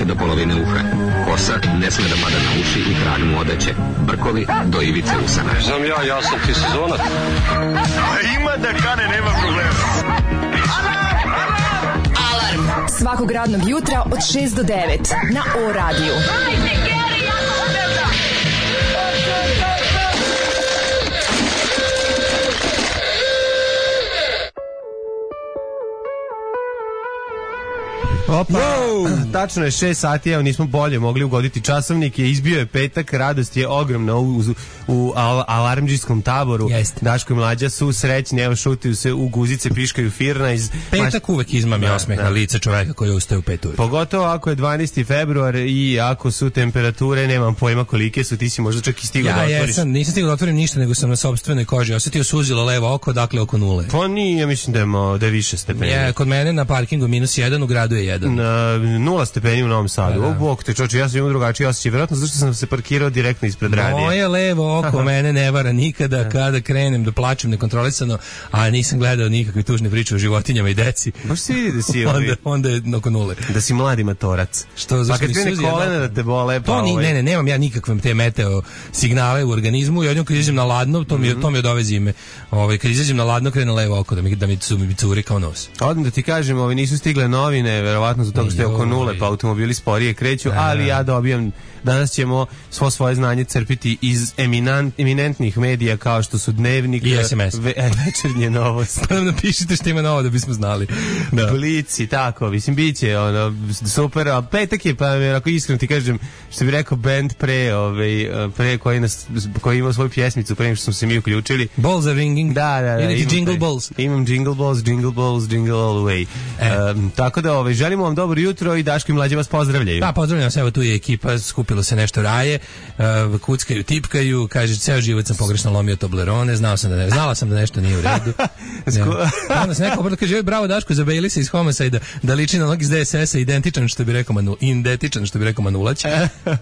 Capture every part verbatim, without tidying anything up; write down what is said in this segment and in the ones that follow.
do polovine uha. Kosa ne sme da pada na uši i trag mu odeće. Brkovi do ivice usana. Znam ja, ja sam ti sezonac. Ima da kane, nema problema. Alarm svakog radnog jutra od šest do devet na O radiju. Opa, wow. Tačno je šest sati, evo nismo bolje mogli ugoditi časovnik, je izbio je petak, radost je ogromna u, u, u al, alarmđijskom taboru. Jeste. Daško i Mlađa su srećni, evo šutiju se u guzice, piškaju firna iz... Petak uvek izmami da, osmeh na lice čoveka koji ustaje u pet ujutru. Pogotovo ako je dvanaesti februar i ako su temperature, nemam pojma kolike su, ti si možda čak i stigao ja, da otvoriš. Ja jesam, nisam stigao da otvorim ništa, nego sam na sopstvenoj koži osetio suzilo levo oko, dakle oko nule. Pa nije, mislim da je, da je više stepeni. Je, kod mene na parkingu minus jedan, u gradu je jedan. Na nula stepeni u Novom Sadu. O, bok te čoče, ja sam imao drugačiji osjećaj. Vjerojatno zašto sam se parkirao direktno ispred radija. Moje levo oko mene ne vara nikada kada krenem da plačem nekontrolisano, a nisam gledao nikakve tužne priče o životinjama i deci. Baš se vidi da si onda, onda je oko nule. Da si mladi matorac. Što, pa kad krene kolena da te bole, pa to ni, ovaj... ne, ne, nemam ja nikakve te meteo signale u organizmu i odjednom kad izađem na ladno, to mi, mm-hmm. to mi od ove zime. Ovaj, kad izađem na ladno, krene levo oko da mi, da mi, su, mi curi kao nos. Odmah da ti kažem, ovi nisu stigle novine, verovatno zbog toga što je oko nule, pa automobili sporije kreću, ali ja dobijam, danas ćemo svo svoje znanje crpiti iz eminent, eminentnih medija kao što su Dnevnik i S M S. Ve, večernje novosti. Pa nam napišite što ima novo da bismo znali. Da. Blici, tako, mislim, bit će ono, super, a petak je, pa ako iskreno ti kažem, što bi rekao band pre, ovaj, pre koji, nas, koji ima svoju pjesmicu, pre što smo se mi uključili. Balls are ringing. Da, da, da. Ili Imam jingle taj, balls. Imam jingle balls, jingle balls, jingle all the way. E. Um, tako da, ovaj, želimo vam dobro jutro i Daško i Mlađe vas pozdravljaju. Da, pozdravljam se, evo tu je ekipa, skupilo se nešto raje, uh, kuckaju, tipkaju, kaže, ceo život sam pogrešno lomio Toblerone, znao sam da ne, znala sam da nešto nije u redu. Onda se neko kaže, bravo Daško, zabejili se iz Homicide, da liči na onog iz D S S-a, identičan što bi rekao Manu, indetičan što bi rekao Manulać.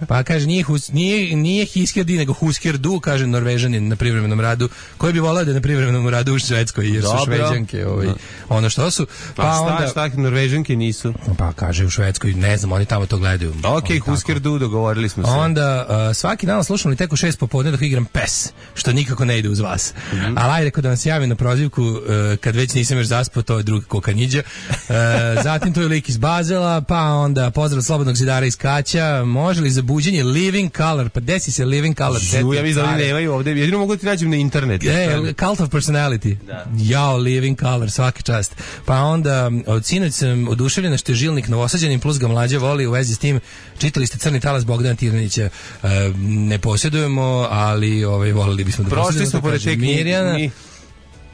Pa kaže, nije, hus, nije, nije Hiskjerdi, nego Huskjerdu, kaže Norvežanin na privremenom radu, koji bi volao da je na privremenom radu u Švedskoj, jer su Šveđanke, ovaj, ono što su. Pa, pa onda, šta, šta, Norvežanke nisu? Pa kaže u Švedskoj, ne znam, oni tamo to gledaju. Ok, Huskjerdu, dogovorili smo se. Onda uh, svaki dan slušam li tek u šest popodne dok igram pes, što nikako ne ide uz vas. Mm-hmm. Ali ajde kod da vam se javim na prozivku, uh, kad već nisam još zaspao, to je drugi kokanjiđa. Uh, zatim tu je lik iz Bazela, pa onda pozdrav Slobodnog zidara iz Kaća. Može li za buđenje Living Color? Pa desi se Living Color. Žu, ja vidim da oni nemaju ovde. Jedino mogu da ti nađem na internetu. E, Cult of Personality. Da. Jao, Living Color, svaki čast. Pa onda od sinoć sam oduševljena što je Žilnik Novosađanin plus ga Mlađa voli u vezi s tim. Čitali ste Crni talas Bogdana Tirnića. Uh, ne posjedujemo, ali ovaj, volili bismo da posjedujemo. Prošli smo pored te knjige.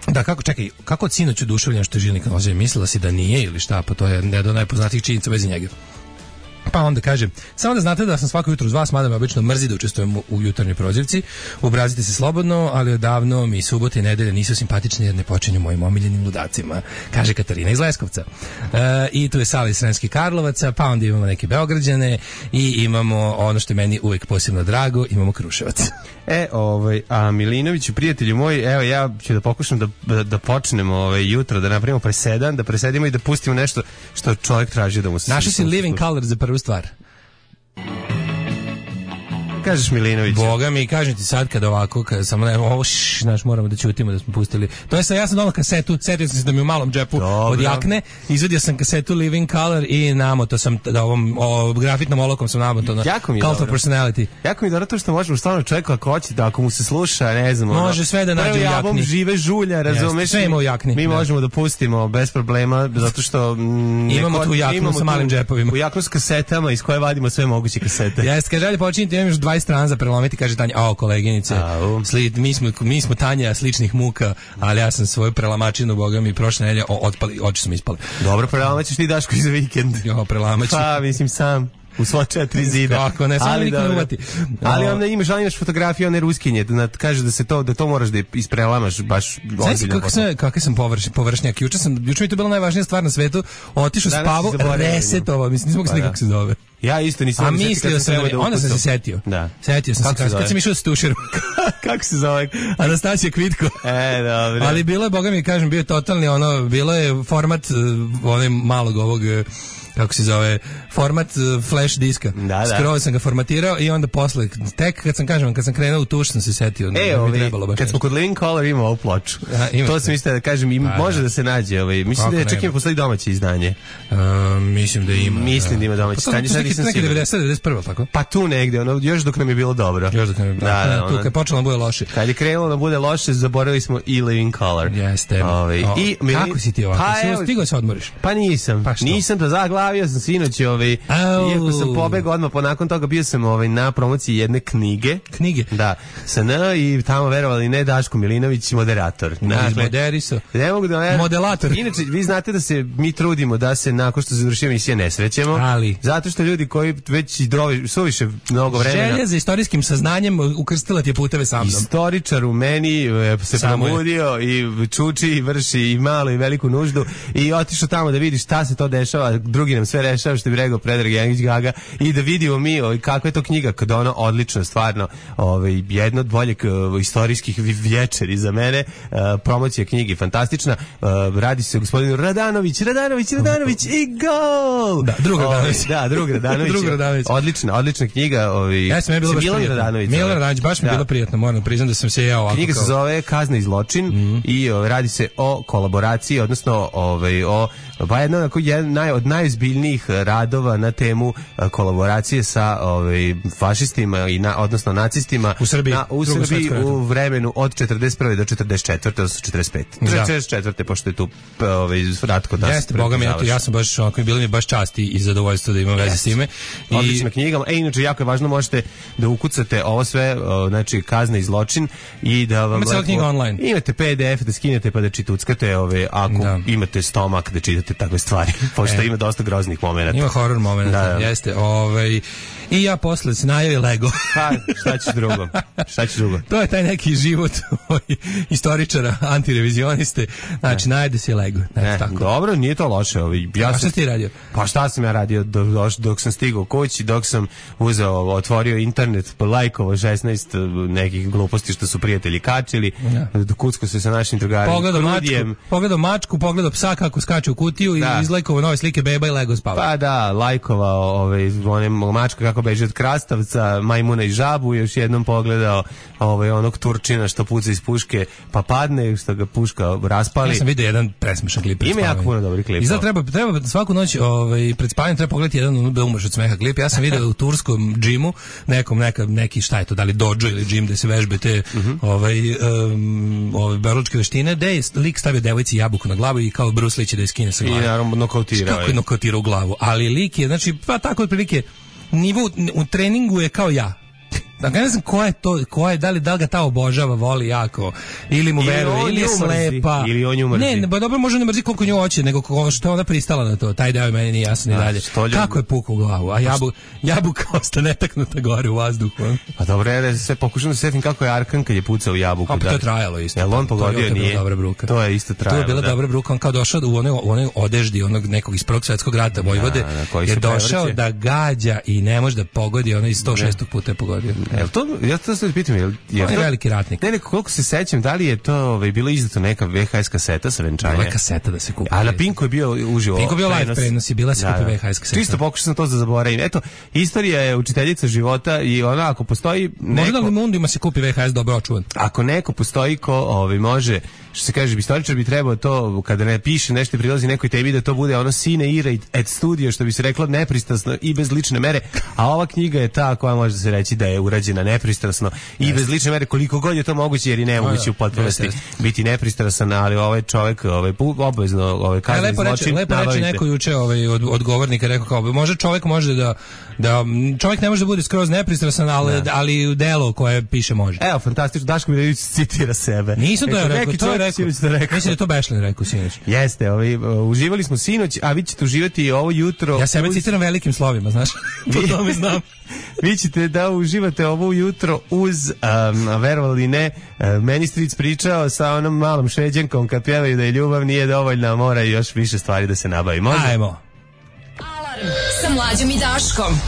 Da, kako, čekaj, kako od sinoć oduševljen što je Žilnik Novosađanin? Mislila si da nije ili šta? Pa to je ne do najpoznatijih činjenica u vezi njega. Pa onda kaže, samo da znate da sam svako jutro uz vas, mada me obično mrzi da učestvujem u, u jutarnjoj prozivci, obrazite se slobodno, ali odavno mi subote i nedelje nisu simpatične jer ne počinju mojim omiljenim ludacima, kaže Katarina iz Leskovca. E, I tu je Sala iz Sremskih Karlovaca, pa onda imamo neke Beograđane i imamo ono što je meni uvek posebno drago, imamo Kruševac. E, ovaj, a Milinoviću, prijatelju moj, evo ja ću da pokušam da, da, da počnemo ovaj, jutro, da napravimo presedan, da presedimo i da pustimo nešto što čovjek traži da mu se... Našao si Living Color za prvu stvar. Kažeš Milinović. Boga mi, kažem ti sad kad ovako, kad samo ne, ovo šš, znaš, moramo da ćutimo da smo pustili. To je sad, ja sam donao kasetu, setio sam se da mi u malom džepu od jakne, izvadio sam kasetu Living Color i namoto sam, da ovom o, grafitnom olokom sam namoto na Cult of Personality. Jako mi je dobro to što možemo stvarno čovjeku ako hoće da ako mu se sluša, ne znam. Može ono, sve da nađe u jakni. Prvi žive žulja, razumeš? Sve ima u jakni. Mi da. možemo da pustimo bez problema, zato što... Mm, imamo neko, tu jaknu sa malim džepovima. U jaknu s kasetama iz koje vadimo sve moguće kasete. Jeste, kaže, ajde počinite, imam još dvadeset strana za prelomiti, kaže Tanja, ao koleginice, sli, mi, smo, mi smo Tanja sličnih muka, ali ja sam svoju prelamačinu, boga mi, prošle nedelje otpali, oči su mi ispale. Dobro, prelamaćeš ti Daško iz vikend. Jo, prelamaću. Pa, mislim sam. U sva četiri zida. Kako ne, samo niko ne uvati. Ali onda imaš, ali imaš fotografiju one ruskinje, da kaže da se to, da to moraš da isprelamaš baš ozbiljno. Kako sam, kako sam površ, površnjak. Juče sam, juče mi to bila najvažnija stvar na svetu. Otišao spavao, resetovao, mislim, nisam mogu se nikako se zove. Ja isto nisam. A mislio sam, da, onda sam se setio. Da. Setio sam se, kad sam išao s tušerom. Kako se zove? Anastasija Kvitko. E, dobro. Ali bilo je, boga mi kažem, bio totalni ono, bilo je format onaj malog ovog kako se zove, format uh, flash diska. Da, da. Skroz sam ga formatirao i onda posle, tek kad sam, kažem, kad sam krenuo u tuš sam se setio. E, da ovi, kad nešto. Smo kod Living Color ima ovu ploču. A, to sam mislio da kažem, im, pa, može da. da se nađe. Ovaj. Mislim Kako da je čak ima postoji domaće izdanje. Uh, mislim da ima. Mislim da ima domaće izdanje. Pa to je neki devedeset devedeset prva, tako? Pa tu negde, ono, još dok nam je bilo dobro. Još dok nam je bilo da, da, da, tu kad je počelo da bude loše. Kad je krenulo da bude loše, zaboravili smo i Living Color. Jeste. Ove, o, i, kako si ti ovako? Pa, si stigao se odmoriš? Pa nisam. Pa nisam da zaglavio sam sinoć, ovaj, iako sam pobegao odmah, po nakon toga bio sam ovaj, na promociji jedne knjige. Knjige? Da. Sa N i tamo, verovali ne, Daško Milinović, moderator. Moderiso. Ne mogu da verujem. Modelator. Inače, vi znate da se mi trudimo da se nakon što završi emisija ne srećemo. Ali. Zato što ljudi koji već drovi, suviše mnogo vremena. Želja za istorijskim saznanjem ukrstila ti je puteve sa mnom. Istoričar u meni se probudio i čuči i vrši i malu i veliku nuždu i otišao tamo da vidi šta se to dešava, drugi nam sve rešava, što bi rekao Predrag Janjić Gaga, i da vidimo mi ovaj, kakva je to knjiga, kada ona odlično, stvarno, ovaj, jedna od boljeg uh, istorijskih vječeri za mene, uh, promocija knjigi fantastična, uh, radi se o gospodinu Radanović, Radanović, Radanović i gol! Da, drug Radanović. Da, drug Radanović. drug Radanović. Odlična, odlična knjiga. Ovaj, ja sam je bilo baš Milan prijatno. Radanović. Milan Radanović, baš mi je da. bilo prijatno, moram priznam da sam se ja ovako. Knjiga kao... se zove Kazna i zločin mm-hmm. i o, radi se o kolaboraciji, odnosno ovaj, o pa jedno onako, jedan naj, od najozbiljnijih radova na temu a, kolaboracije sa ovaj, fašistima, i na, odnosno nacistima u Srbiji, na, u, Srbiji u vremenu od četrdeset prve do četrdeset četvrte, odnosno četrdeset pete. četrdeset četvrte pošto je tu ovaj, rat kod nas. Jeste, boga mi, ja sam baš, onako, bilo mi baš čast i zadovoljstvo da imam veze s time. I... Odlična knjiga. E, inače, jako je važno, možete da ukucate ovo sve, o, znači, Kazna i zločin, i da vam... Imate knjiga online. Imate P D F da skinete pa da čituckate, ove, ako da. imate stomak da čitate takve stvari, pošto e. ima dosta groznih momenata. Ima horror momenata, da, da. Jeste. Ovaj, I ja posle se najavi Lego. Pa, šta ćeš drugo? Šta ćeš drugo? To je taj neki život istoričara, antirevizioniste. Znači, ne. najde se Lego. Ne, tako. Dobro, nije to loše. Ovaj. Ja A šta ti radio? Pa šta sam ja radio dok, dok sam stigao kući, dok sam uzeo, otvorio internet, lajkovo šesnaest nekih gluposti što su prijatelji kačili, ja. kucko se sa našim drugarima. Pogledao mačku, pogledao mačku, pogledao psa kako skače u kutiju da. i izlajkovao nove slike beba i Lego spava. Pa da, lajkovao ove, one mačka kako beže od krastavca, majmuna i žabu, još jednom pogledao ovaj, onog Turčina što puca iz puške pa padne, što ga puška raspali. Ja sam vidio jedan presmešan klip. Ima jako puno dobrih klipova. I zato treba, treba svaku noć ovaj, pred spavanjem treba pogledati jedan da umreš od smeha klip. Ja sam vidio u turskom džimu, nekom, neka, neki šta je to, da li dođo ili džim da se vežbe te uh-huh. ovaj, um, ove berlučke veštine, da je lik stavio devojci jabuku na glavu i kao Bruce Lee će da je skine sa glave. I naravno nokautirao. Kako je nokautirao u glavu. Ali lik je, znači, pa tako otprilike nivo u treningu je kao ja. Dakle, ne znam ko je to, ko je, da li, da li ga ta obožava, voli jako, ili mu veruje, ili je slepa. Ili on nju mrzi. Ne, ne, ba dobro, može ne mrzi koliko nju hoće, nego ko, što je ona pristala na to. Taj deo je meni nije jasan i dalje. Kako je pukao u glavu, a jabu, jabuka ostane netaknuta gore u vazduhu. Pa dobro, ja se pokušam da se setim kako je Arkan kad je pucao u jabuku. A pa to je trajalo isto. Jel on pogodio, to, nije? Dobra bruka. To je isto trajalo. To je bila da. dobra bruka, on kao došao u onoj, onoj odeždi onog nekog iz Prvog svjetskog rata Vojvode, da, je došao da gađa i ne može da pogodi, ono iz sto šestog puta je pogodio. Jel to, ja to se pitam, jel, jel on je veliki ratnik. Ne, neko, koliko se sećam, da li je to ovaj, bilo izdato neka V H S kaseta sa venčanja? Bila je kaseta da se kupi. A na Pinku je bio uživo. Pinku je bio live prenos i bila se da, kupi V H S kaseta. Čisto pokušao sam to da zaboravim. Eto, istorija je učiteljica života i ona ako postoji neko... Možda li Mundima se kupi V H S dobro očuvan? Ako neko postoji ko ovaj, može, što se kaže, istoričar bi trebao to, kada ne piše nešto prilazi nekoj tebi, da to bude ono sine ira et studio, što bi se reklo nepristrasno i bez lične mere, a ova knjiga je ta koja može se reći da je urađena nepristrasno i yes. bez lične mere, koliko god je to moguće, jer i nemoguće u potpunosti yes, yes. biti nepristrasan, ali ovaj čovjek ovaj, obavezno ovaj, kazni lepo zločin. Reče, lepo reče neko juče ovaj, od, od govornika, rekao kao, može čovjek može da, da, čovjek ne može da bude skroz nepristrasan, ali, da. ali delo koje piše može. Evo, fantastično, Daško Milinović citira sebe. Nisam to ja rekao, to je rekao. rekao. Mislim da to Bešlin rekao sinoć. Jeste, ovaj, uživali smo sinoć, a vi ćete uživati ovo jutro. Ja sebe uz... citiram velikim slovima, znaš, po tome znam. Vi ćete da uživate ovo jutro uz, um, verovali ne, uh, meni stric pričao sa onom malom Šveđankom kad pjevaju da je ljubav nije dovoljna, mora još više stvari da se nabavi. Može? Ajmo. Alarm sa Mlađom i Daškom.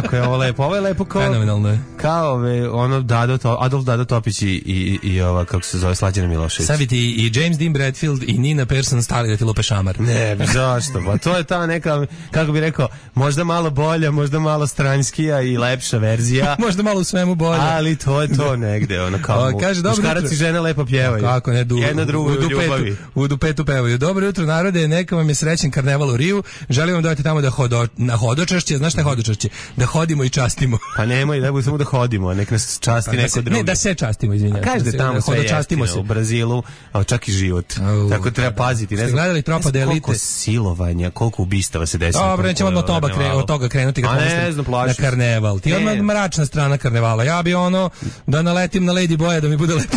Kako je ovo lepo? Ovo je lepo kao... Fenomenalno je. Kao ove, ono Dado, to, Adolf Dado Topić i, i, i ova, kako se zove, Slađana Milošević. Sad bi ti i James Dean Bradfield i Nina Persson stali da ti lupe šamar. Ne, zašto? Pa to je ta neka, kako bi rekao, možda malo bolja, možda malo stranjskija i lepša verzija. Možda malo u svemu bolje. Ali to je to negde, ono kao o, kaže, muškarac i žena lepo pjevaju. Kako ne, du, jedna drugu u dupetu, ljubavi. U dupetu pevaju. Dobro jutro narode, neka vam je srećen karneval u Riju. Želim vam da odete tamo da hodo, na hodočašće, znaš šta je hodočašće? Da hodimo i častimo. Pa nemoj, da budemo samo da hodimo, nek nas časti pa, neko se, drugi. Ne, da se častimo, izvinjam. Kaže da tamo sve jeftino, u Brazilu, a čak i život. Uh, Tako treba da, paziti. Ne znam, gledali Tropa de Elite? Koliko silovanja, koliko ubistava se desi. Dobro, nećemo odmah toga, kre, od toga krenuti kad pomislim na karneval. Ti odmah mračna strana karnevala. Ja bi ono da naletim na Lady Boya da mi bude lepo.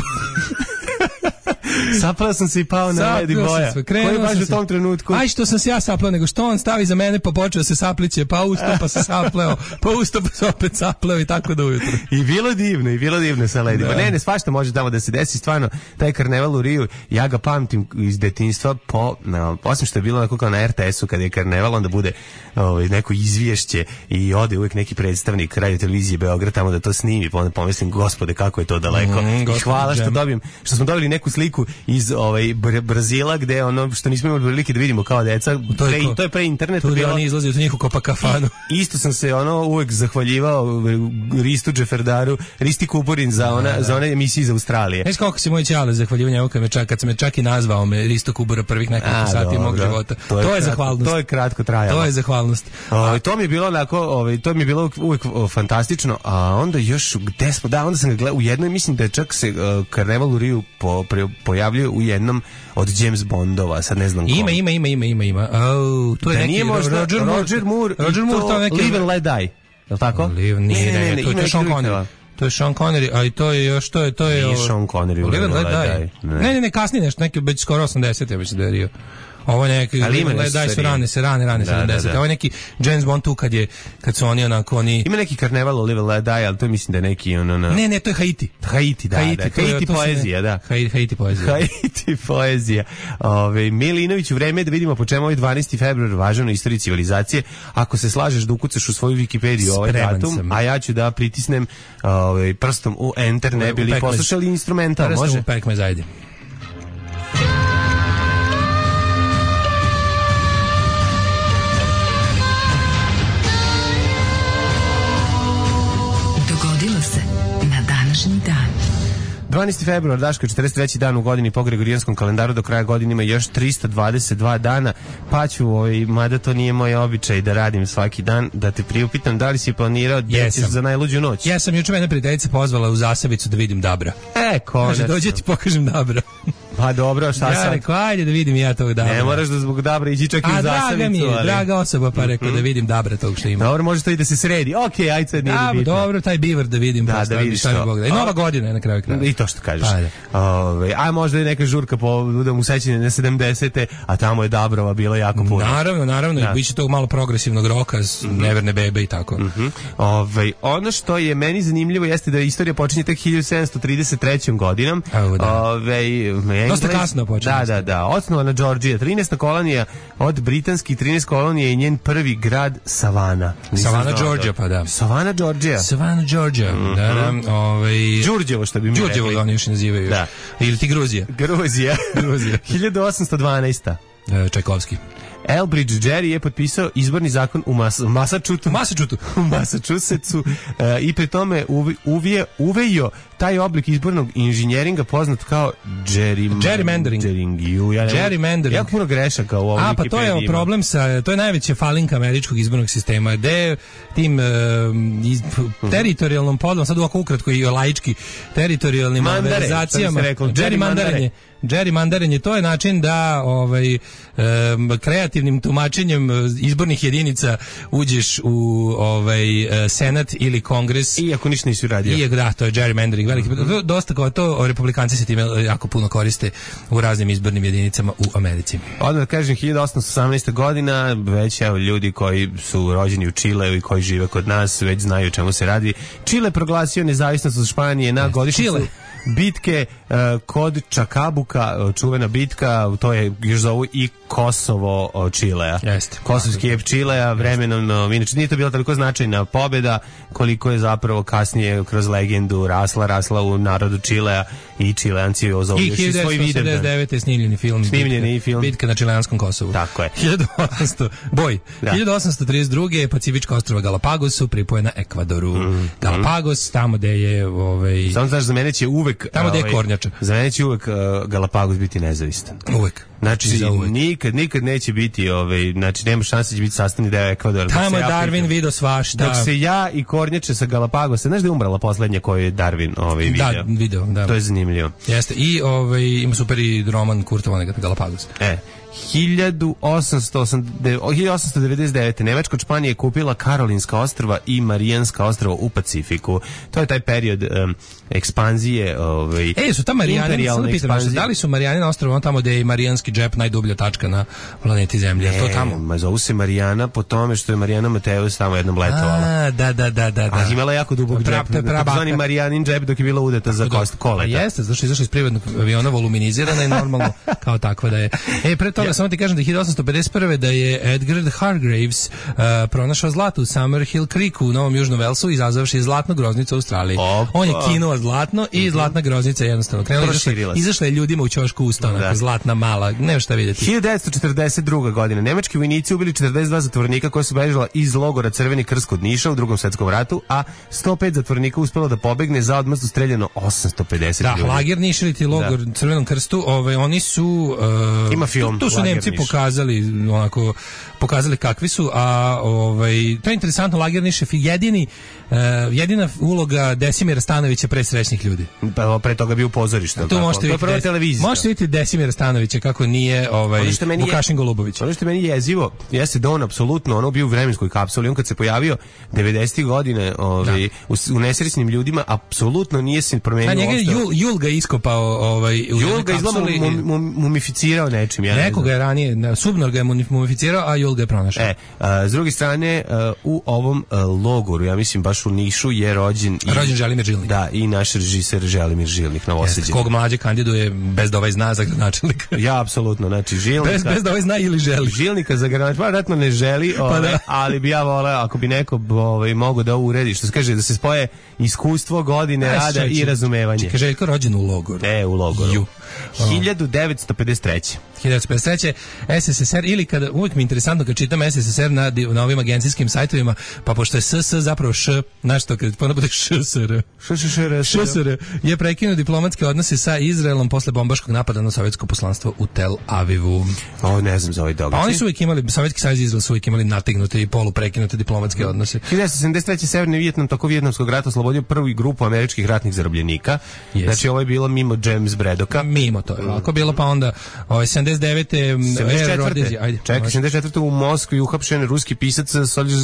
Saplao sam se i pao na Lady Boya. Koji baš u tom trenutku? Aj što sam se ja saplao, nego što on stavi za mene pa počeo se sapliće, pa usto pa se sapleo, pa usto pa se opet sapleo i tako do ujutro. I bilo divno, i bilo divno sa Lady Boy. Ne, ne, svašta može tamo da se desi, stvarno, taj karneval u Riju, ja ga pamtim iz detinjstva, po, no, osim što je bilo onako kao na er te esu kada je karneval, onda bude ovaj, neko izvješće i ode uvijek neki predstavnik radio televizije Beograd tamo da to snimi, pa onda pomislim, gospode, kako je to daleko. Mm, I hvala što dobijem, što smo dobili neku sliku iz ovaj Br- Brazila gde ono što nismo imali prilike da vidimo kao deca, to je, pre, to je pre interneta bilo. Oni izlazi u njihovu Copacabanu. Isto sam se ono uvek zahvaljivao Ristu Džeferdaru, Risti Kuburin za ona da, za one emisije iz Australije. Znaš kako se moj ćale zahvaljivao njemu kad me čak kad se me čak i nazvao me Risto Kubura prvih nekoliko sati mog života. To je, to je zahvalnost. To je kratko trajalo. To je zahvalnost. O, to mi je bilo onako, ovaj to mi je bilo uvek o, fantastično, a onda još gde smo, da, onda sam ga gledao u jednoj, mislim da je čak se uh, karneval u Riju po, pre, pojavljuje u jednom od James Bondova, sad ne znam kom. Ima, ima, ima, ima, ima, ima. Oh, to je da neki nije možda Roger Moore. Roger Moore, Roger Moore to neki Live and Let Die. Je li tako? Live, nije, ne, ne, ne, to je Sean Connery. To je Sean Connery, a i to je još, to je, to je... Nije Sean Connery, Live and Let Die. Ne, ne, ne, kasnije nešto, neki već skoro osamdeset, ja mislim da je Rio. Ovo je neki, daj su rane, se rane, rane, da, sedamdesete. Da, da. Ovo je neki James Bond tu kad je, kad su oni onako, oni... Ima neki karneval o Live and Let Die, ali to mislim da je neki, ono, na... Ne, ne, to je Haiti. Haiti, da, Haiti, da. Haiti poezija, da. Haiti poezija. Haiti poezija. Ove, Milinović, u vreme da vidimo po čemu ovaj dvanaesti februar važan u istoriji civilizacije. Ako se slažeš da ukucaš u svoju Wikipediju ovaj datum, sam. A ja ću da pritisnem ovaj, prstom u enter, ne bili poslušali instrumental, može? Prstom u pekme zajdi. dvanaesti februar, Daško, četrdeset treći dan u godini po gregorijanskom kalendaru, do kraja godine ima još tristo dvadeset dva dana, pa ću, ovaj, mada to nije moj običaj da radim svaki dan, da te priupitam da li si planirao da ćeš za najluđu noć. Ja sam juče mene prijateljica pozvala u Zasavicu da vidim Dabra. E, konačno. Kaže, dođe ti pokažem Dabra. Pa dobro, šta ja sad? Ja rekao, ajde da vidim ja tog Dabra. Ne moraš da zbog Dabra ići čak i u Zasavicu. A draga mi je, ali... draga osoba, pa rekao mm-hmm. da vidim Dabra tog što ima. Dobro, može to i da se sredi. Okej, okay, ajde sad nije da, bitno. Dobro, taj bivar da vidim. Da, da vidiš to. I nova godina je na kraju kraja. I to što kažeš. Ove, a možda je neka žurka po da mu sećanje na sedamdesete, a tamo je Dabrova bila jako puno. Naravno, naravno, da. Biće tog malo progresivnog roka, mm-hmm. neverne bebe i tako. Mm-hmm. Ove, ono što je meni zanimljivo jeste da istorija počinje tek hiljadu sedamsto trideset trećom godinom. Evo, da. Ove, Engles, dosta kasno počinje. Da, da, da. Osnovana Georgija, trinaesta kolonija od britanskih trinaest kolonija i njen prvi grad Savana. Savana, Georgia, pa da. Savana, Georgia. Savana, Georgia. Mm-hmm. Da, da, ovaj Đurđevo, što bi mi Đurđevo rekli. Oni još nazivaju. Da. Ili ti Gruzija. Gruzija. Gruzija. hiljadu osamsto dvanaesta. E, Čajkovski. Elbridge Gerry je potpisao izborni zakon u Mas- Massachusettsu, Massachusettsu. u Massachusettsu e, i pri tome uvi, uvije, uvejo taj oblik izbornog inženjeringa poznat kao gerrym- gerrymandering. Ja gerrymandering. Jako puno grešaka u ovom. A, pa to je problem sa, to je najveća falinka američkog izbornog sistema, gde tim uh, iz, teritorijalnom podlom, sad ovako ukratko i laički, teritorijalnim malverzacijama, gerrymandarenje. Gerrymandarenje, to je način da ovaj, um, kreativnim tumačenjem izbornih jedinica uđeš u ovaj, senat ili kongres. Iako ništa nisi uradio. I, da, to je gerrymandering. Veliki, mm-hmm. Dosta kao to, republikanci se time jako puno koriste u raznim izbornim jedinicama u Americi. Odmah da kažem, hiljadu osamsto osamnaesta godina, već evo, ljudi koji su rođeni u Čileu i koji žive kod nas već znaju o čemu se radi. Čile proglasio nezavisnost od Španije na godišnjicu bitke uh, kod Čakabuka, čuvena bitka, to je još zovu i Kosovo Čilea. Jeste. Kosovski ep Čilea, vremenom, no, inače nije to bila toliko značajna pobjeda koliko je zapravo kasnije kroz legendu rasla, rasla u narodu Čilea i Čileanci je ozovljaju svoj hiljadu devetsto osamdeset devete. snimljeni film. Snimljeni bitka, film. Bitka na Čileanskom Kosovu. Tako je. hiljadu osamsto Boj. Da. hiljadu osamsto trideset druge. Pacifička ostrva Galapagosu pripojena Ekvadoru. Mm. Galapagos, tamo gde je... Ovaj, samo znaš, za mene će uvek... Tamo gde je ovaj, kornjača. Za mene će uvek uh, Galapagos biti nezavistan. Uvek. Znači, nikad, nikad neće biti, ovaj, znači, nema šanse da će biti sastavni deo Ekvadora. Tamo je Darwin vidio svašta. Dok se ja i kornjače sa Galapagosa, znaš da je umrla poslednja koju je Darwin ovaj, vidio? Da, video, da. To je zanimljivo. Jeste, i ovaj, ima super i roman Kurta Vonnegut Galapagos. E, hiljadu osamsto devedeset devete. Nemačka od Španije je kupila Karolinska ostrva i Marijanska ostrva u Pacifiku. To je taj period um, ekspanzije, ovaj, e, su ta Marijane, da li su Marijanina ostrva tamo gde je Marijanski džep najdublja tačka na planeti Zemlje? Ne, to tamo? Ma zovu se Marijana po tome što je Marijana Mateus tamo jednom letovala. A, da, da, da, da. A imala jako dubog džep, takozvani Marijanin džep dok je bila udeta za kost koleta. Jeste, zašto je izašla iz privatnog aviona voluminizirana i normalno kao takva da je. E, pre toga ja. samo ti kažem da je hiljadu osamsto pedeset prve da je Edgar Hargreaves uh, pronašao zlato u Summerhill Creeku u Novom Južnom Velsu, izazvavši zlatnu groznicu u Australiji. Opa. On je kinuo zlatno i mm-hmm. zlatna groznica jednostavno krenula. Izašla je ljudima u ćošku usta, onako zlatna mala, nema šta vidjeti. hiljadu devetsto četrdeset druga. godina. Nemački vojnici ubili četrdeset dva zatvornika koji su bežala iz logora Crveni krst kod Niša u Drugom svetskom ratu, a sto pet zatvornika uspelo da pobegne, za odmazdu streljano osamsto pedeset da, ljudi. Da, lager Niš ili ti logor da. Crvenom krstu, ovaj, oni su... Uh, Ima film. Tu, tu su Nemci Niš. pokazali, onako, pokazali kakvi su, a ovaj, to je interesantno, lager Niš je jedini, uh, jedina uloga Desimira Stanovića pre srećnih ljudi. Pa pre toga bio u pozorištu. Tu možete vidjeti, des, možete vidjeti Desimira Stanovića kako nije ovaj, Vukašin Golubović. Ono što meni jezivo, jeste da on apsolutno ono bio u vremenskoj kapsuli, on kad se pojavio devedesetih godine ovaj, u, u nesrećnim ljudima, apsolutno nije se promenio. A njega je Jul, Jul ga iskopao ovaj, u Jul ga izgleda mum, mum, mumificirao nečim. Ja Nekoga je ranije, Subnor ga je mumificirao, a Jul ga je pronašao. E, a, s druge strane, a, u ovom a, logoru, ja mislim baš u Nišu, je rođen... I, rođen Želimir Žilnik. Da, i naš režiser Želimir Žilnik, novosađen. Kog mlađe kandiduje bez da ovaj zna za gradonačelnika. Ja, apsolutno, znači Žilnika... Bez, bez da ovaj zna ili želi. Žilnika za gradonačelnika, pa vratno ne želi, ove, pa da. Ali bi ja voleo, ako bi neko ovaj, mogo da uredi, što se kaže, da se spoje iskustvo, godine Aj, rada i razumevanje. Čekaj, Željko rođen u logoru. E, u logoru. Ju. hiljadu devetsto pedeset treće. hiljadu devetsto pedeset treće. es es es er, ili kada, uvijek mi je interesantno kad čitam es es es er na, na ovim agencijskim sajtovima, pa pošto je es es zapravo š, znaš to, kad ponad bude š s r. š š š r. š s r je prekinuo diplomatske odnose sa Izraelom posle bombaškog napada na sovjetsko poslanstvo u Tel Avivu. O, ne znam za ovaj događaj. Pa oni su uvijek imali, Sovjetski savez i Izrael su uvijek imali nategnute i poluprekinute diplomatske odnose. hiljadu devetsto sedamdeset treće. Severni Vijetnam toko Vijetnamskog rata oslobodio prvu grupu američkih ratnih zarobljenika. Yes. Znači ovo je bilo mimo James Bradocka. Mimo to je ovako bilo, pa onda ovaj sedamdeset devete. Ajde. Čekaj, sedamdeset četvrte. u Moskvi uhapšen ruski pisac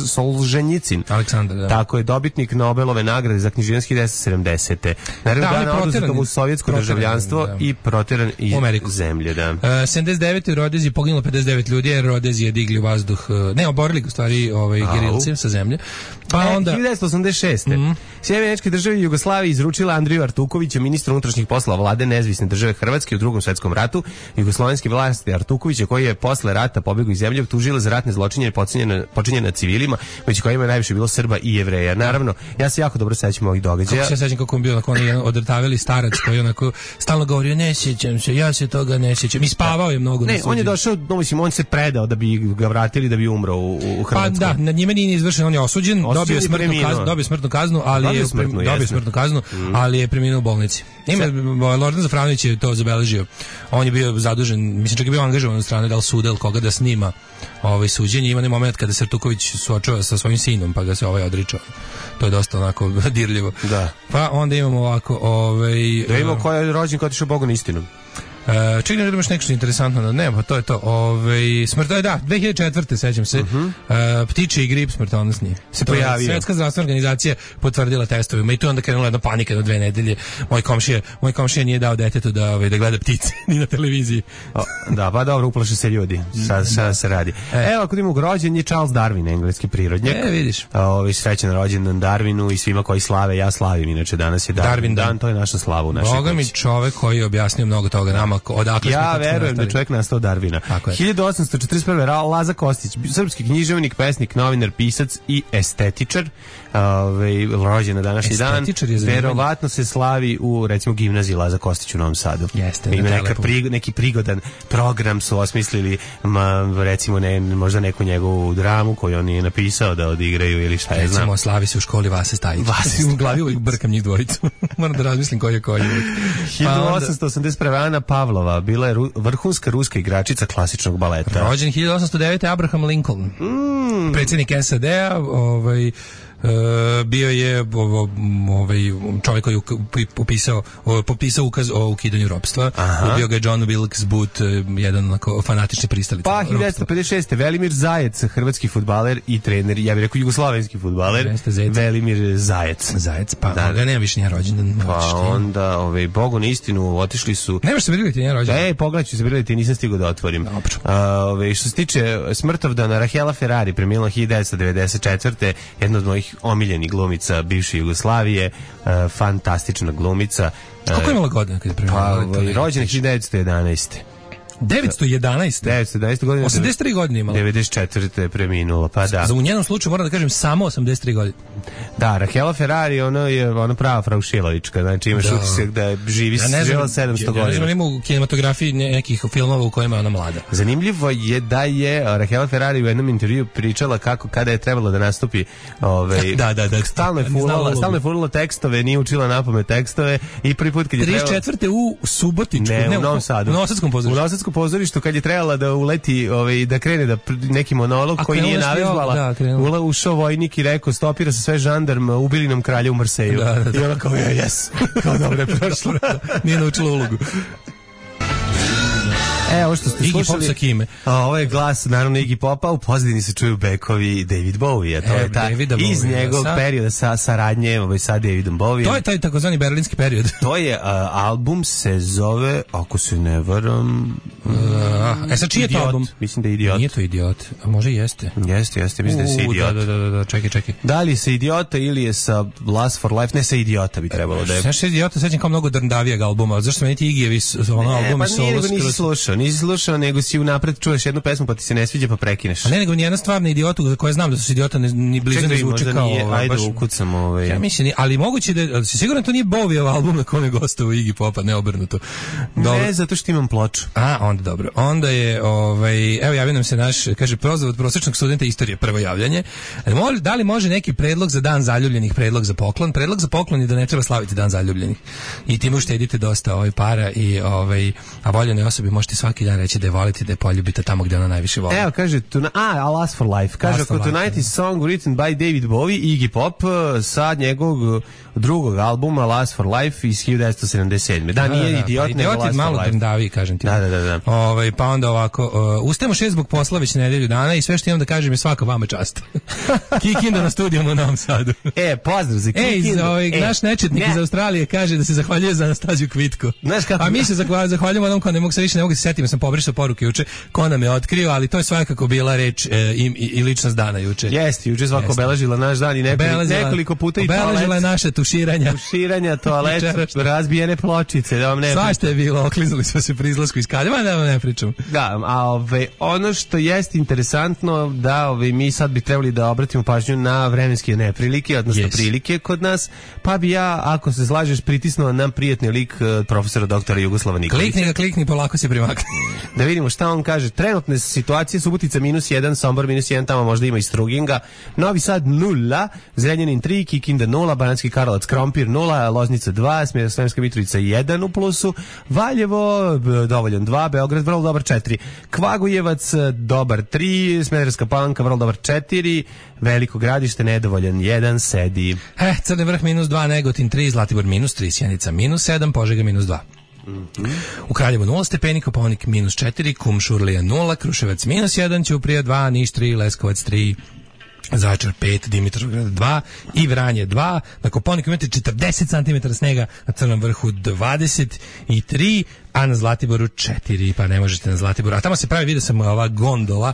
Solženjicin. Aleksandar, da. Tako je, dobitnik Nobelove nagrade za književnost hiljadu devetsto sedamdesete. Naravno da, dana oduzetom u sovjetsko državljanstvo da. I proteran iz zemlje, da. Uh, sedamdeset devete. u Rodezi poginulo pedeset devet ljudi, jer Rodezi je digli u vazduh, ne, oborili u stvari ovaj, gerilci sa zemlje. Pa e, onda... hiljadu devetsto osamdeset šeste. Mm. Sjedinjene Američke Države Jugoslavije izručila Andriju Artukovića, ministra unutrašnjih poslova vlade nezavisne države Hrvatske u Drugom svetskom ratu. Jugoslovenske vlasti Artukovića, koji je posle rata pobegao iz zemlje, optužila za ratne zločine počinjene na civilima, među kojima je najviše bilo Srba i Jevreja. Naravno, ja se jako dobro sećam ovih događaja. Kako se sećam kako on bio, onako on odrtaveli starac koji onako stalno govorio ne sjećam se, ja se toga ne sjećam. I spavao je mnogo. Ne, on je došao, no, mislim, on se predao da bi ga vratili, da bi umro u, u Hrvatskoj. Pa da, nad njime nije izvršen, on je osuđen, dobio smrtnu kaznu, dobio smrtnu kaznu, ali dobio je smrtnu, dobio smrtnu kaznu, mm. ali je preminuo u bolnici. Ima Lordan Zafranović je to zabeležio. On je bio zadužen, mislim čak je bio angažovan od strane da li suda ili koga da snima ovaj suđenje. Ima ne moment kada se Artuković suočava sa svojim sinom, pa ga se ovaj odričao. To je dosta onako dirljivo. Da. Pa onda imamo ovako, ovaj da imamo ko je rođen, ko je otišao Bogom istinom. Uh, čekaj, da imaš nešto interesantno, da ne, pa to je to. Ove, smrt, da, dve hiljade četvrte. sećam se, uh-huh. uh, ptiče i grip smrtonosni. Se pojavio. Svetska zdravstvena organizacija potvrdila testovima i tu onda krenula jedna panika na dve nedelje. Moj komšija, moj komšija nije dao detetu da, ovaj, da gleda ptice ni na televiziji. O, da, pa dobro, uplaše se ljudi. Sad da. se radi. E. Evo, ako imamo rođen je Charles Darwin, engleski prirodnjak. E, vidiš. Ovaj srećan rođendan Darwinu i svima koji slave, ja slavim, inače danas je Darwin, Darwin dan, dan, to je naša slava u našoj. Boga mi čovek koji je objasnio mnogo toga nama znamo odakle smo. Ja verujem da je čovjek nastao Darvina. hiljadu osamsto četrdeset prve. Laza Kostić, srpski književnik, pesnik, novinar, pisac i estetičar. Ove, rođen na današnji dan. Verovatno se slavi u, recimo, gimnaziji Laza Kostić u Novom Sadu. Jeste. Ima neka pri, neki prigodan program su osmislili, ma, recimo, ne, možda neku njegovu dramu koju on je napisao da odigraju ili šta je, recimo, znam. Recimo, slavi se u školi Vase Stajić. Vase u glavi uvijek brkam njih dvojicu. Moram da razmislim koji je koji. hiljadu osamsto osamdeset prve. Ana Pavlova bila je ru, vrhunska ruska igračica klasičnog baleta. Rođen hiljadu osamsto devete. Abraham Lincoln. Mm. Predsjednik S A D-a, ovaj Uh, bio je ovaj čovjek koji je popisao popisao ukaz o ukidanju ropstva. Ubio ga je John Wilkes Booth, jedan onako fanatični pristalica. Pa hiljadu devetsto pedeset šeste. Velimir Zajec, hrvatski fudbaler i trener, ja bih rekao jugoslovenski fudbaler. Velimir Zajec. Zajec, pa da, ga nema više njen rođendan. Pa onda, ovaj, Bogu na istinu, otišli su. Nemaš se briliti njen rođendan? Ej, pogledaću se briliti, nisam stigao da otvorim. Dobro. Ovaj, što se tiče smrtovdana Rahela Ferrari, preminula hiljadu devetsto devedeset četvrte. Jedna od mojih omiljenih glumica bivše Jugoslavije, uh, fantastična glumica. Kako je imala godina kad je preminula? Pa, rođena hiljadu devetsto jedanaeste. devetsto jedanaeste. devetsto jedanaeste godine. osamdeset tri godine imala. devedeset četvrte je preminula, pa da. Za u njenom slučaju moram da kažem samo osamdeset tri godine. Da, Rahela Ferrari, ona je ona prava Fraušilovička, znači imaš utisak da živi ja živela sedamsto godina. Ja ne znam, ima u kinematografiji nekih filmova u kojima je ona mlada. Zanimljivo je da je Rahela Ferrari u jednom intervjuu pričala kako kada je trebalo da nastupi, ovaj da, da, da. Stalno je fulala, stalno je fulala tekstove, nije učila napamet tekstove i prvi put kad je trebalo trideset četvrte u Subotičku, ne, ne u Novom Sadu. U Novosadskom pozorištu. U Novosadskom pozorištu kad je trebala da uleti, ovaj da krene da neki monolog koji nije navežbala. Da, ušao vojnik i rekao stopira se sve žandarm, ubili nam kralja u Marseju. Da, da, da. I ona kao ja, jes. Kao dobro je prošlo. Nije naučila ulogu. E, ovo što ste Iggy slušali, Pop sa kime? A, ovo je glas, naravno, Iggy Popa, u pozadini se čuju bekovi David Bowie, to e, je ta, iz njegovog sa... perioda sa, saradnje ovaj, sa Davidom Bowie. To je taj takozvani berlinski period. To je, a, album se zove, ako se ne varam... Uh, e, sad čiji je to album? Mislim da je Idiot. Nije to Idiot, a može jeste. Jeste, jeste, mislim da je se Idiot. Da, da, da, da, čekaj, čekaj. Da li je sa Idiota ili je sa Last for Life? Ne, sa Idiota bi trebalo da je. Znaš, sa Idiota sećam kao mnogo drndavijeg albuma, zašto meni ti Iggy ono album i solo skroz... Nisi slušao, nisi slušao, nego si unapred čuješ jednu pesmu pa ti se ne sviđa pa prekineš. A ne, nego nijedna stvar na Idiotu, za koje znam da su Idiota ne, ni blizu ne zvuči kao... Nije, ajde baš, ukucam ovaj... Ja mislim, ali moguće da... Si siguran to nije Bowiev album na kome je gostovao Iggy Popa, ne obrnuto? Dobro. Ne, zato što imam ploču. A, onda dobro. Onda je, ovaj, evo javio nam se naš, kaže, prozor od prosječnog studenta istorije, prvo javljanje. Da li može neki predlog za dan zaljubljenih, predlog za poklon? Predlog za poklon je da ne treba slaviti dan zaljubljenih. I time uštedite dosta ovaj para i ovaj, a voljenoj osobi možete svaki dan reći da je volite, da je poljubite tamo gdje ona najviše voli. Evo, kaže, tuna, a, Last for Life. Kaže, ako Tonight is song written by David Bowie, Iggy Pop, sa njegovog drugog albuma Last for Life iz hiljadu devetsto sedamdeset sedme. Da, nije da, da, Idiot, pa, nego Last for Life. Idiot je malo drndavi, kažem ti. Da, da, da. da. Ove, pa onda ovako, uh, ustajemo šest zbog posla već nedelju dana i sve što imam da kažem je svaka vama čast. Kikinda na studijama u Novom Sadu. E, pozdrav za Kikindu. Ej, ovaj, e, naš nečetnik ne. iz Australije kaže da se zahvaljuje za Anastaziju Kvitko. A mi se zahvaljujemo onom ko ne mogu se više, ne mogu se setiti, sam pobrisao poruke juče, ko nam je otkrio, ali to je svakako bila reč e, i, i ličnost dana juče. Jeste, juče svako obeležila naš dan i nekoliko, nekoliko puta i toalet. Obeležila je naše tuširanja. Tuširanja, toalet, razbijene pločice, da vam ne pričam. Svašta je bilo, okliznuli smo se pri izlasku iz Kaljeva, da vam ne pričam. Da, a ove, ono što jeste interesantno, da ove, mi sad bi trebali da obratimo pažnju na vremenske neprilike, odnosno yes. prilike kod nas, pa bi ja, ako se slažeš, pritisnuo nam prijatni lik profesora doktora Jugoslava Nikolića. Klikni ga, klikni, polako se primakni. Da vidimo šta on kaže. Trenutne situacije, Subotica minus jedan, Sombor minus jedan, tamo možda ima i Struginga, Novi Sad nula, Zrenjanin tri, Kikinda nula, Banatski Karlovac, Krompir nula, Loznica dva, Sremska Mitrovica jedan u plusu, Valjevo dovoljan dva, Beograd vrlo dobar četiri, Kvagojevac dobar tri, Smederevska Palanka vrlo dobar četiri, Veliko Gradište nedovoljan jedan, Sedi. Eh, Crni Vrh minus dva, Negotin tri, Zlatibor minus tri, Sjenica minus sedam, Požega minus dva. Mm-hmm. U Kraljevu nula stepeni, Kopaonik minus četiri, Kumšurlija nula, Kruševac minus jedan, Ćuprija dva, Niš tri, Leskovac tri, Zaječar pet, Dimitrovgrad dva i Vranje dva. Na Kopaoniku imate četrdeset centimetara snega, na Crnom Vrhu dvadeset tri, a na Zlatiboru četiri, pa ne možete na Zlatiboru. A tamo se pravi, vidio sam ova gondola,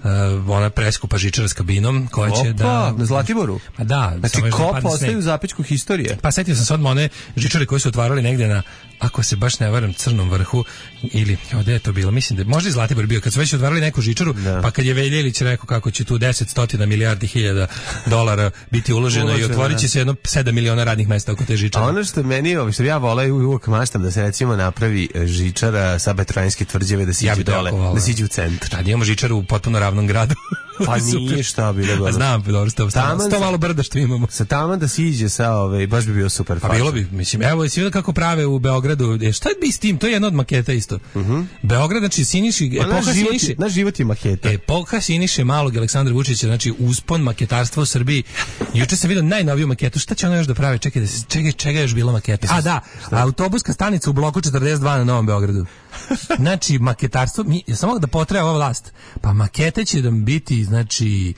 uh, ona preskupa žičara s kabinom, koja će Opa, da... na Zlatiboru? Pa da. Znači, kop ostaju u zapećku historije. Pa setio sam se odmah one žičare koje su otvarali negde na, ako se baš ne varam, Crnom vrhu, ili, evo, gde je to bilo? Mislim da možda i Zlatibor bio, kad su već otvarali neku žičaru, da. Pa kad je Veljelić rekao kako će tu deset stotina milijardi hiljada dolara biti uloženo, uloženo i otvorit će se jedno sedam miliona radnih mesta oko te žičare. A ono što meni, što ja voleo i uvijek maštam da se recimo napravi žičara sa Betrojanske tvrđave, da siđe ja dole, da siđe u centar. Tad imamo žičaru u potpuno ravnom gradu. Pa nije šta bilo dobro. Znam, dobro, sto, sto, sto malo brda što imamo. Sa taman da siđe sa ove, baš bi bio super. Pa bilo bi, mislim, evo, si vidio kako prave u Beogradu, e, šta bi s tim, to je jedna od maketa isto. Uh -huh. Beograd, znači, Siniši, pa epoha naš Siniši. Je, naš život je maketa. Epoha Siniše malog Aleksandra Vučića, znači, uspon maketarstva u Srbiji. Juče sam vidio najnoviju maketu, šta će ono još da pravi, čekaj, da se, čekaj, čega je još bila maketa? A da, šta? Autobuska stanica u bloku četrdeset dva na Novom Beogradu. Znači, maketarstvo, mi, ja samo da potraje ova vlast, pa makete će nam biti, znači,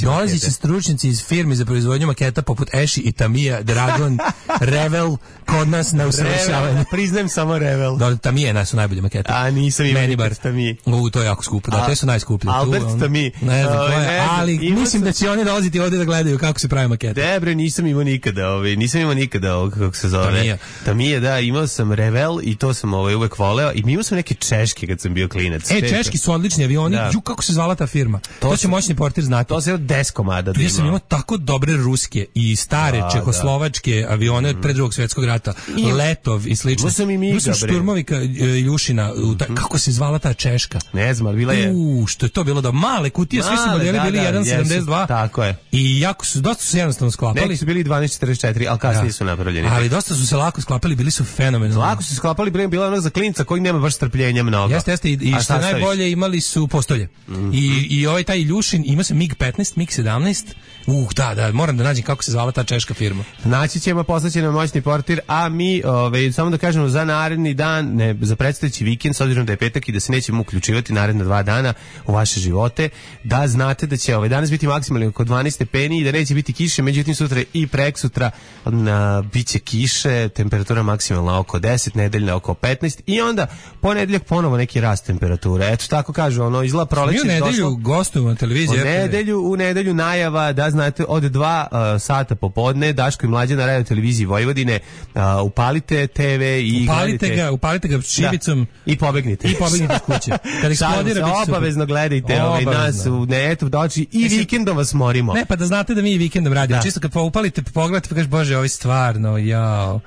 dolazi će stručnjaci iz firmi za proizvodnju maketa poput Eši i Tamija, Dragon, Revel, kod nas na usavršavanju. Priznajem samo Revel. Da, Tamije nas su najbolje makete. A nisam imao nikad Tamije. U, to je jako skupo, da, te su najskuplje. Albert tu, Tamije. Ne znam, to je, ali mislim sam... da će oni dolaziti ovdje da gledaju kako se pravi makete. Debre, nisam imao nikada, ovaj, nisam imao nikada ovog, kako se zove. Tamija. Tamije, da, imao sam Revel i to sam ovaj, uvek voleo. I imao sam neke češke kad sam bio klinac. E, češki su odlični avioni. Da. Ju, kako se zvala ta firma? To, to će moćni portir znati. To se je od deset komada. Ja sam imao tako dobre ruske i stare da, čehoslovačke da. avione od pre drugog svjetskog rata. I, Letov i slično. Sam i Miga, sam šturmovika Ljušina. Ta, kako se zvala ta češka? Ne znam, ali bila je... U, što je to bilo da male kutije, male, svi su modeli da, bili da, jedan sedamdeset dva. Tako je. I jako su, dosta su se jednostavno sklapali. Neki su bili dvanaest četrdeset četiri, ali kasnije da. su napravljeni. Ali dosta su se lako sklapali, bili su fenomenalni. Lako su se sklapali, bre, bila onog za klinca koji nema baš strpljenja mnogo. Jeste, jeste, i, i što najbolje imali su postolje. Mm-hmm. I, i ovaj taj Iljušin, ima se mig petnaest, mig sedamnaest. Uh, da, da, moram da nađem kako se zvala ta češka firma. Naći ćemo, poslaće nam moćni portir, a mi, ove, samo da kažemo, za naredni dan, ne, za predstojeći vikend, s obzirom da je petak i da se nećemo uključivati naredna dva dana u vaše živote, da znate da će ovaj danas biti maksimalno oko dvanaest stepeni i da neće biti kiše, međutim sutra i preksutra na, bit će kiše, temperatura maksimalna oko deset, nedeljna oko petnaest i onda ponedeljak ponovo neki rast temperature. Eto tako kažu, ono izgleda proleće. Mi u nedelju gostujemo na televiziji. U nedelju, u nedelju najava da znate od dva uh, sata popodne Daško i Mlađa na radio televiziji Vojvodine, uh, upalite te ve i upalite gledajte. ga, upalite ga šibicom da. I pobegnite. I pobegnite iz kuće. Kad eksplodira biće obavezno gledajte ovaj nas u netu doći i Mislim, vikendom vas morimo. Ne, pa da znate da mi i vikendom radimo. Da. Čisto kad upalite, pogledate pa kažeš bože, ovo je stvarno, jao.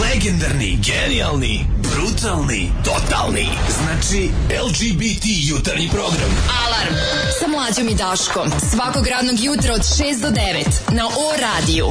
Legendarni, genijalni, brutalni, totalni. Znači el ge be te jutarnji program. Alarm sa Mlađom i Daškom. Svakog radnog jutra od šest do devet na O radiju.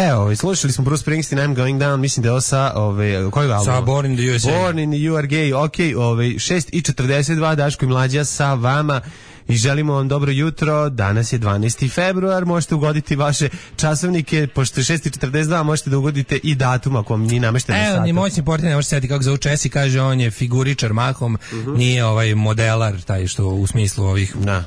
Evo, slušali smo Bruce Springsteen, I'm Going Down, mislim da je ovo sa, ove, koji album? Sa Born in the U S A. Born in the You Are Gay, ok, ove, šest i četrdeset dva, Daško i Mlađa sa vama. I želimo vam dobro jutro, danas je dvanaesti februar, možete ugoditi vaše časovnike, pošto je šest i četrdeset dva, možete da ugodite i datum ako vam nije namešteno sata. Evo, ni moćni portir ne može se sjeti kako zove Česi, kaže on je figuričar mahom, uh-huh. nije ovaj modelar, taj što u smislu ovih... Da.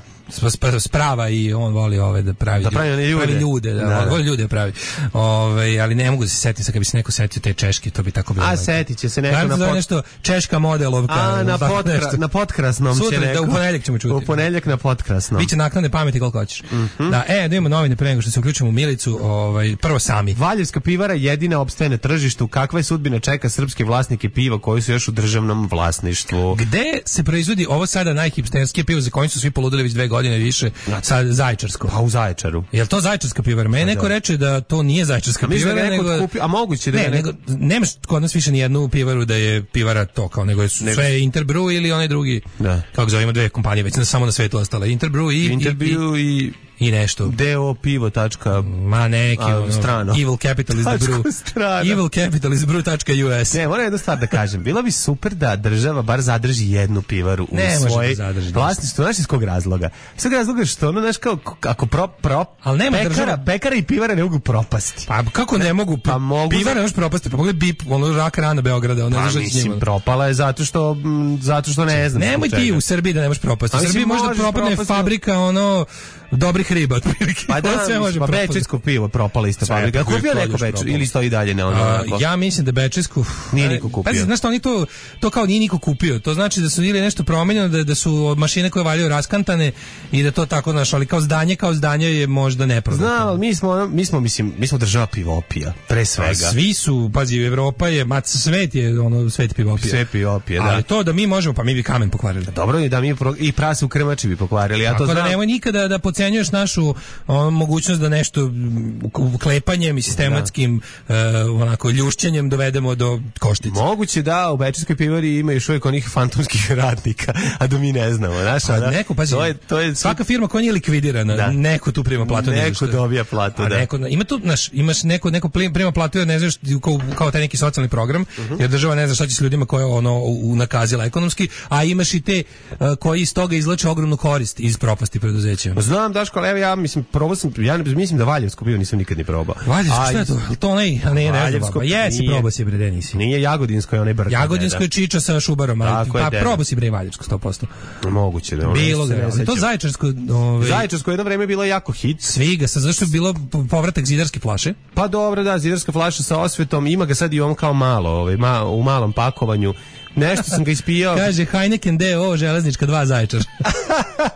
sprava i on voli ove da pravi, da pravi ljude, pravi ljude da, da. voli ljude pravi. Ove, ali ne mogu da se setiti, sad kad bi se neko setio te češke, to bi tako bilo. A setit će se neko na pot... nešto češka modelovka. A na potkra, na potkrasnom Sutra, će neko. Da, u ponedeljak ćemo čuti. U ponedeljak na potkrasnom. Biće naknadne pameti koliko hoćeš. Mm-hmm. Da, e, da imamo novine pre nego što se uključimo u Milicu, ovaj prvo sami. Valjevska pivara jedina opstaje na tržištu. Kakva je sudbina čeka srpske vlasnike piva koji su još u državnom vlasništvu? Gde se proizvodi ovo sada najhipsterskije pivo za koje su svi poludeli već dve godine više? Sa Zaječarsko. Pa u Zaječaru. Jel to Zaječarska pivara? Meni neko reče da to nije Zaječarska pivara, da nego kupi, a moguće da ne, nego nemaš kod nas više ni jednu pivaru da je pivara to kao nego je sve nego... Interbrew ili onaj drugi. Da. Kako zovemo dve kompanije već samo na svetu ostale Interbrew i Interbrew i, i i nešto. do pivo tačka ma neki a, strano. Evil Capital is the brew. Evil Capital is brew.us. Ne, moram jednu stvar da kažem. Bilo bi super da država bar zadrži jednu pivaru u ne, svoje vlasništvo. Znaš iz kog razloga? Iz kog razloga što ono, znaš, kao, ako pro, pro, ali nema pekara, država... pekara i pivara ne mogu propasti. Pa kako ne, ne mogu? Pa mogu pivara ne može propasti. Pa pogledaj bip, ono rak rana Beograda. Ono pa mislim, propala je zato što, m, zato što ne znam. Nemoj ti u Srbiji da ne možeš propasti. U Srbiji može da propadne fabrika, ono, dobrih kriba otprilike. Pa da, sve može pa propasti. bečejsko pivo propala ista Sve fabrika. je Kupio neko propalo. beč ili stoji dalje na ono? A, onako? ja mislim da bečejsku Nije niko kupio. Pazi, znaš što oni to to kao nije niko kupio. To znači da su ili nešto promenjeno, da da su mašine koje valjaju raskantane i da to tako naš, ali kao zdanje kao zdanje je možda neprodatno. Znam, ali mi smo mi smo mislim mi smo država pivopija pre svega. A svi su, pazi, Evropa je, ma svet je ono svet pivopija. Sve pivopije, da. Ali to da mi možemo, pa mi bi kamen pokvarili. Dobro je da mi pro, i prase u krmači bi pokvarili. Ja Tako to znam. da nemoj nikada da podcenjuješ našu o, mogućnost da nešto m, klepanjem i sistematskim e, onako ljušćenjem dovedemo do koštice. Moguće da u bečejskoj pivari ima još uvijek onih fantomskih radnika, a da mi ne znamo. Znaš, Pa da, neko, pazi, to je, to je, svaka firma koja nije likvidirana, Da. neko tu prima platu. ne znaš neko šta. dobija platu, A da. neko, ima tu, znaš, imaš neko, neko plim- prima platu jer ne znaš kao, kao taj neki socijalni program, jer država ne zna šta će s ljudima koje ono u- nakazila ekonomski, a imaš i te uh, koji iz toga izvlače ogromnu korist iz propasti preduzeća. Znam, Daško, ali evo ja mislim, probao sam, ja ne, mislim da Valjevsko pivo nisam nikad ni probao. Valjevsko, A, šta je to? To ne, a ne, ne, Valjevsko ne, jesi nije. probao si bre, de nisi. Nije Jagodinsko, je onaj brk. Jagodinsko je čiča sa Šubarom, ali Tako je, pa deda. probao si bre Valjevsko sto posto. Moguće da. ono, Bilo se ga, ne ali to sećam. Zaječarsko, ovaj, Zaječarsko jedno vreme je bilo jako hit. Sviga, sa zašto je bilo po- povratak zidarske flaše? Pa dobro, da, zidarska flaša sa osvetom, ima ga sad i on kao malo, ovaj, ma, u malom pakovanju. Nešto sam ga ispijao. Kaže Heineken D O železnička dva Zaječar.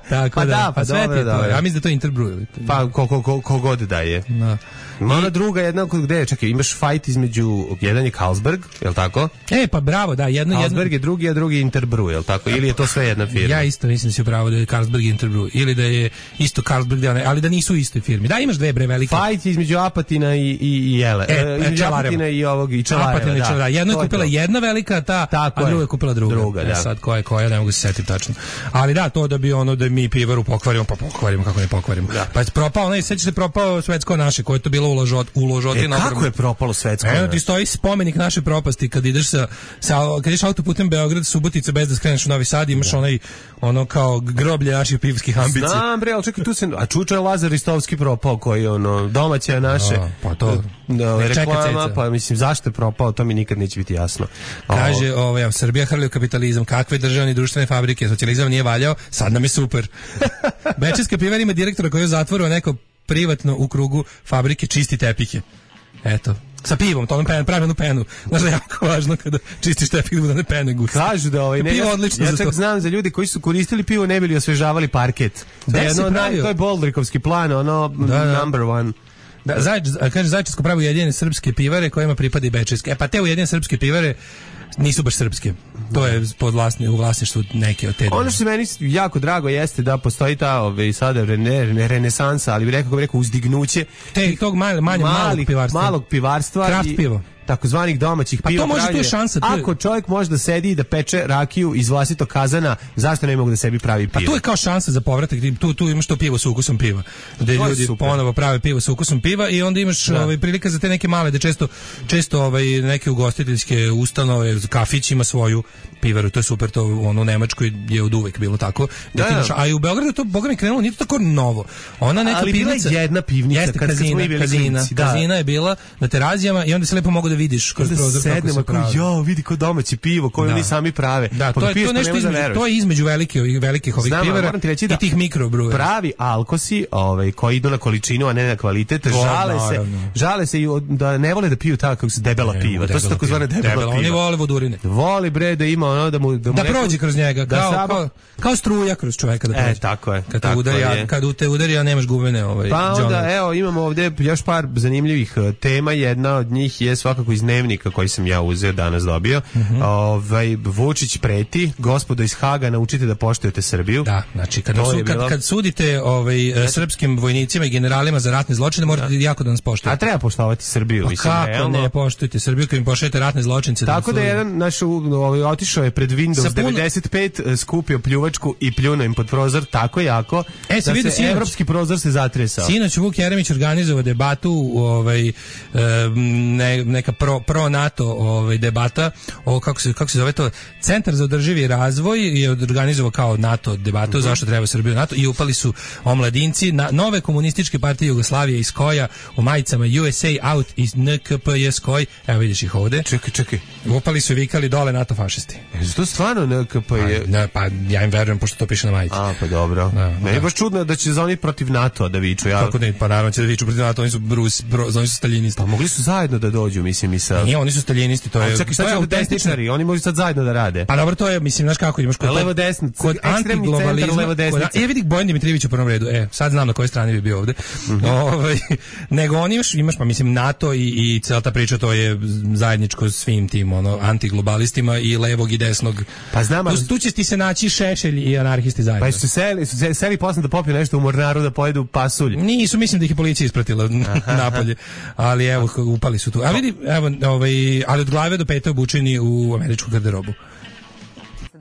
Tako Pa da, da, pa sve ti dobro, je to. dobro. Ja mislim da to je Interbrew. ili to- Pa ko, ko, ko, ko god da je. Da. Ima ona druga jedna, kod gde je, čekaj, imaš fight između, jedan je Carlsberg, je li tako? E, pa bravo, da, jedno, jedno. Carlsberg je drugi, a drugi je Interbrew, je li tako? Ili je to sve jedna firma? Ja isto mislim da si upravo da je Carlsberg i Interbrew. Ili da je isto Carlsberg, da ne- ali da nisu u istoj firmi. Da, imaš dve bre velike. Fight je između Apatina i, i, i Jele. E, E, između Čelareva. Apatina i ovog, i Čelareva, Apatina i da. Čelareva. Jedno je To kupila to. jedna velika, ta, Tako a druga je. je kupila druga. Druga, E, da. sad koja je koja, ne mogu se setiti tačno. Ali da, to da bi ono da mi pivaru pokvarimo, pa pokvarimo, kako ne pokvarimo. Pa je propao, onaj, sećaš se propao Svetsko naše, koje je to bilo uložot, uložoti E, kako je propalo svetsko? Eno ti stoji spomenik naše propasti kad ideš sa, sa kad ideš autoputem Beograd Subotica bez da skreneš u Novi Sad, imaš onaj ono kao groblje naših pivskih ambicija. Znam bre, ali čekaj, tu se, a čuča je Lazar Ristovski propao, koji ono, domaća naše, A, pa to, da, nek čeka reklama, ceca. pa mislim, zašto je propao, to mi nikad neće biti jasno. Kaže, ovaj, evo, Srbija hrli u kapitalizam, kakve državne i društvene fabrike, socijalizam nije valjao, sad nam je super. Bečejska pivara ima direktora koji je u zatvoru, a neko privatno u krugu fabrike čisti tepike. Eto, sa pivom, to onom pen, pravilnu penu. Znaš da je jako važno kada čistiš tepik da ne pene gusto. Kažu da ovaj ne, Pivo ja, odlično ja za čak to. znam za ljudi koji su koristili pivo ne bili osvežavali parket. To Gde je si jedno od naj- pravio? to je Boldrikovski plan, ono Da, da. number one. Da, Zaječ, a kaže Zaječarsko pravo ujedinjene srpske pivare kojima pripada i bečejske. E pa te ujedinjene srpske pivare nisu baš srpske. To je pod vlasni, u vlasništvu neke od te. Ono što se meni jako drago jeste da postoji ta ove, sada rene, ne renesansa, ali bi rekao, bi rekao uzdignuće te tog manje manje malog malih, pivarstva. malog pivarstva Kraft i pivo. takozvanih domaćih Pa to piva. može, tu je pravljenja. šansa, tu je- Ako čovjek može da sedi i da peče rakiju iz vlastitog kazana, zašto ne mogu da sebi pravi pivo? Pa tu je kao šansa za povratak, tu tu imaš to pivo sa ukusom piva. Gde To je ljudi super. ponovo prave pivo sa ukusom piva i onda imaš Da. ovaj prilika za te neke male da često često ovaj neke ugostiteljske ustanove, kafić ima svoju pivaru, to je super, to ono u Nemačkoj je oduvek bilo tako. Da, Da, ti da. imaš, a i u Beogradu to boga mi krenulo, nije to tako novo. Ona neka Ali bila je pivnica, jedna pivnica jeste kad- kad smo kazina, mi bili kazina, klinci, da. kazina je bila na terazijama i onda se lepo mogu da vidiš kroz da prozor kako sednemo se kao, pravi. jo, vidi ko domaće pivo, koje Da. oni sami prave. Da, Pa to je piješ, to pa nešto ne možeš da između, veruješ. to je između velike ovih velikih ovih Znam, ali pivara moram ti reći da i tih mikrobrujera. pravi alkosi, ovaj koji idu na količinu, a ne na kvalitet, To, žale se, naravno. žale se i od- da ne vole da piju tako kako se debela Ne, piva. To su debela takozvane piva. debela Oni piva. vole vodurine. Voli bre da ima ono da mu da, mu Da neko- prođe kroz njega, da kao, samo- kao, kao struja kroz čoveka da E, prođe. tako je, Kad te tako udari, je. a, kad u te udari, a nemaš gubene ovaj, Pa onda, đone. evo, imamo ovdje još par zanimljivih eh, tema. Jedna od njih je svakako iz dnevnika koji sam ja uzeo, danas dobio. Mhm. Ovaj, Vučić preti, gospodo iz Haga, naučite da poštujete Srbiju. Da, znači kada To su, je kad, bilo- kad sudite ovaj, e, srpskim vojnicima i generalima za ratne zločine, morate jako da nas A poštujete. treba poštovati Srbiju, Pa mislim, kako realno. ne poštujete Srbiju kad im pošaljete ratne zločince? Tako da je jedan naš u- ovaj, otišao je pred Windows Sa puno- devedeset pet, eh, skupio pljuvačku i pljunuo im pod prozor tako jako E, si da vidio se sinoć? evropski prozor se zatresao. Sinoć Vuk Jeremić organizovao debatu, ovaj, e, ne, neka pro, pro NATO ovaj, debata, o, kako, se, kako se zove to, Centar za održivi razvoj je organizovao kao NATO debatu, zašto treba Srbiju NATO, i upali su omladinci, na, nove komunističke partije Jugoslavije iz Koja u majicama U S A out iz N K P J Skoj, evo vidiš ih ovde. Čekaj, čekaj. Upali su vikali dole NATO fašisti. E, to stvarno N K P je... Ne, pa ja im verujem, pošto to piše na majici. A, pa dobro. Da, meni je baš čudno da će za oni protiv NATO da viču. Ja... Kako ne, pa naravno će da viču protiv NATO, oni su, Brus, bro, oni su staljinisti. Pa mogli su zajedno da dođu, mislim, i sa... Nije, oni su staljinisti, to je... A čekaj, šta će ovdje desničari? Oni možda sad zajedno da rade. Pa dobro, to je, mislim, znaš kako imaš kod... Levo desno, kod antiglobalizma... levo desnica. Ja vidi Bojan Dimitrijević u prvom redu, e, sad znam na kojoj strani bi bio ovde. Mm-hmm. Ove, nego oni još, imaš, pa mislim, NATO i, i cijela ta priča, to je zajedničko svim tim, ono, antiglobalistima i levog i desnog. Pa znam, tu, tu će ti se naći Šešelj i anarhisti zajedno. Pa su se seli, su se seli posle da popiju nešto u Mornaru da pojedu pasulj. Nisu, mislim da ih je policija ispratila napolje. Ali evo, upali su tu. A vidi, evo, ovaj, ali od glave do pete obučeni u američku garderobu.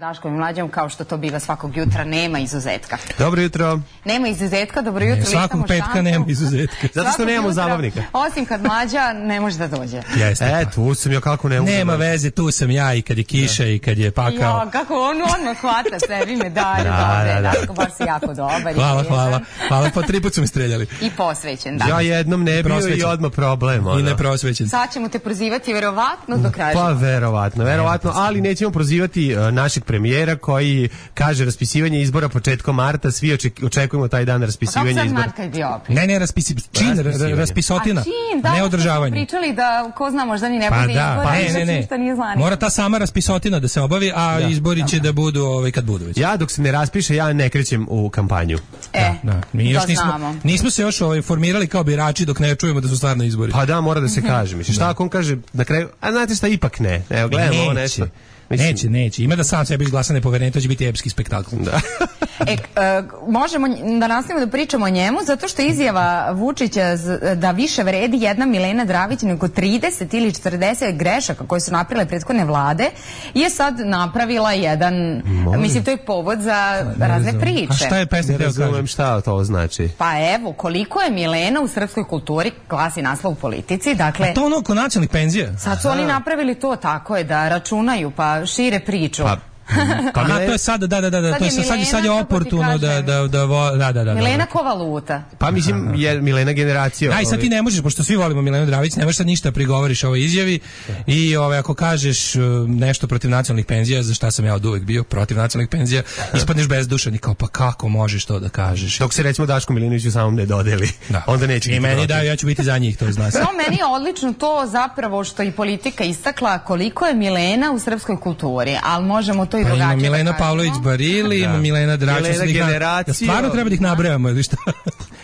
Daškom i Mlađom, kao što to biva svakog jutra, nema izuzetka. Dobro jutro. Nema izuzetka, dobro jutro. Ne, svakog petka šampu. Nema izuzetka. Zato što nemamo zabavnika. Osim kad Mlađa ne može da dođe. Jeste, e, tu sam ja kako ne mogu. Nema veze, tu sam ja i kad je kiša ja. I kad je pakao. Ja, kako on odmah hvata sebi medalje. Da, dobre, da, da. Daško, baš si jako dobar. Hvala, hvala. Hvala, pa tri put su mi streljali. I posvećen, da. Ja jednom ne bio i odmah problem. Ono. I ne prosvećen. Sad ćemo te prozivati verovatno do kraja. Pa verovatno, verovatno, ali nećemo prozivati uh, našeg premijera koji kaže raspisivanje izbora početkom marta, svi očekujemo taj dan raspisivanja izbora. Kako sad Marka je bio opet? Ne, ne, raspisi, čin, raspisotina, čin, da, ne održavanje. Pričali da ko zna možda ni ne bude pa da, izbora, pa ne, ne, ne. Ništa nije znani. Mora ta sama raspisotina da se obavi, a da, izbori će da budu ovaj, kad budu već. Ja dok se ne raspiše, ja ne krećem u kampanju. E, da, da. Mi još nismo, nismo se još ovaj, formirali kao birači dok ne čujemo da su stvarno izbori. Pa da, mora da se kaže. Mislim, šta ako on kaže na kraju, a znate šta, ipak ne. Evo, gledamo ovo nešto. Mislim, neće, neće. Ima da sam sebi izglasa nepoverenje, to će biti epski spektakl. Da. e, e, možemo da nastavimo da pričamo o njemu, zato što izjava Vučića da više vredi jedna Milena Dravić nego trideset ili četrdeset grešaka koje su napravile prethodne vlade, je sad napravila jedan, Molim. mislim, to je povod za pa, razne priče. A šta je pesnik? Ne razumem šta to znači. Pa evo, koliko je Milena u srpskoj kulturi, glasi naslov u Politici, dakle... A to ono oko nacionalnih penzija? Sad su Aha. oni napravili to, tako je, da računaju, pa šire priču. Pa, pa Aha, to je sad, da, da, da, da, sad to je sad, sad je oportuno da, da, da, da, da, da. Milena ko valuta. Pa mislim, je Milena generacija. Aj, sad ti ne možeš, pošto svi volimo Milenu Dravić, ne možeš sad ništa prigovoriš ovoj izjavi i ove, ako kažeš nešto protiv nacionalnih penzija, za šta sam ja od uvek bio, protiv nacionalnih penzija, ispadneš bezdušan i kao, pa kako možeš to da kažeš? Dok se recimo Daško Milinoviću samom ne dodeli, da. Onda neće i meni daju, ja ću biti za njih, to zna se. No, meni je odlično to zapravo što i politika istakla koliko je Milena u srpskoj kulturi, ali možemo to i drugačije. Milena Pavlović Barili, ima Milena Dravić, Milena generacija. Stvarno treba da ih nabrajamo ili šta?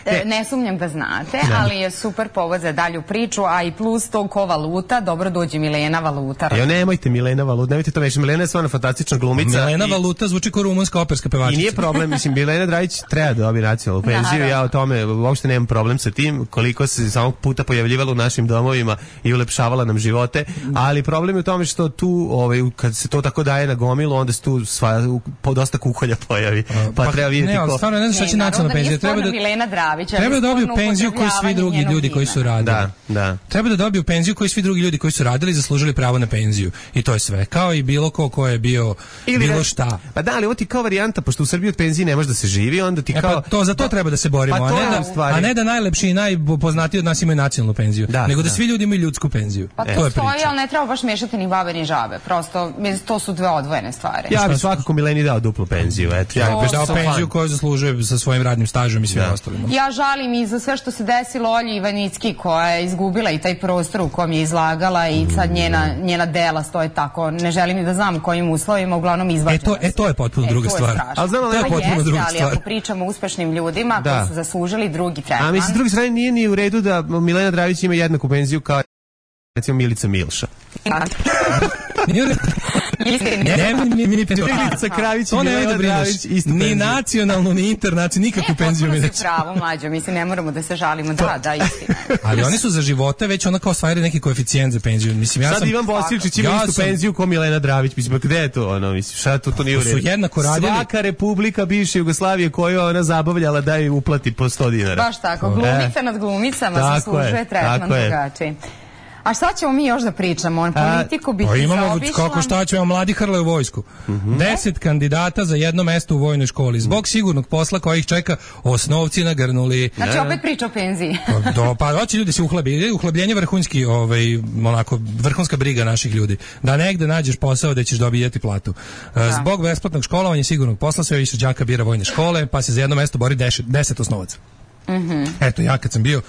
Ne. ne sumnjam da znate, ne. ali je super povod za dalju priču, a i plus to ko valuta, dobro dođe Milena valuta. Jo, nemojte Milena valuta, nemojte to već. Milena je stvarno fantastična glumica. Milena i... valuta zvuči kao rumunska operska pevačica. I nije problem, mislim, Milena Dravić treba da dobije nacionalnu penziju, ja o tome uopšte nemam problem sa tim, koliko se samog puta pojavljivala u našim domovima i ulepšavala nam živote, ali problem je u tome što tu, ovaj, kad se to tako daje na gomilu, onda se tu sva, po, dosta kukolja pojavi, pa, pa treba vidjeti ne, ko... Stvarno, ne znam šta će nacionalna penzija. Treba da, Milena Dravić, treba da dobiju penziju koji svi drugi ljudi koji su radili. Da, da. Treba da dobiju penziju koji svi drugi ljudi koji su radili i zaslužili pravo na penziju. I to je sve. Kao i bilo ko ko je bio ili bilo da, šta. Pa da, ali ovo ti kao varijanta, pošto u Srbiji od penzije ne može da se živi, onda ti e, kao... Pa to, za to treba da se borimo, pa a, ne da, a ne da najlepši i najpoznatiji od nas imaju nacionalnu penziju. Da, nego da, da svi ljudi imaju ljudsku penziju. Pa to, to je priča. Stoji, ali ne treba baš mešati ni babe ni žabe. Prosto, to su dve odvojene stvari. Ja bih svakako Mileni dao duplu penziju. Eto, ja bih dao penziju koju zaslužuje sa svojim radnim stažom i svim ostalim. Ja žalim i za sve što se desilo Olji Ivanicki, koja je izgubila i taj prostor u kom je izlagala i sad njena, njena dela stoje tako. Ne želim ni da znam u kojim uslovima, uglavnom izvađena. E to, e, to je potpuno e, druga to stvar. Ali znam, to je potpuno jeste, druga ali stvar. ako pričamo o uspešnim ljudima da. koji su zaslužili drugi tretman. A mislim, s druge strane nije ni u redu da Milena Dravić ima jednaku penziju kao recimo Milica Milša. Milica Kravić i Milena Dravić ni nacionalnu, ni internacionalnu, nikakvu penziju mi neće. Pravo, mlađo, mislim, ne moramo da se žalimo, da, da, istina. Ali oni su za živote već ona kao stvarili neki koeficijent za penziju. Mislim, ja sad sam... Ivan Bosiličić ima istu penziju kao Milena Dravić, mislim, gde je to, ono, mislim, šta to, to nije u redu. Su jednako radili. Svaka republika bivše Jugoslavije koju ona zabavljala da je uplati po sto dinara. Baš tako, glumica nad glumicama zaslužuje tretman drugačiji. A šta ćemo mi još da pričamo? Politiku bi pa ti imamo, zaobišla. kako šta ćemo, mladi hrle u vojsku. Mm-hmm. Deset kandidata za jedno mesto u vojnoj školi. Zbog sigurnog posla kojih čeka osnovci nagrnuli. Znači opet priča o penziji. Do, pa hoće ljudi se uhlebi. Uhlebljenje vrhunski, ovaj, onako, vrhunska briga naših ljudi. Da negde nađeš posao da ćeš dobijeti platu. Da. Zbog besplatnog školovanja i sigurnog posla sve više đaka bira vojne škole, pa se za jedno mesto bori deset, deset osnovaca. Mm-hmm. Eto, ja kad sam bio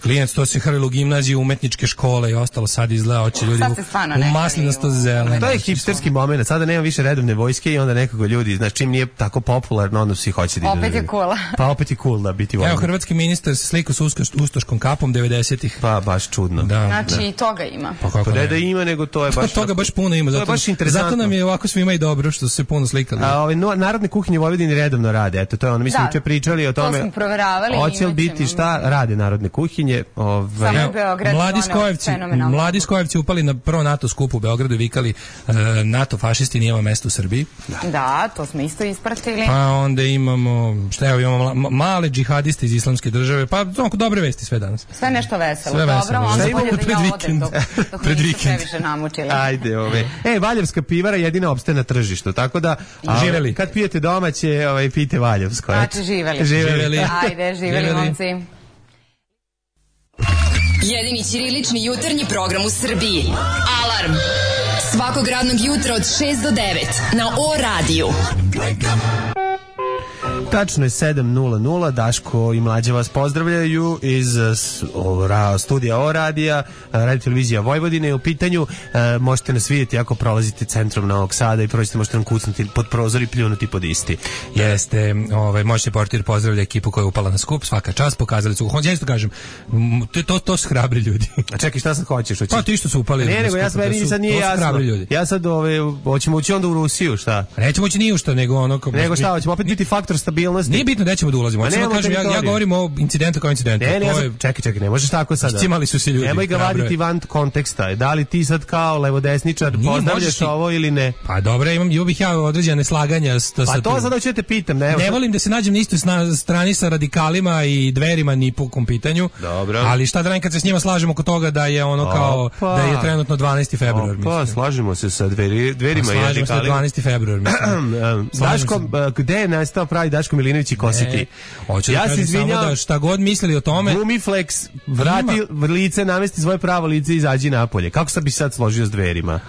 klijent, to se hrvilo u gimnaziju, umetničke škole i ostalo, sad izgleda, hoće ljudi u, u maslinasto zeleno. To je hipsterski moment, sada nema više redovne vojske i onda nekako ljudi, znači čim nije tako popularno, onda svi hoće da opet je cool. Pa opet je cool da biti vojnik. Evo, hrvatski ministar se slikao sa ustoškom kapom devedesetih. Pa baš čudno. Da, znači da. I toga ima. Pa kako pa ne da ima, nego to je baš... Pa toga baš puno ima, zato, baš zato nam je ovako svima i dobro što su se puno slikali. A ove no, narodne kuhinje u Vojvodini redovno rade, eto to je ono, mi smo juče pričali o tome. To smo proveravali. Hoće li biti šta rade narodne kuhinje? Ove, Samo Beograd, mladi Skojevci, mladi Skojevci upali na prvo NATO skup u Beogradu i vikali uh, NATO fašisti, nije ovo mesto u Srbiji. Da. da, to smo isto ispratili. Pa onda imamo, šta evo, imamo male džihadiste iz islamske države, pa onako dobre vesti sve danas. Sve nešto veselo. Sve Dobro, veselo. onda Šta bolje da pred ja vikend? odem dok, dok pred mi vikend. nisu previše namučili. Ajde, ove. E, Valjevska pivara jedina opstaje na tržištu, tako da a, živeli. Kad pijete domaće, ovaj, pijte Valjevsko. Znači, živeli. Živeli. Ajde, živeli, živeli. momci. Jedini ćirilični jutarnji program u Srbiji. Alarm! Svakog radnog jutra od šest do devet na O radiju. Tačno je sedam nula nula, Daško i Mlađa vas pozdravljaju iz o, ra, studija O radija, Radio televizija Vojvodine je u pitanju. E, možete nas vidjeti ako prolazite centrom Novog Sada i prođete, možete nam kucnuti pod prozor i pljunuti pod isti. Jeste, ovaj, možete portir pozdravlja ekipu koja je upala na skup, svaka čast, pokazali su. Ja isto kažem, to, to, to su hrabri ljudi. A čekaj, šta sad hoćeš? Hoćeš? Pa ti što su upali. Ne, nego ja sad meni sad nije jasno. Ja sad, ove, hoćemo ući onda u Rusiju, šta? Nećemo ući ni u šta, nego ono... Nego šta, hoćemo opet biti faktor stabilnosti. Nije bitno da ćemo da ulazimo. Ja kažem, ja, ja govorim o incidentu kao incidentu. Ne, ne, ja je... sam, čekaj, čekaj, ne možeš tako sada. Iscimali su se ljudi. Nemoj ga vaditi van konteksta. Da li ti sad kao levodesničar pozdravljaš ti... ovo ili ne? Pa dobro, imam, imam bih ja određene neslaganja. Sa, pa to sada ću te pitam. Ne, ne volim da se nađem na istoj strani sa radikalima i dverima ni po kom pitanju. Dobro. Ali šta da radim kad se s njima slažemo oko toga da je ono kao, Opa. da je trenutno dvanaesti februar. Pa, slažemo se sa dveri, dverima i radikalima. Slažemo se sa dvanaesti februar, mislim. Daško, gde je nastao pravi Daško Milinović i Kositi? Hoću ja da kažem samo da šta god mislili o tome. Gumiflex, vrati ima. Lice, namesti svoje pravo lice i izađi napolje. Kako sad bi sad složio s dverima?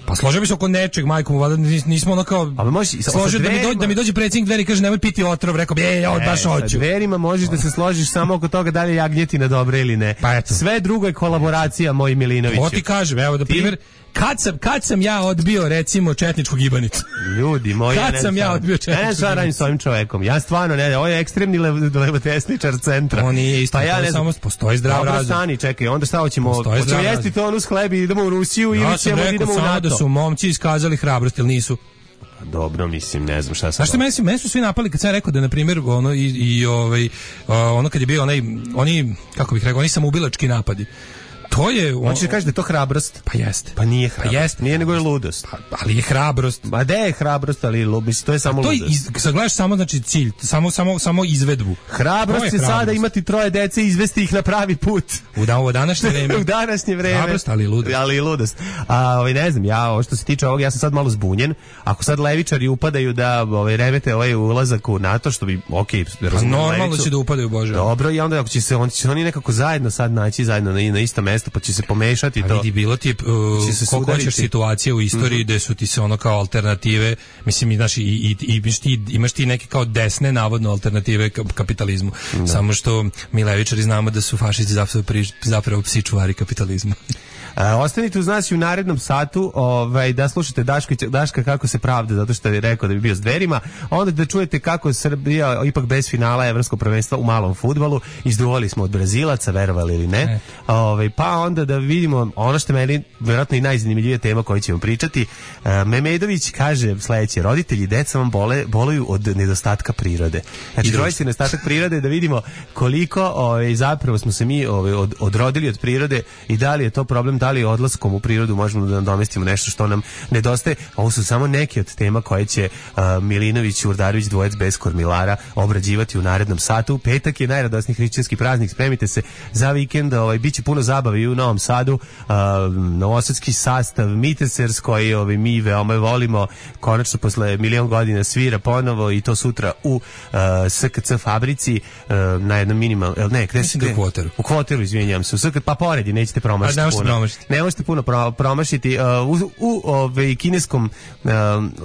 Pa složio bi se oko nečeg, majko mu, valjda nismo ono kao... Ali možeš, složio da mi, dođe, da mi dođe predsjednik dveri i kaže nemoj piti otrov, rekao bi, ej, ja baš hoću. Sa dverima možeš da se složiš samo oko toga da li je jagnjetina dobra ili ne. Pa eto. Sve drugo je kolaboracija, moj Milinoviću. To ti kažem, evo da primjer... Kad sam, kad sam ja odbio, recimo, četničku gibanicu? Ljudi moji, kad ne sam ja odbio četničku gibanicu? Ne, ne, radim s ovim čovekom. Ja stvarno, ne, ovo je ekstremni levo-desničar centra. On nije isto, pa ja ne samo postoji zdrav razum. Dobro, stani, čekaj, onda šta hoćemo? Hoćemo jesti to onu s hlebi, idemo u Rusiju ja ili ćemo idemo u NATO? Ja sam rekao samo da su momci iskazali hrabrost, ili nisu? Dobro, mislim, ne znam šta sam. Znaš što, meni su, meni su svi napali kad sam rekao da, na primjer, ono, i, i ovaj, ono kad je bio onaj, oni, kako bih rekao, oni samoubilački napadi. To je... On... Hoćeš da kažeš da je to hrabrost? Pa jeste. Pa nije hrabrost. Pa jeste. Nije nego je ludost. Pa, ali je hrabrost. Ma da je hrabrost, ali ludost, to je samo to ludost. Iz, sad gledaš samo, znači, cilj, samo, samo, samo izvedbu. Hrabrost je, je sada imati troje dece i izvesti ih na pravi put. U, da, u današnje vreme. U današnje vreme. Hrabrost, ali i ludost. Ali i ludost. A, ovaj, ne znam, ja, ovo što se tiče ovog, ja sam sad malo zbunjen. Ako sad levičari upadaju da ovaj, remete ovaj ulazak u NATO, što bi, okej, okay, pa normalno će da upadaju, Bože. Dobro, i onda ako će se, on, će oni nekako zajedno sad naći zajedno na, na isto mesto, pa će se pomešati. A vidi, bilo ti uh, koliko hoćeš situacije u istoriji mm-hmm. gde su ti se ono kao alternative, mislim, znaš, i, i, i, imaš, ti, imaš ti neke kao desne navodno alternative kapitalizmu, da. Samo što mi levičari znamo da su fašisti zapravo, zapravo psi čuvari kapitalizma. Uh, ostanite uz nas i u narednom satu, ovaj, da slušate Daško, Daška kako se pravda, zato što je rekao da bi bio s dverima, onda da čujete kako Srbija ipak bez finala evropskog prvenstva u malom fudbalu, izduvali smo od Brazilaca, verovali ili ne, ne. Ovaj, pa onda da vidimo ono što meni vjerojatno i najzanimljivija tema koju ćemo pričati. Uh, Memedović kaže sledeće: roditelji i deca vam bole, boluju od nedostatka prirode. Znači, roditelji nedostatak prirode, da vidimo koliko ovaj, zapravo smo se mi ovaj, od, odrodili od prirode i da li je to problem da li odlaskom u prirodu možemo da nadomestimo nešto što nam nedostaje. Ovo su samo neke od tema koje će uh, Milinović i Urdarević dvojec bez kormilara obrađivati u narednom satu. Petak je najradosniji hrišćanski praznik, spremite se za vikend, ovaj, bit će puno zabave i u Novom Sadu, uh, novosadski sastav Mitesers koji ovaj, mi veoma volimo, konačno posle milion godina svira ponovo i to sutra u uh, S K C fabrici uh, na jednom minimal, ne, gde se u kvoteru. U kvoteru, izvinjavam se, u S K, pa pored je, nećete promašiti ne puno. Promašiti. Ne možete puno pro, promašiti. Uh, u u ove, kineskom, uh,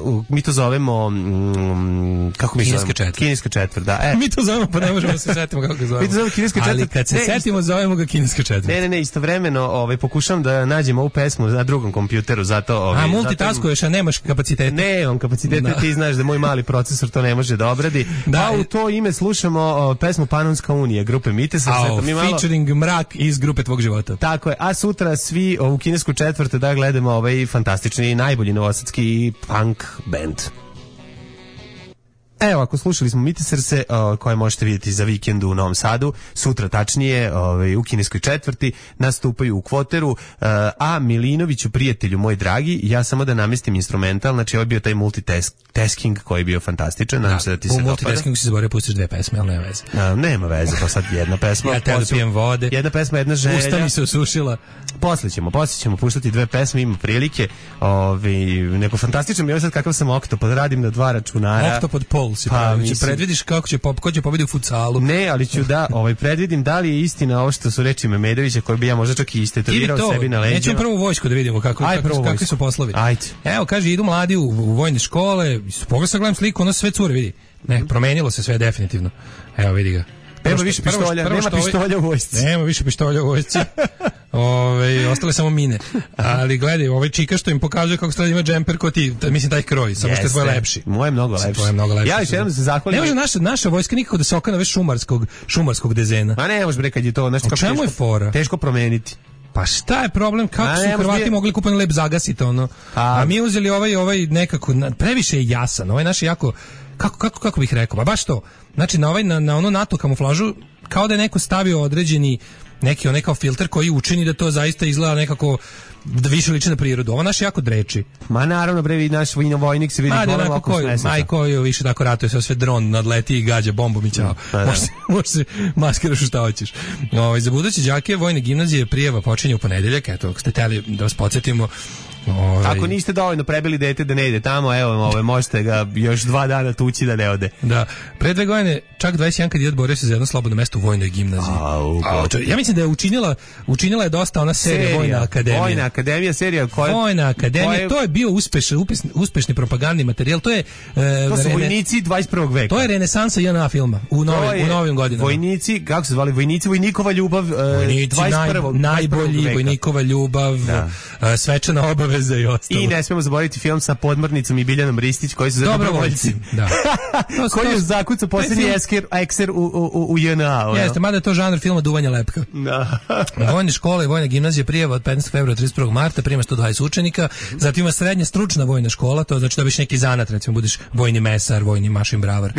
u, mi to zovemo, um, kako mi Kineska zovemo? četvrt. Kineska četvrt, da. E. Mi to zovemo, pa ne možemo se setimo kako ga zovemo. Mi to zovemo kineska četvrt. Ali kad se ne, setimo, zovemo ga kineska četvrt. Ne, ne, ne, istovremeno ovaj, pokušam da nađem ovu pesmu na drugom kompjuteru, zato... Ovaj, a, multitaskuješ, a nemaš kapacitete. Ne, on kapacitete, da. Ti znaš da moj mali procesor to ne može da obradi. Da, a u to ime slušamo o, pesmu Panonska unija, grupe Mitesa. A, mi malo... featuring Mrak iz grupe tvog života. Tako je, a sutra svi u kinesku četvrte da gledamo ovaj fantastični, najbolji novosadski punk band. Evo, ako slušali smo Miteserse, uh, koje možete vidjeti za vikend u Novom Sadu, sutra tačnije ovaj, u kineskoj četvrti, nastupaju u kvoteru, uh, a Milinoviću, prijatelju moj dragi, ja samo da namestim instrumental, znači ovo je bio taj multitasking koji je bio fantastičan, nadam se da ti se dopada. U multitaskingu si zaboravio pustiš dve pesme, ali nema veze. Uh, nema veze, pa sad jedna pesma. Ja te da pijem vode. Jedna pesma, jedna želja. Usta mi se osušila. Posle ćemo, posle ćemo puštati dve pesme, ima prilike. Ovaj, neko fantastično mi je sad kakav sam oktopod, radim na dva računara. Oktopod pol si pa, pravi. Predvidiš kako će, ko će pobedi u futsalu. Ne, ali ću da ovaj, predvidim da li je istina ovo što su reči Memedovića, koji bi ja možda čak i istetovirao sebi na leđima. Nećemo prvu vojsku da vidimo kako, Aj, kako, kakvi su poslovi. Ajde. Evo, kaže, idu mladi u, u vojne škole, pogledaj sad gledam sliku, ono sve cure, vidi. Ne, promenilo se sve definitivno. Evo, vidi ga. Nema više pištolja, nema pištolja u vojsci. Nema više pištolja u vojsci. Ove, ostale samo mine. Ali gledaj, ovaj čika što im pokazuje kako strada ima džemper ko ti, mislim taj kroj, samo što je tvoj lepši. Moj je mnogo lepši. Je mnogo lepši. Ja još jednom da se zahvalim. Ne može naša, naša vojska nikako da se okana već šumarskog, šumarskog dezena. Ma ne može bre kad je to nešto kako čemu je fora? Teško promeniti. Pa šta je problem, kako su Hrvati je... mogli kupani lep zagasiti ono. A, a mi uzeli ovaj ovaj nekako previše je jasan, ovaj naš jako kako kako kako bih rekao, pa baš to. Znači na ovaj na, na ono NATO kamuflažu kao da je neko stavio određeni neki onaj kao filter koji učini da to zaista izgleda nekako da više liči na prirodu. Ovo naš jako dreči. Ma naravno bre, naš vojnik se vidi pola oko smesa. Aj koji više tako ratuje, sve sve dron nadleti i gađa bombom i ćao. Pa, može može se maskiraš šta hoćeš. Ovaj za buduće đake vojne gimnazije prijava počinje u ponedeljak, eto, ako ste hteli da vas podsjetimo. Ove... Ako niste dovoljno prebili dete da ne ide tamo, evo, ove, možete ga još dva dana tući da ne ode. Da. Pre dve godine, čak dvadeset jedan kad je borio se za jedno slobodno mesto u vojnoj gimnaziji. Au, A, čo, ja mislim da je učinila, učinila je dosta ona serija, serija Vojna akademija. Vojna akademija, serija koja... Vojna akademija, koje... to je bio uspešni, uspešni propagandni materijal. To je... E, to su rene... vojnici dvadeset prvog veka. To je renesansa J N A filma u, novim, u novim godinama. Vojnici, kako se zvali? Vojnici, vojnikova ljubav. Vojnici, dvadeset prvog, naj, najbolji, vojnikova ljubav, da. Svečana obaveza i ostalo. I ne smemo zaboraviti film sa Podmornicom i Biljanom Ristić koji su za dobrovoljci. Da. Koji je zakucao posljednji ekser u, u, u J N A. Jeste, mada je to žanr filma Duvanja lepka. Da. Vojne škole i vojna gimnazija prijava od petnaestog februara do trideset prvog marta prima sto dvadeset učenika, zatim ima srednja stručna vojna škola, to znači da biš neki zanat, recimo budeš vojni mesar, vojni mašin bravar.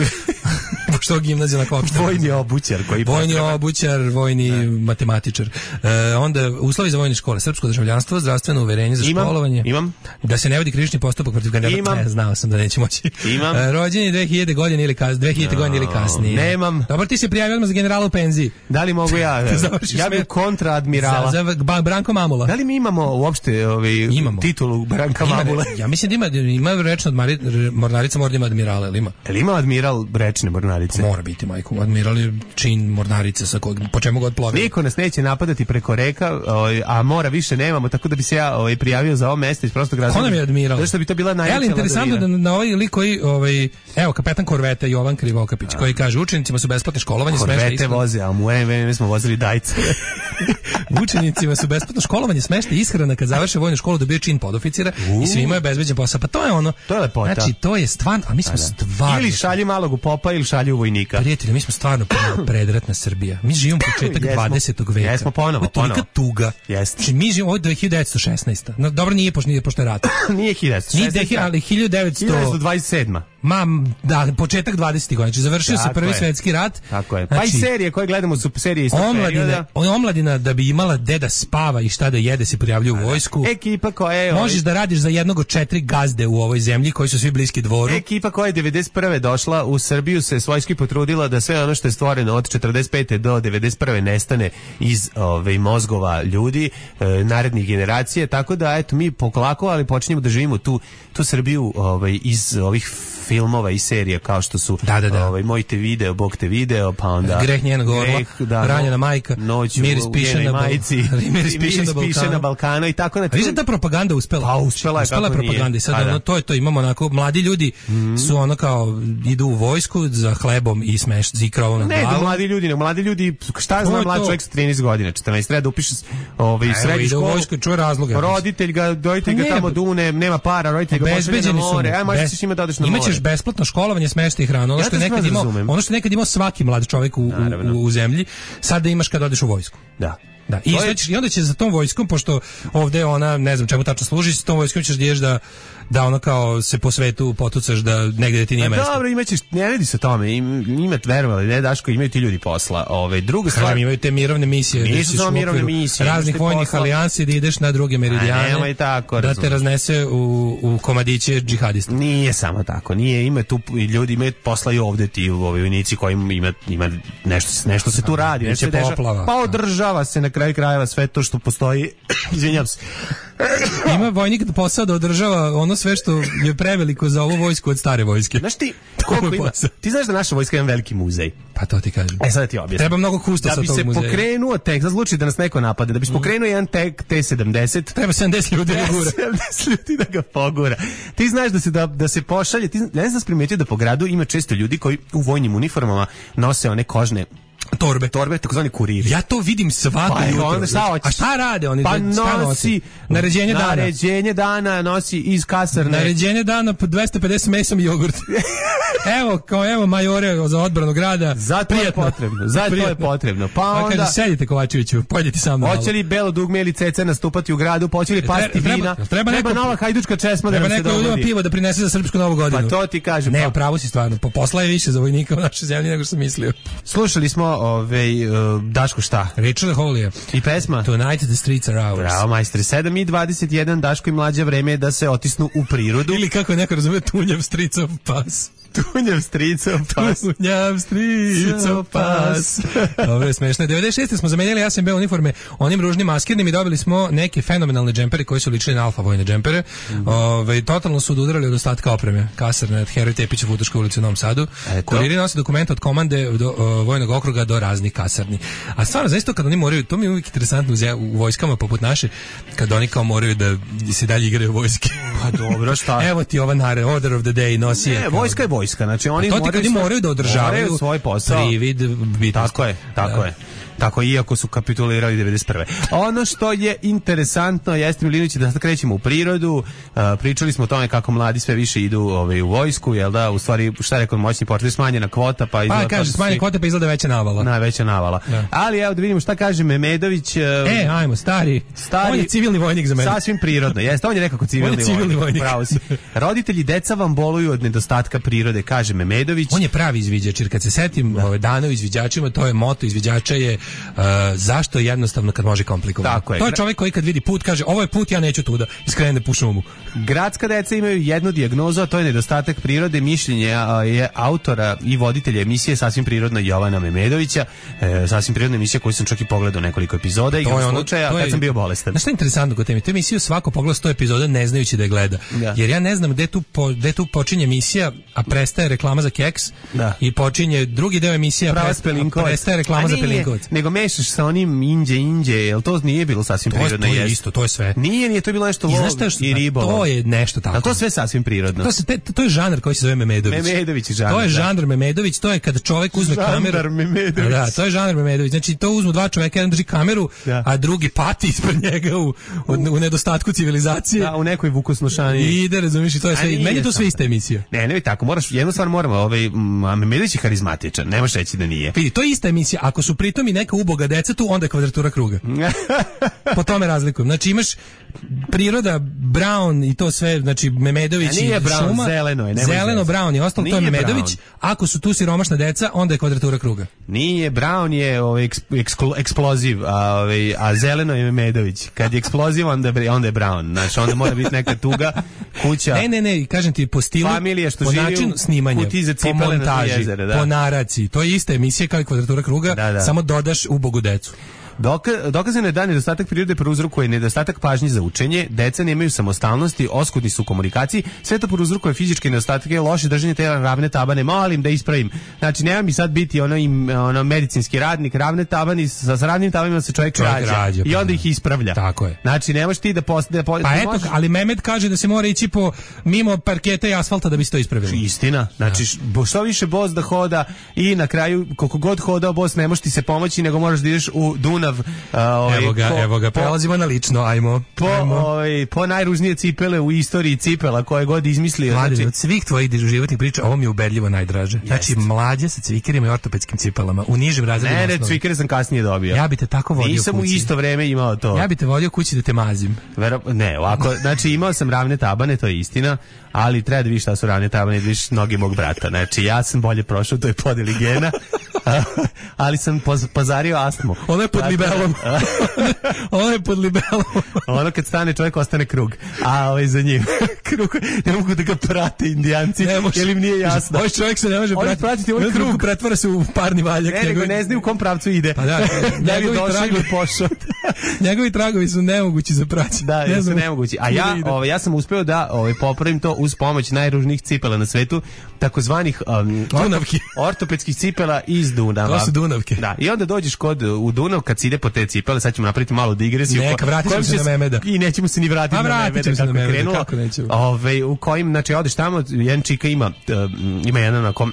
Što gimnazija na kopšta. Vojni obućar koji Vojni potreba. obućar, vojni ne. matematičar. E, onda uslovi za vojne škole, srpsko državljanstvo, zdravstveno uverenje za imam, školovanje. Imam. Da se ne vodi krivični postupak protiv kandidata. Ne, znao sam da neće moći. Imam. E, rođeni dve hiljade godine ili kasnije, dve hiljade no, godine ili kasnije. Nemam. Dobro, ti se prijavio odmah za generala u penziji. Da li mogu ja? Ja bih kontra admirala. Za, za Branko Mamula. Da li mi imamo uopšte ovaj titulu Branka Mamula? Ja mislim da ima ima rečno mornarica, mora da ima admirala, ili ima? Jel ima admiral rečne mornarice? Mora biti, majko. Admiral je čin mornarice sa kojeg, po čemu god plovi. Niko nas neće napadati preko reka, a mora više nemamo, tako da bi se ja ovaj, prijavio za ovo mesto iz prostog razloga. Ko nam je admiral? Zato što bi to bila najveća ladovina. Interesantno da na ovaj lik koji, ovaj, evo, kapetan korveta Jovan Krivokapić, a. koji kaže, učenicima su besplatno školovanje, smešta ishrana. Korvete voze, a u vreme smo vozili dajce. Učenicima su besplatno školovanje, smešta ishrana, kad završe vojnu školu dobije čin podoficira i svima je bezbeđen posao. Pa to je ono. To je lepota. Znači, to je stvarno, a mi smo stvarno. Ili šalji malog u popa ili šalji u vojnika. Prijatelji, mi smo stvarno predratna Srbija. Mi živimo početak dvadesetog veka. Jesmo ponovo, ponovo. Tolika tuga. Jeste. Znači, mi živimo od hiljadu devetsto šesnaesta. No, dobro, nije pošto nije pošto je rat. Nije hiljadu devetsto šesnaesta. Nije, ali hiljadu devetsto dvadeset sedma. Ma, da, početak dvadesetih godina. Znači, završio se prvi je. svetski rat. Tako je. Pa znači, i serije koje gledamo su serije iz tog perioda. Omladina da bi imala gde da spava i šta da jede se prijavljuje u vojsku. Ekipa koja je... Možeš da radiš za jednog od četiri gazde u ovoj zemlji koji su svi bliski dvoru. Ekipa koja je devedeset prve došla u Srbiju se svojski potrudila da sve ono što je stvoreno od četrdeset pete do devedeset prve nestane iz ove, mozgova ljudi, e, narednih generacije, tako da eto mi polako, ali počinjemo da živimo tu, tu Srbiju ovaj, iz ovih filmova i serija kao što su da, da, da. Ovaj, Moj te video, Bog te video, pa onda Greh njenog orla, da, Ranjena majka, Noć Miris piše na majici, Miris piše na Balkanu. na Balkanu i tako na. A vidim ta propaganda uspela. Pa uspela je, uspela kako propaganda nije. i sad A, ono, da. to je to, imamo onako mladi ljudi mm. su ono kao idu u vojsku za hlebom i smeš i krovom na glavu. Ne, da mladi ljudi, ne, mladi ljudi, šta zna mlad čovjek sa trinaest godina, četrnaest, treba da upiše ovaj u srednju školu. U vojsku, čuje razloga. Roditelj ga, roditelj ga tamo dune, nema para, roditelj ga pošalje na more. Aj, možeš s njima da odeš na more. Imaćeš besplatno školovanje, smeštaj i hranu. Ono što je nekad imao, ono što je nekad imao svaki mlad čovjek u, u, u zemlji, sad da imaš kad odeš u vojsku. Da. Da, i, je... ćeš, i onda će za tom vojskom, pošto ovde ona, ne znam čemu tačno služi, s tom vojskom ćeš da ješ da, da ono kao se po svetu potucaš da negde ti nije mesto. Dobro, imaćeš, ne radi se o tome, ima, verovali, ne, Daško, imaju ti ljudi posla. Ove, druga stvar... Kažem, imaju te mirovne misije. Nisu samo mirovne misije. Raznih vojnih posla... alijansi da ideš na druge meridijane, nema i tako, da te raznese u, u komadiće džihadista. Nije samo tako, nije, ima tu ljudi, imaju posla i ovde ti u ovoj vojnici koji ima, ima nešto, nešto se tu radi. Nešto se poplava. Pa održava se na kraju krajeva sve to što postoji. Izvinjam se. Ima vojnik da posao da održava ono sve što je preveliko za ovu vojsku od stare vojske. Znaš ti, koliko ima? Ti znaš da naša vojska ima veliki muzej. Pa to ti kažem. E sad ti objasnim. Treba mnogo kustosa tog muzeja. Da bi se pokrenuo tek, za slučaj da nas neko napade, da bi se pokrenuo jedan tek T sedamdeset. Treba sedamdeset ljudi da gura. sedamdeset ljudi da ga pogura. Ti znaš da se da, da se pošalje, ti ne znaš primetio da po gradu ima često ljudi koji u vojnim uniformama nose one kožne torbe, torbe, takozvani kuriri. Ja to vidim svako pa, jutro. Onda, šta a šta rade oni? Pa nosi naređenje dana. Naređenje dana nosi iz kasarne. Naređenje dana po dvesta pedeset mesom i jogurt. Evo, kao evo majore za odbranu grada. Zato je potrebno. Zato je potrebno. Pa onda pa kaže sedite Kovačeviću, pojdite sa mnom. Hoće li belo dugme ili ceca nastupati u gradu, hoće li pasti vina? Treba, treba, treba neko, nova hajdučka česma da treba se dogodi. Treba neko pivo da prinese za srpsku novu godinu. Pa to ti kažem. Ne, pa. upravo si stvarno. Po posla je više za vojnika u našoj zemlji nego što sam mislio. Slušali smo ove uh, Daško šta? Richard Holley. I pesma Tonight the streets are ours. Bravo, majstori. sedam i dvadeset jedan, Daško i mlađa, vreme je da se otisnu u prirodu. Ili kako neko razume, tunjav stricov pas. Tunjav stricov pas. Tunjav stricov pas. Dobro je smešno. devedeset šeste smo zamenjali ja sam B uniforme onim ružnim maskirnim i dobili smo neke fenomenalne džempere koji su ličili na alfa vojne džempere. Mm. Ove, totalno su odudarali od ostatka opreme. Kasarne od Heroj Tepića u Futoškoj ulici u Novom Sadu. Eto. Kuriri nose dokumente od komande do o, vojnog okruga do raznih kasarni. A stvarno, zaista kad oni moraju, to mi je uvijek interesantno u vojskama poput naše, kad oni kao moraju da se dalje igraju vojske. Pa dobro, šta? Evo ti ova nare, order of the day nosi. Ne, vojska je vojska, znači oni to ti moraju, moraju da održavaju svoj posao. Privid, bitnost. Tako je, tako da. je. Tako iako su kapitulirali devedeset prve. Ono što je interesantno jeste, Milinović, da sad krećemo u prirodu. Uh, pričali smo o tome kako mladi sve više idu ovaj, u vojsku, jel da? U stvari, šta rekao moćni portfelj, smanjena kvota, pa izgleda... Pa kaže, smanjena kvota, pa izgleda veća navala. Na, veća navala. Da. Ali evo da vidimo šta kaže Memedović. Uh, e, ajmo, stari. stari. On je civilni vojnik za mene. Sasvim prirodno, jeste. On je nekako civilni, je civilni vojnik. Pravo si. Roditelji deca vam boluju od nedostatka prirode, kaže Memedović. On je pravi izviđač, jer kad se setim da. Ove dana u izviđačima, to je moto izviđača je uh, zašto jednostavno kad može komplikovano. Tako je. To je čovjek koji kad vidi put kaže ovo je put, ja neću tuda, iskrene da pušem mu. Gradska deca imaju jednu dijagnozu, a to je nedostatak prirode. Mišljenje je autora i voditelja emisije Sasvim prirodno Jovana Memedovića. E, Sasvim prirodna emisija koju sam čak i pogledao nekoliko epizoda i ono, slučaja kad je, sam bio bolestan. Znaš šta je interesantno kod teme? Tu emisiju svako pogleda sto epizoda ne znajući da je gleda. Da. Jer ja ne znam gde tu, po, gde tu počinje emisija, a prestaje reklama za keks da. I počinje drugi deo emisije, a, prest, a prestaje reklama za Pelinkovac. Nego mešaš sa onim inđe, inđe, jel to nije bilo sasvim to prirodno? To je isto, to je sve. Nije, nije to bilo nešto lov i ribolov. To je nešto tako. Ali to sve sasvim prirodno. To, se, te, to je žanr koji se zove Memedović. Memedović je žanr. To je žanr Memedović, to je kad čovjek uzme žanr kameru. Žanr Memedović. Da, to je žanr Memedović. Znači to uzmu dva čovjeka, jedan drži kameru, da. A drugi pati ispred njega u, u, u nedostatku civilizacije. Da, u nekoj vukosnošani. I ide, razumiješ, i to je sve. Meni je to sve ista emisija. Ne, ne, tako, moraš, jednu stvar moramo, ovaj, Memedović je harizmatičan, ne možeš reći da nije. Vidi, to je ista emisija. Ako su pritom i neka uboga deca tu, onda je kvadratura kruga. Po tome razlikujem. Znači imaš priroda, Brown i to sve, znači Memedović i brown, šuma. Zeleno je. Zeleno, Brown i ostalo, to je Memedović. Brown. Ako su tu siromašna deca, onda je kvadratura kruga. Nije, Brown je ovaj, eksklo, eksploziv, a, ovaj, a zeleno je Memedović. Kad je eksploziv, onda je, onda je Brown. Znači, onda mora biti neka tuga kuća. Ne, ne, ne, kažem ti, po stilu, familije što po živi načinu snimanja, po montaži, jezere, da. po naraciji. To je ista emisija kao i kvadratura kruga, da, da. samo dodaš ubogu decu. Doka, dokazano je da nedostatak prirode prouzrokuje nedostatak pažnje za učenje, deca nemaju samostalnosti, oskudni su u komunikaciji, sve to prouzrokuje fizičke nedostatke, loše držanje tela, ravne tabane, molim da ispravim. Znači, nema mi sad biti ono, im, ono medicinski radnik, ravne tabani, sa, sa ravnim tabanima se čovjek, čovjek rađa, rađa i onda ih ispravlja. Tako je. Znači, ne možeš ti da postaje... Da, pa eto, ali Mehmet kaže da se mora ići po mimo parketa i asfalta da bi se to ispravilo. Istina. Znači, ja. Što više bos da hoda i na kraju, koliko god hodao bos, ne možeš ti se pomoći, nego moraš da ideš u Dunav. Uh, evo ga, po, evo ga, prelazimo po, na lično, ajmo. Po, ajmo. Ovaj, po najružnije cipele u istoriji cipela koje god izmislio. Mladen, znači, od svih tvojih životnih priča, ovo mi je ubedljivo najdraže. Jest. Znači, mlađe sa cvikerima i ortopedskim cipelama, u nižim razredima. Ne, ne, cvikere sam kasnije dobio. Ja bi te tako vodio Nisam kući. u isto vreme imao to. Ja bi te vodio kući da te mazim. Vero, ne, ovako, znači imao sam ravne tabane, to je istina, ali treba da vidiš šta su ravne tabane, da vidiš noge mog brata. Znači, ja sam bolje prošao, to je podeli gena, ali sam poz, pozario astmu. Ono je pod libelom. Ono je pod libelom. Ono kad stane čovjek ostane krug. A ovaj za njim. Krug. Ne mogu da ga prate indijanci. Jer im nije jasno. Ovaj čovjek se ne može pratiti. pratiti ovaj krug. Pretvara se u parni valjak. Ne, nego ne znaju u kom pravcu ide. Pa da, njegovi tragovi pošao. Njegovi tragovi su nemogući za praćenje. Da, ne su nemogući. A ja, ovaj, ja sam uspeo da ovaj, popravim to uz pomoć najružnijih cipela na svetu, takozvanih um, Dunavki. Ortopedskih cipela iz Dunava. To su Dunavke. Da, i onda dođeš kod u Dunav kad se ide po te cipele, sad ćemo napraviti malo digresiju. Neka, vratit ćemo se na Memeda. I nećemo se ni vratiti pa, na Memeda kako na Memeda, krenulo. kako nećemo. Ove, u kojim, znači, odeš tamo, jedan čika ima, um, ima jedan onako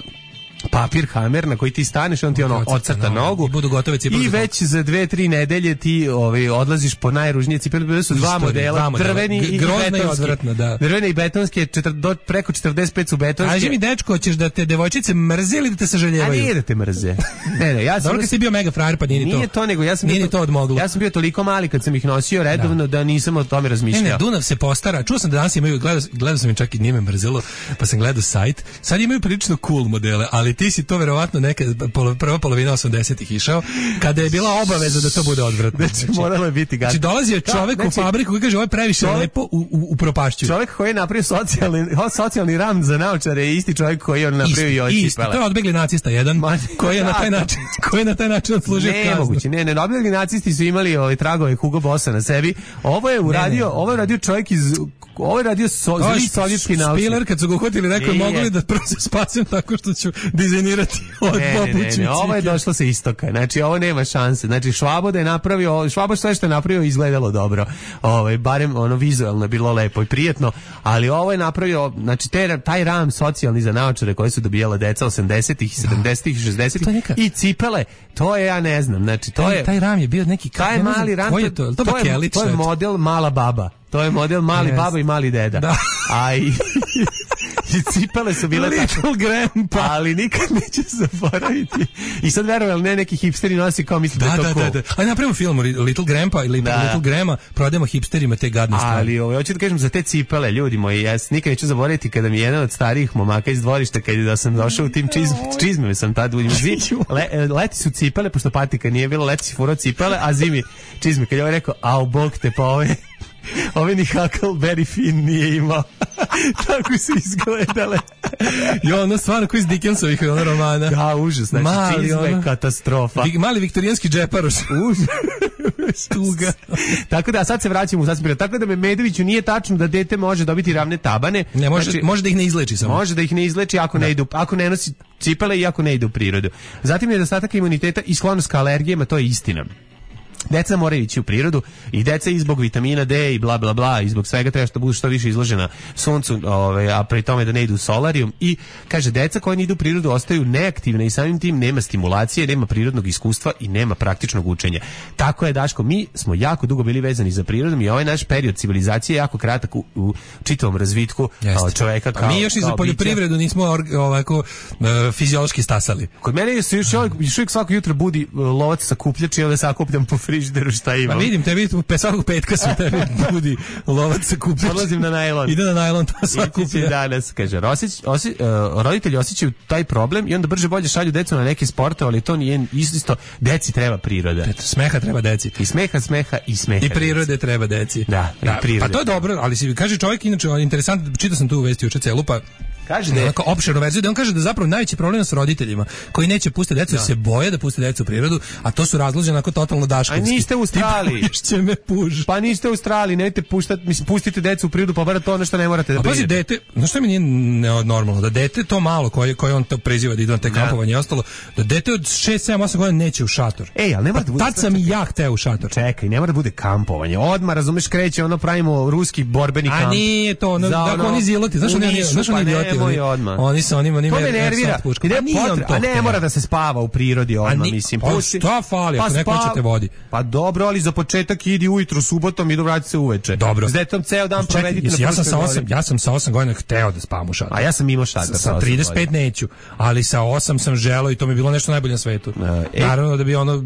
papir hamer na koji ti staneš, on ti ono ocrta nogu i budu gotove cipele. I već za dve, tri nedelje ti ovaj, odlaziš po najružnije cipele, bili su dva modela, drveni i betonski. Da. Drvene i betonske, četir, do, preko četrdeset pet su betonske. Kaži mi, dečko, hoćeš da te devojčice mrze ili da te sažaljevaju? A nije da te mrze. Ne, ne, ja sam... Dobro kad si bio mega frajer, pa nije ni to. Nije to, nego ja sam... Nije ni to odmoglo. Ja sam bio toliko mali kad sam ih nosio redovno da, da nisam o tome razmišljao. Ne, ne, Dunav se postara. Čuo sam da danas imaju, gledao, gledao sam im čak i nije me mrzelo, pa sam gledao sajt. Sad imaju prilično cool modele, ali ti si to verovatno neka polo, prva polovina osamdesetih išao, kada je bila obaveza da to bude odvratno. Znači, moralo je biti gadno. Znači, dolazio čovek da, znači, u fabriku koji kaže, ovo je previše čovjek, lepo, u, u, u propašću. Čovjek koji je napravio socijalni, socijalni ram za naočare je isti čovjek koji je on napravio i oči. Isti, to je odbegli nacista jedan, Ma, koji je na taj način, koji je na taj način odslužio ne, kaznu. Moguće, ne, ne, odbegli nacisti su imali ovaj tragove Hugo Bossa na sebi. Ovo je uradio, ne, ne. ovo je uradio čovjek iz ovo je radio so, zli sovjetski naučnik. Spiller, kad su ga uhvatili, rekao je, mogu li da prvo se spasim tako što ću dizajnirati od popućnici. Ovo je došlo sa istoka, znači ovo nema šanse. Znači Švabo da je napravio, Švabo sve što je napravio izgledalo dobro. Ovaj barem ono vizuelno je bilo lepo i prijatno, ali ovo je napravio, znači te, taj ram socijalni za naočare koje su dobijala deca osamdesetih, sedamdesetih, šezdesetih i cipele, to je ja ne znam, znači to taj, je taj ram je bio neki taj ja mali ram, je to, to, to, je, to je model mala baba. To je model mali yes. baba i mali deda. Da. A i, i cipele su bile Little tako. Grandpa. Ali nikad neće zaboraviti. I sad verovali, ne, neki hipsteri nosi kao misli da, da je to da, cool. Da, da. Ajde napravimo film Little Grandpa ili da. Little Grandma, prodajemo hipsterima te gadne stvari. Ali ovo, hoću da kažem za te cipele, ljudi moji, ja nikad neću zaboraviti kada mi je jedan od starijih momaka iz dvorišta, kada da sam došao u tim čizm, čizmama, sam tad u zimi, le, leti su cipele, pošto patika nije bilo, leti si furao cipele, a zimi čizme. Kad je ovaj rekao, au, bog te, pa ove... Ove ni Huckleberry Finn nije imao. Tako su izgledale. Jo, ono stvarno koji iz Dickensovih ono romana. Da, užas. Znači, mali, čizme ono, katastrofa. Vi, mali viktorijanski džeparoš. Užas. Tuga. Tako da, sad se vraćamo u sasvim. Tako da Memedoviću nije tačno da dete može dobiti ravne tabane. Ne, može, znači, može da ih ne izleči samo. Može da ih ne izleči ako da. ne idu, ako ne nosi cipele i ako ne ide u prirodu. Zatim nedostatak imuniteta i sklonost ka alergijama, to je istina. Deca moraju ići u prirodu i deca i zbog vitamina D i bla bla bla i zbog svega treba što budu što više izložena suncu, ovaj, a pri tome da ne idu u solarijum. I kaže, deca koja ne idu u prirodu ostaju neaktivne i samim tim nema stimulacije, nema prirodnog iskustva i nema praktičnog učenja. Tako je, Daško, mi smo jako dugo bili vezani za prirodom i ovaj naš period civilizacije je jako kratak u, u čitavom razvitku Jeste. čoveka kao, a mi još i za poljoprivredu bića. Nismo ovako uh, fiziološki stasali. Kod mene se još, još uvijek svako jutro budi lovac sakupljač i onda sakupljam po frižideru šta imam. Pa vidim, tebi svakog petka su tebi budi lovac sakupljač. Odlazim na najlon. Ide na najlon, to sakupio. Danas, kaže, osjeć, osjeć, uh, roditelji osjećaju taj problem i onda brže bolje šalju decu na neke sportove, ali to nije isto, deci treba priroda. Eto, smeha treba deci. I smeha, smeha i smeha. I prirode deci. Treba deci. Da, da, i prirode. Pa to je dobro, ali si kaže čovjek, inače, interesantno, čitao sam tu u vesti juče celu, pa kaže da je opširnu verziju, da on kaže da zapravo najveći problem s roditeljima koji neće pustiti decu, da. se boje da puste decu u prirodu, a to su razloženi onako totalno daškovski. A niste u Australiji. Će me puž. Pa niste u Australiji, nemojte puštati, mislim, pustite decu u prirodu, pa bar to ono što ne morate da prijete. A pazi, dete, znaš što mi nije normalno, da dete to malo koje, koje on to preziva da ide na te kampovanje i ostalo, da dete od šest, sedam, osam godina neće u šator. Ej, ali ne mora da bude. Tad sam i ja hteo u šator. Čekaj, ne mora da bude kampovanje. Odmah, razumeš, kreće, ono pravimo ruski borbeni kamp. A nije to, ono, dakle, oni ziloti, znaš oni, znaš oni idioti, oni se oni oni to me nervira. Ide potre, a ne mora da se spava u prirodi odmah, mislim. Pa šta fali, ako neko će te vodi. Pa dobro, ali za početak idi ujutru subotom i do vrati se uveče. Dobro. S detom ceo dan provedite na ja sam sa osam, ja sam sa osam godina hteo da spavam u šatoru. A ja sam imao šator sa trideset pet neću, ali sa osam sam želeo i to mi je bilo nešto najbolje na svetu. E, Naravno da bi ono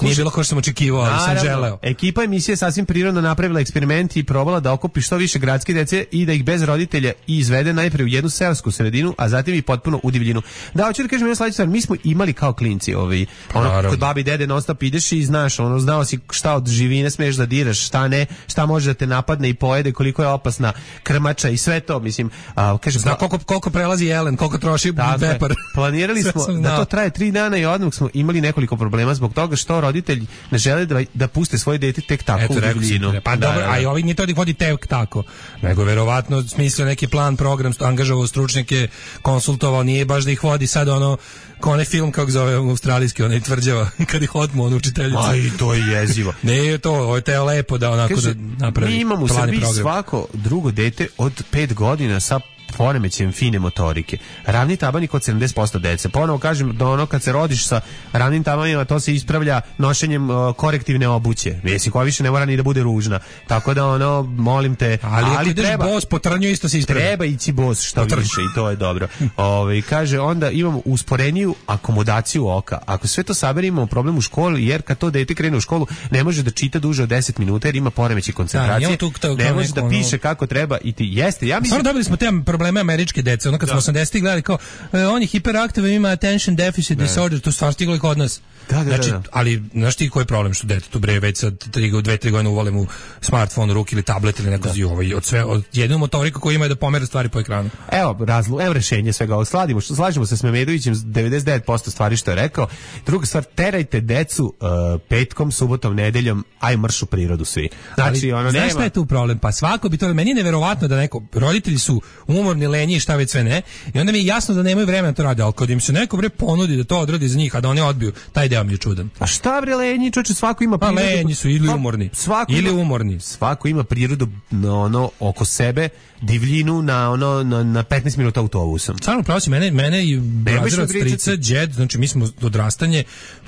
nije bilo kao što sam očekivao, ali sam želeo. Ekipa emisije sasvim prirodno napravila eksperiment i probala da okupi što više gradske dece i da ih bez roditelja izvede najpre u jednu seosku sredinu, a zatim i potpuno u divljinu. Da, hoću da kažem jednu sledeću stvar, mi smo imali kao klinci, ovaj, ono, kod babi i dede non stop ideš i znaš, ono, znao si šta od živine smeš da diraš, šta ne, šta može da te napadne i pojede, koliko je opasna krmača i sve to, mislim, a, kaže, zna koliko, koliko prelazi jelen, koliko troši pepar. Planirali smo da to traje tri dana i odmah smo imali nekoliko problema zbog toga što roditelji ne žele da, da puste svoje dete tek tako Eto, u divljinu. Pa da, dobro, da, da. A i ovi nije to da ih vodi tek tako, nego verovatno smislio neki plan, program, angažovao stručnjake, konsultovao, nije baš da ih vodi sad ono, kao onaj film kako zove australijski, onaj tvrđava, kad ih otmu on učiteljica. Aj, to je jezivo. Ne, to, ovo je teo lepo da onako Kaže, da napravi. Mi imamo u Srbiji svako drugo dete od pet godina sa poremećajem fine motorike. Ravni tabanik od sedamdeset posto dece. Ponovo kažem da ono kad se rodiš sa ravnim tabanima, to se ispravlja nošenjem uh, korektivne obuće. Jesi koja više ne mora ni da bude ružna. Tako da ono, molim te, ali, ali treba bos po trnju isto se ispravlja. Treba ići bos što više i to je dobro. Ovaj kaže onda imamo usporeniju akomodaciju oka. Ako sve to saberemo, imamo problem u školi, jer kad to dete krene u školu ne može da čita duže od deset minuta jer ima poremećaj koncentracije. Da, ne može da piše ono kako treba i ti jeste. Ja mislim, dobili smo te probleme američke dece, ono kad da. smo osamdesetih gledali kao e, on je hiperaktivan, ima attention deficit ne. disorder, to stvarno stiglo i kod nas. Da, da, znači, da, da. ali znaš ti koji je problem što dete tu bre već sad dve tri godine uvale mu smartfon u ruke ili tablet ili neko da. ovaj, od sve od jednu motoriku koju ima je da pomera stvari po ekranu. Evo razlu, evo rešenje svega ovog. Sladimo, slažemo se s Memedovićem devedeset devet posto stvari što je rekao. Druga stvar, terajte decu uh, petkom, subotom, nedeljom, aj marš u prirodu svi. Znači, ali, ono znaš nema. šta je tu problem? Pa svako bi to, meni je neverovatno da neko, roditelji su umorni, lenji i šta već sve ne, i onda mi je jasno da nemaju vremena to rade, ali kad im se neko bre ponudi da to odradi za njih, a da oni odbiju, taj deo mi je čudan. A šta bre lenji, čoče, svako ima prirodu. Pa lenji su ili umorni. Svako ili ima, umorni. Svako ima prirodu na ono oko sebe, divljinu na ono na, na petnaest minuta autobusom. Stvarno pravo si, mene, mene i brazir od strica, džed, znači mi smo odrastanje,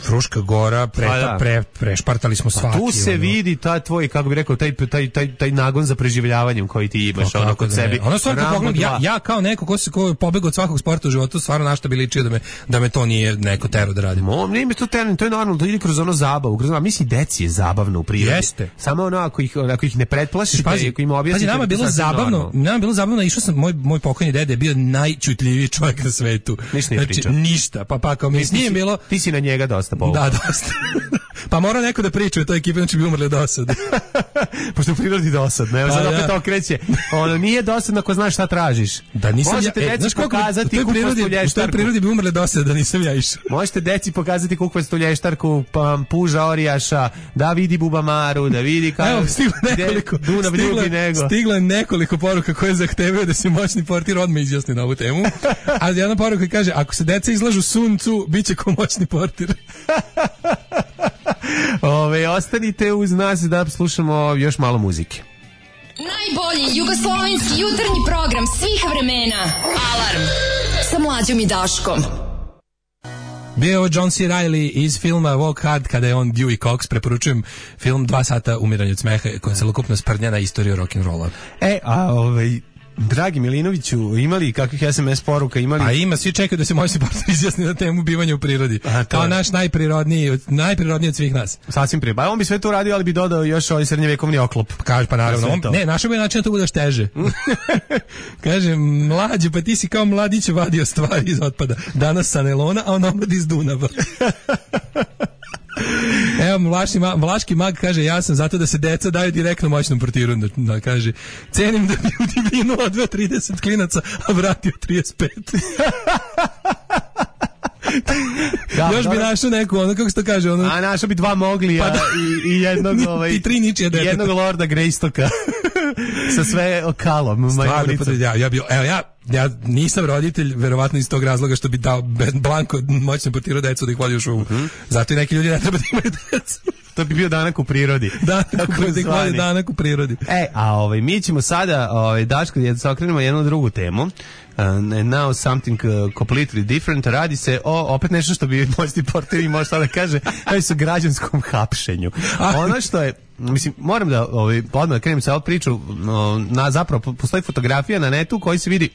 Fruška Gora, pre, da. pre, prešpartali smo svaki. Pa tu se ono vidi ta tvoj, kako bi rekao, taj, taj, taj, taj nagon za preživljavanjem koji ti imaš, ono kod sebi. Ono stvarno pogledam, ja, ja kao neko ko se ko pobegao od svakog sporta u životu, stvarno našta bi ličio da me, da me to nije neko tero da radim. Mo, nije mi to tero, to je normalno, to ide kroz ono zabavu, kroz ono, mislim, deci je zabavno u prirodi. Jeste. Samo ono, ako ih, ako ih ne pretplašiš, pazi, ako im objasniš. Pazi, nama je bilo zabavno, nama je bilo zabavno, išao sam, moj, moj pokojni dede je bio najčutljiviji čovjek na svetu. Ništa nije pričao. Znači, ništa, pa pa kao mi s njim bilo. Ti si na njega dosta povukao. Da, dosta. Pa mora neko da priča o toj ekipi, znači bi umrli od dosade. Pošto u prirodi dosadno, evo sad opet okreće. Ono, nije dosadno ako znaš šta tražiš. Da nisam možete ja, deci e, pokazati kukvastu lještarku. U toj prirodi bi umrli dosade da nisam ja išao. Možete deci pokazati kukvastu lještarku, pa puža orijaša, da vidi bubamaru, da vidi kao... Evo, stiglo nekoliko, Dunav ljubi nego. Stiglo je nekoliko poruka koje zahtevaju da se moćni portir odmah izjasni na ovu temu. Ali jedna poruka kaže, ako se deca izlažu suncu, bit će ko moćni portir. Ove, ostanite uz nas da slušamo još malo muzike. Najbolji jugoslovenski jutarnji program svih vremena. Alarm sa Mlađom i Daškom. Bio je John C. Reilly iz filma Walk Hard, kada je on Dewey Cox. Preporučujem film Dva sata umiranja od smeha, koja je celokupno sprdnja na istoriju rock'n'rolla. E, a ovaj... Dragi Milinoviću, imali kakvih es em es poruka? Imali... A ima, svi čekaju da se moji partner izjasni na temu bivanja u prirodi. A, kao je naš najprirodniji, najprirodniji od svih nas. Sasvim prije. Ba, on bi sve to radio, ali bi dodao još ovaj srednjevekovni oklop. Kaže, pa naravno. On, ne, našao bi način da to budeš teže. Kaže, mlađe, pa ti si kao mladić vadio stvari iz otpada. Danas sa nelona, a on omlad iz Dunava. Evo, vlaški, vlaški mag kaže, ja sam zato da se deca daju direktno moćnom portiru. Da, da kaže, cenim da bi u divinu odveo trideset klinaca, a vratio trideset pet. Da, još bi našao neku, ono, kako se to kaže, ono... A našao bi dva Moglija, pa da, i, i jednog, ovaj... I tri ničije deteta. Jednog Lorda Greystoka. Sa sve okalom. Stvarno, pa, ja, ja, bio, evo, ja, ja nisam roditelj, verovatno iz tog razloga što bi dao blanko moćno portirao decu da ih vodi u šumu. Mm-hmm. Zato i neki ljudi ne treba da imaju decu. To bi bio danak u prirodi. Danak, da ih vodi danak u prirodi. E, a ovaj, mi ćemo sada, ovaj, Daško, da se okrenemo jednu drugu temu. Uh, now something uh, completely different. Radi se o opet nešto što bi moćni portir imao šta da kaže, radi se o građanskom hapšenju. Ono što je, mislim, moram da ovaj, odmah da krenem sa ovu priču, na, zapravo postoji fotografija na netu koji se vidi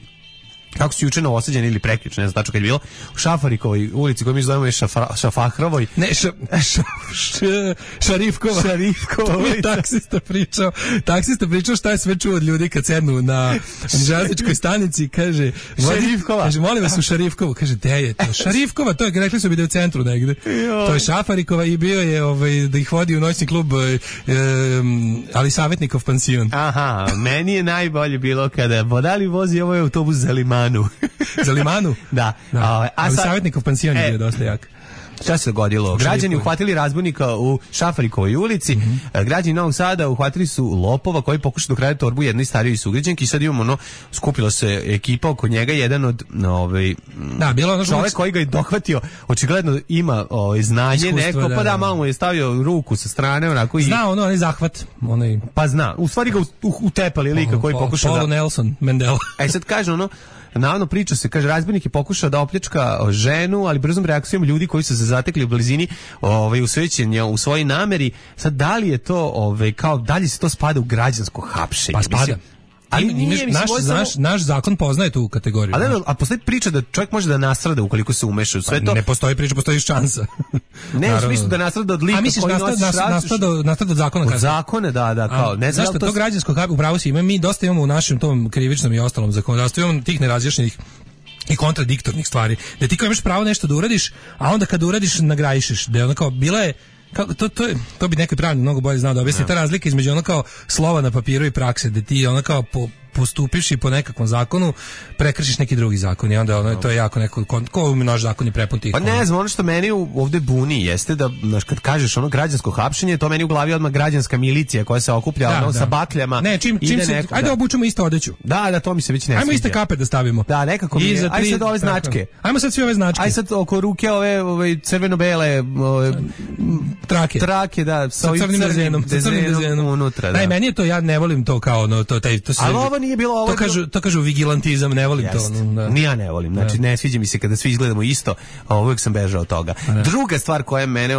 kako su juče novosađeni ili prekjuče, ne znam tačno kad je bilo, u Šafarikovoj ulici koju mi zovemo je Šafra, Šafahrovoj. Ne, ša, ša, ša, Šarifkova. Šarifkova. taksista pričao, taksista pričao šta je sve čuo od ljudi kad sednu na železničkoj stanici, kaže, Šarifkova. Kaže, molim vas u Šarifkovu. Kaže, de je to? Šarifkova, to je, rekli su bi da je u centru negde. To je Šafarikova i bio je ovaj, da ih vodi u noćni klub, um, ali savjetnikov pansion. Aha, meni je najbolje bilo kada vodali vozi ovaj autobus za Limanu. Za Limanu? Da. da. A, a sad, savjetnikov pansion je bio dosta jak. Šta se dogodilo? Građani uhvatili razbojnika u Šafarikovoj ulici. Mm-hmm. Građani Novog Sada uhvatili su lopova koji pokušaju da krade torbu jednoj starijoj sugrađanki i sad imamo ono, skupila se ekipa oko njega, jedan od ovaj da, bilo ono čovjek koji ga je dohvatio, očigledno ima ovaj znanje iskustvo, neko, da, pa da, malo mu je stavio ruku sa strane onako i zna ono, onaj zahvat, onaj pa zna. U stvari ga utepali lika koji pokušao da Paul Nelson Mandela. E sad kaže ono, navodno priča se, kaže, razbojnik je pokušao da opljačka ženu, ali brzom reakcijom ljudi koji su se zatekli u blizini ovaj, usvećenja u svojoj nameri. Sad, da li je to, ovaj, kao, da li se to spada u građansko hapšenje? Pa spada. Mislim, ali nije, mislim, naš, samo... naš, naš zakon poznaje tu kategoriju. A, ne, a postoji priča da čovjek može da nastrada ukoliko se umeša u sve to? Ne postoji priča, postoji šansa. Ne, u smislu da nastrada od lika misliš, koji nastad, nosiš nastad, nastrada od, od zakona. Od zakone, da, da, kao. A, ne znam zašto to... to građansko hapšenje, upravo si ima, mi dosta imamo u našem tom krivičnom i ostalom zakonodavstvu, imamo tih nerazjašnjenih i kontradiktornih stvari, da ti kao imaš pravo nešto da uradiš, a onda kada uradiš nagrajišeš, da je ono kao, bila je kako, to, to, to bi neki pravnik mnogo bolje znao da objasni, ta razlika između ono kao slova na papiru i prakse, da ti ono kao po, postupiš i po nekakvom zakonu prekršiš neki drugi zakon i onda ono, to je jako neko, ko naš zakon je prepun tih. Pa ne znam, ono što meni ovde buni jeste da, znaš, kad kažeš ono građansko hapšenje, to meni u glavi odmah građanska milicija koja se okuplja da, ono, da. sa bakljama. Ne, čim, čim se, neko, ajde da obučemo isto odeću. Da, da, to mi se već ne sviđa. Ajmo iste kape da stavimo. Da, nekako mi je. Ajde sad ove značke. Ajmo sad sve ove značke. Ajde sad oko ruke ove, ove crveno-bele ove, trake. Trake, da, sa crnim dezenom, sa crnim dezenom unutra, da. Aj, meni je to, ja ne volim to kao ono, to taj to se. Ali ovo nije bilo ovo. To kažu, to kažu vigilantizam, ne volim Jest. to. Da. Ni ja ne volim, znači ne sviđa mi se kada svi izgledamo isto, a uvijek sam bežao od toga. Ne. Druga stvar koja mene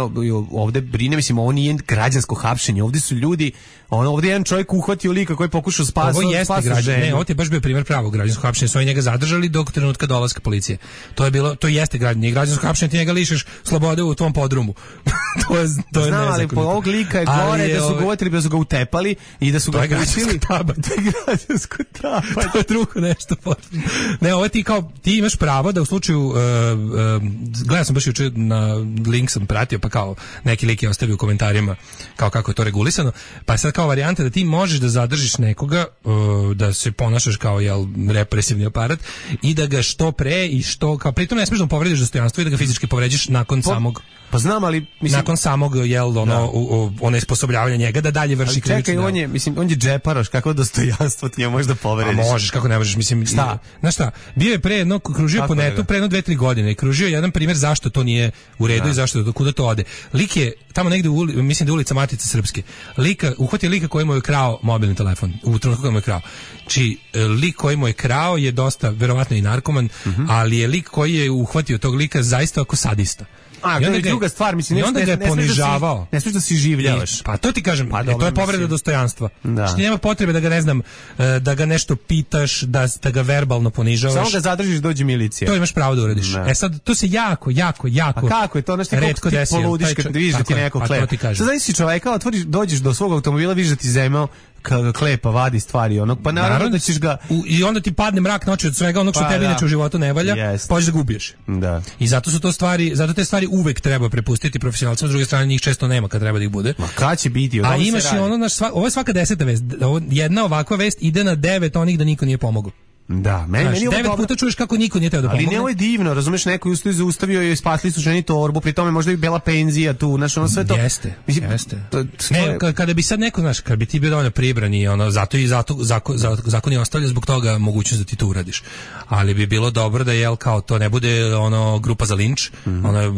ovde brine, mislim, ovo nije građansko hapšenje, ovde su ljudi, on, ovde je jedan čovjek uhvatio lika koji pokušao spasati. Ovo jeste građan, ne, ovo je baš bio primjer pravog građanskog hapšenja, su oni njega zadržali dok trenutka dolaska policije. To je bilo, to jeste građan, građansko hapšenje, ti njega lišiš slobode u tvom podrumu. to je, to je Znam, ali po ovog lika je gore je, da su ga uvatili, da su ga utepali i da su ga pustili. To je građansko taba. To je drugo nešto. Ne, ovo ti kao, ti imaš pravo da u slučaju, uh, uh, gledao sam baš juče na link sam pratio, pa kao neki lik je ostavio u komentarima kao kako je to regulisano, pa sad kao varijanta da ti možeš da zadržiš nekoga, uh, da se ponašaš kao jel, represivni aparat i da ga što pre i što, kao pritom ne smiješ da mu povrediš dostojanstvo i da ga fizički povređiš nakon po, samog pa znam, ali mislim, nakon samog jel ono u, u, onesposobljavanja njega da dalje vrši krivično. Čekaj, on je mislim on je džeparoš, kakvo dostojanstvo ti je možda da povrediš. A možeš, kako ne možeš, mislim, šta? Znaš šta, bio je pre jedno, kružio kako po netu, pre jedno dve, tri godine, i kružio jedan primjer zašto to nije u redu da. I zašto, do kuda to ode. Lik je, tamo negde, u, mislim da je ulica Matice Srpske, lika, uhvatio lika koji mu je krao mobilni telefon, u trenutku koji mu je krao. Či lik koji mu je krao je dosta, verovatno i narkoman, uh-huh. ali je lik koji je uhvatio tog lika zaista ako sadista. A, to je druga stvar, mislim, i onda ga je ponižavao. Ne smiješ da si življavaš. Pa to ti kažem, pa, dobro, to je povreda mislim. dostojanstva. Da. Znači nema potrebe da ga, ne znam, da ga nešto pitaš, da, da ga verbalno ponižavaš. Samo ga zadržiš, dođe milicija. To imaš pravo da uradiš. Ne. E sad, to se jako, jako, jako a kako je to? Znaš ti koliko ti poludiš kad vidiš da ti neko klepa. Sad znaš si čoveka, otvoriš, dođeš do svog automobila, vidiš da ti zemao kada klepa, vadi stvari onog, pa naravno, naravno da ćeš ga... U, I onda ti padne mrak noći od svega onog što pa, tebi inače u životu ne valja, yes. pa ćeš da ga ubiješ. Da. I zato su to stvari, zato te stvari uvek treba prepustiti profesionalcima, s druge strane njih često nema kad treba da ih bude. Ma kad će biti? A imaš i ono, naš, sva, ovo je svaka deseta vest, jedna ovakva vest ide na devet onih da niko nije pomogao. Da, meni, znaš, meni devet dobro... puta čuješ kako niko nije teo da pomogne. Ali ne, ovo je divno, razumeš, neko je ustao i zaustavio i spasli su ženi torbu, pri tome možda i bela penzija tu, znaš, ono sve to... Jeste, mislim, jeste. To, to ne, je... kada bi sad neko, znaš, kada bi ti bio dovoljno pribran i ono, zato i zato, zakon, zakon je ostavlja zbog toga mogućnost da ti to uradiš. Ali bi bilo dobro da, jel, kao to ne bude ono grupa za linč, mm-hmm. ono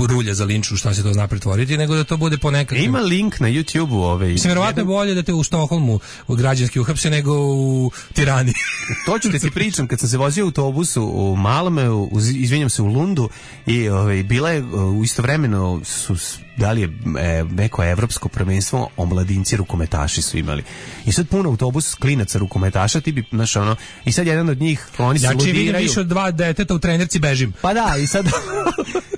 rulja za linč, šta se to zna pretvoriti, nego da to bude ponekad... Ima link na YouTubeu ove... Mislim, verovatno jedan... bolje da te u Stokholmu u građanski uhapse nego u Tirani. To ću da ti pričam, kad sam se vozio u autobusu u Malmeu, izvinjam se, u Lundu, i ovaj, bila je u istovremeno su da li je e, neko evropsko prvenstvo, omladinci rukometaši su imali. I sad puno autobus klinaca rukometaša, ti bi, znaš, ono, i sad jedan od njih, oni se znači, ludiraju. Znači, vidim više od dva deteta u trenerci bežim. Pa da, i sad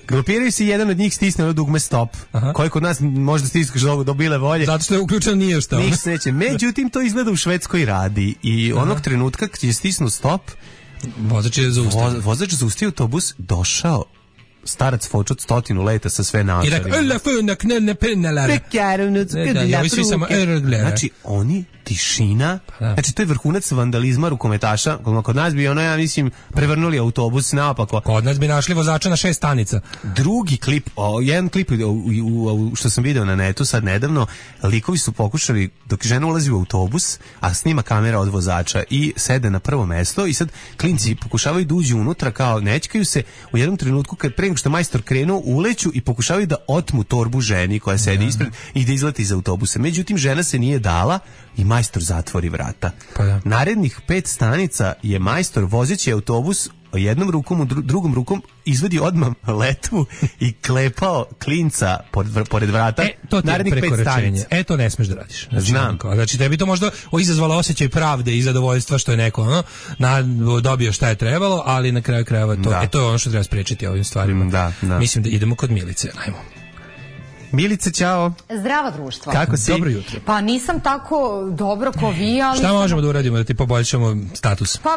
grupiraju se i jedan od njih stisne ono dugme stop, aha. koji kod nas možda stiskaš do, do bile volje. Zato što je uključeno nije šta. Niš sreće. Međutim, to izgleda u Švedskoj radi i aha. onog trenutka kad je stisnu stop, vozač je zaustavio. Vo, vozač zaustavio autobus, došao starac fočut stotinu leta sa sve naočarima. I rekao, la funa knelne pennalara. Znači, oni, tišina, pa znači to je vrhunac vandalizma rukometaša, kod nas bi ono, ja mislim, prevrnuli autobus naopako. Kod nas bi našli vozača na šest stanica. Drugi klip, o, jedan klip u, u, u, što sam video na netu sad nedavno, likovi su pokušali, dok žena ulazi u autobus, a snima kamera od vozača i sede na prvo mesto i sad klinci pokušavaju da uđu unutra, kao nećkaju se, u jednom trenutku kad pre nego što majstor krenuo, uleću i pokušavaju da otmu torbu ženi koja sedi ja. ispred i da izleti iz autobusa. Međutim, žena se nije dala i majstor zatvori vrata. Pa da. Narednih pet stanica je majstor vozeći autobus jednom rukom, u dru- drugom rukom izvedi odmah letvu i klepao klinca pored, pored vrata. E, to ti narednih je prekoračenje. E, to ne smeš da radiš. Znači, znam. Kao, znači, tebi to možda izazvalo osjećaj pravde i zadovoljstva što je neko ono, na, dobio šta je trebalo, ali na kraju krajeva to, e, to je ono što treba spriječiti ovim stvarima. Da, da. Mislim da idemo kod Milice. Ajmo. Milice, ćao. Zdravo društvo. Kako si? Dobro jutro. Pa nisam tako dobro ko vi, ali... Šta možemo da uradimo da ti poboljšamo status? Pa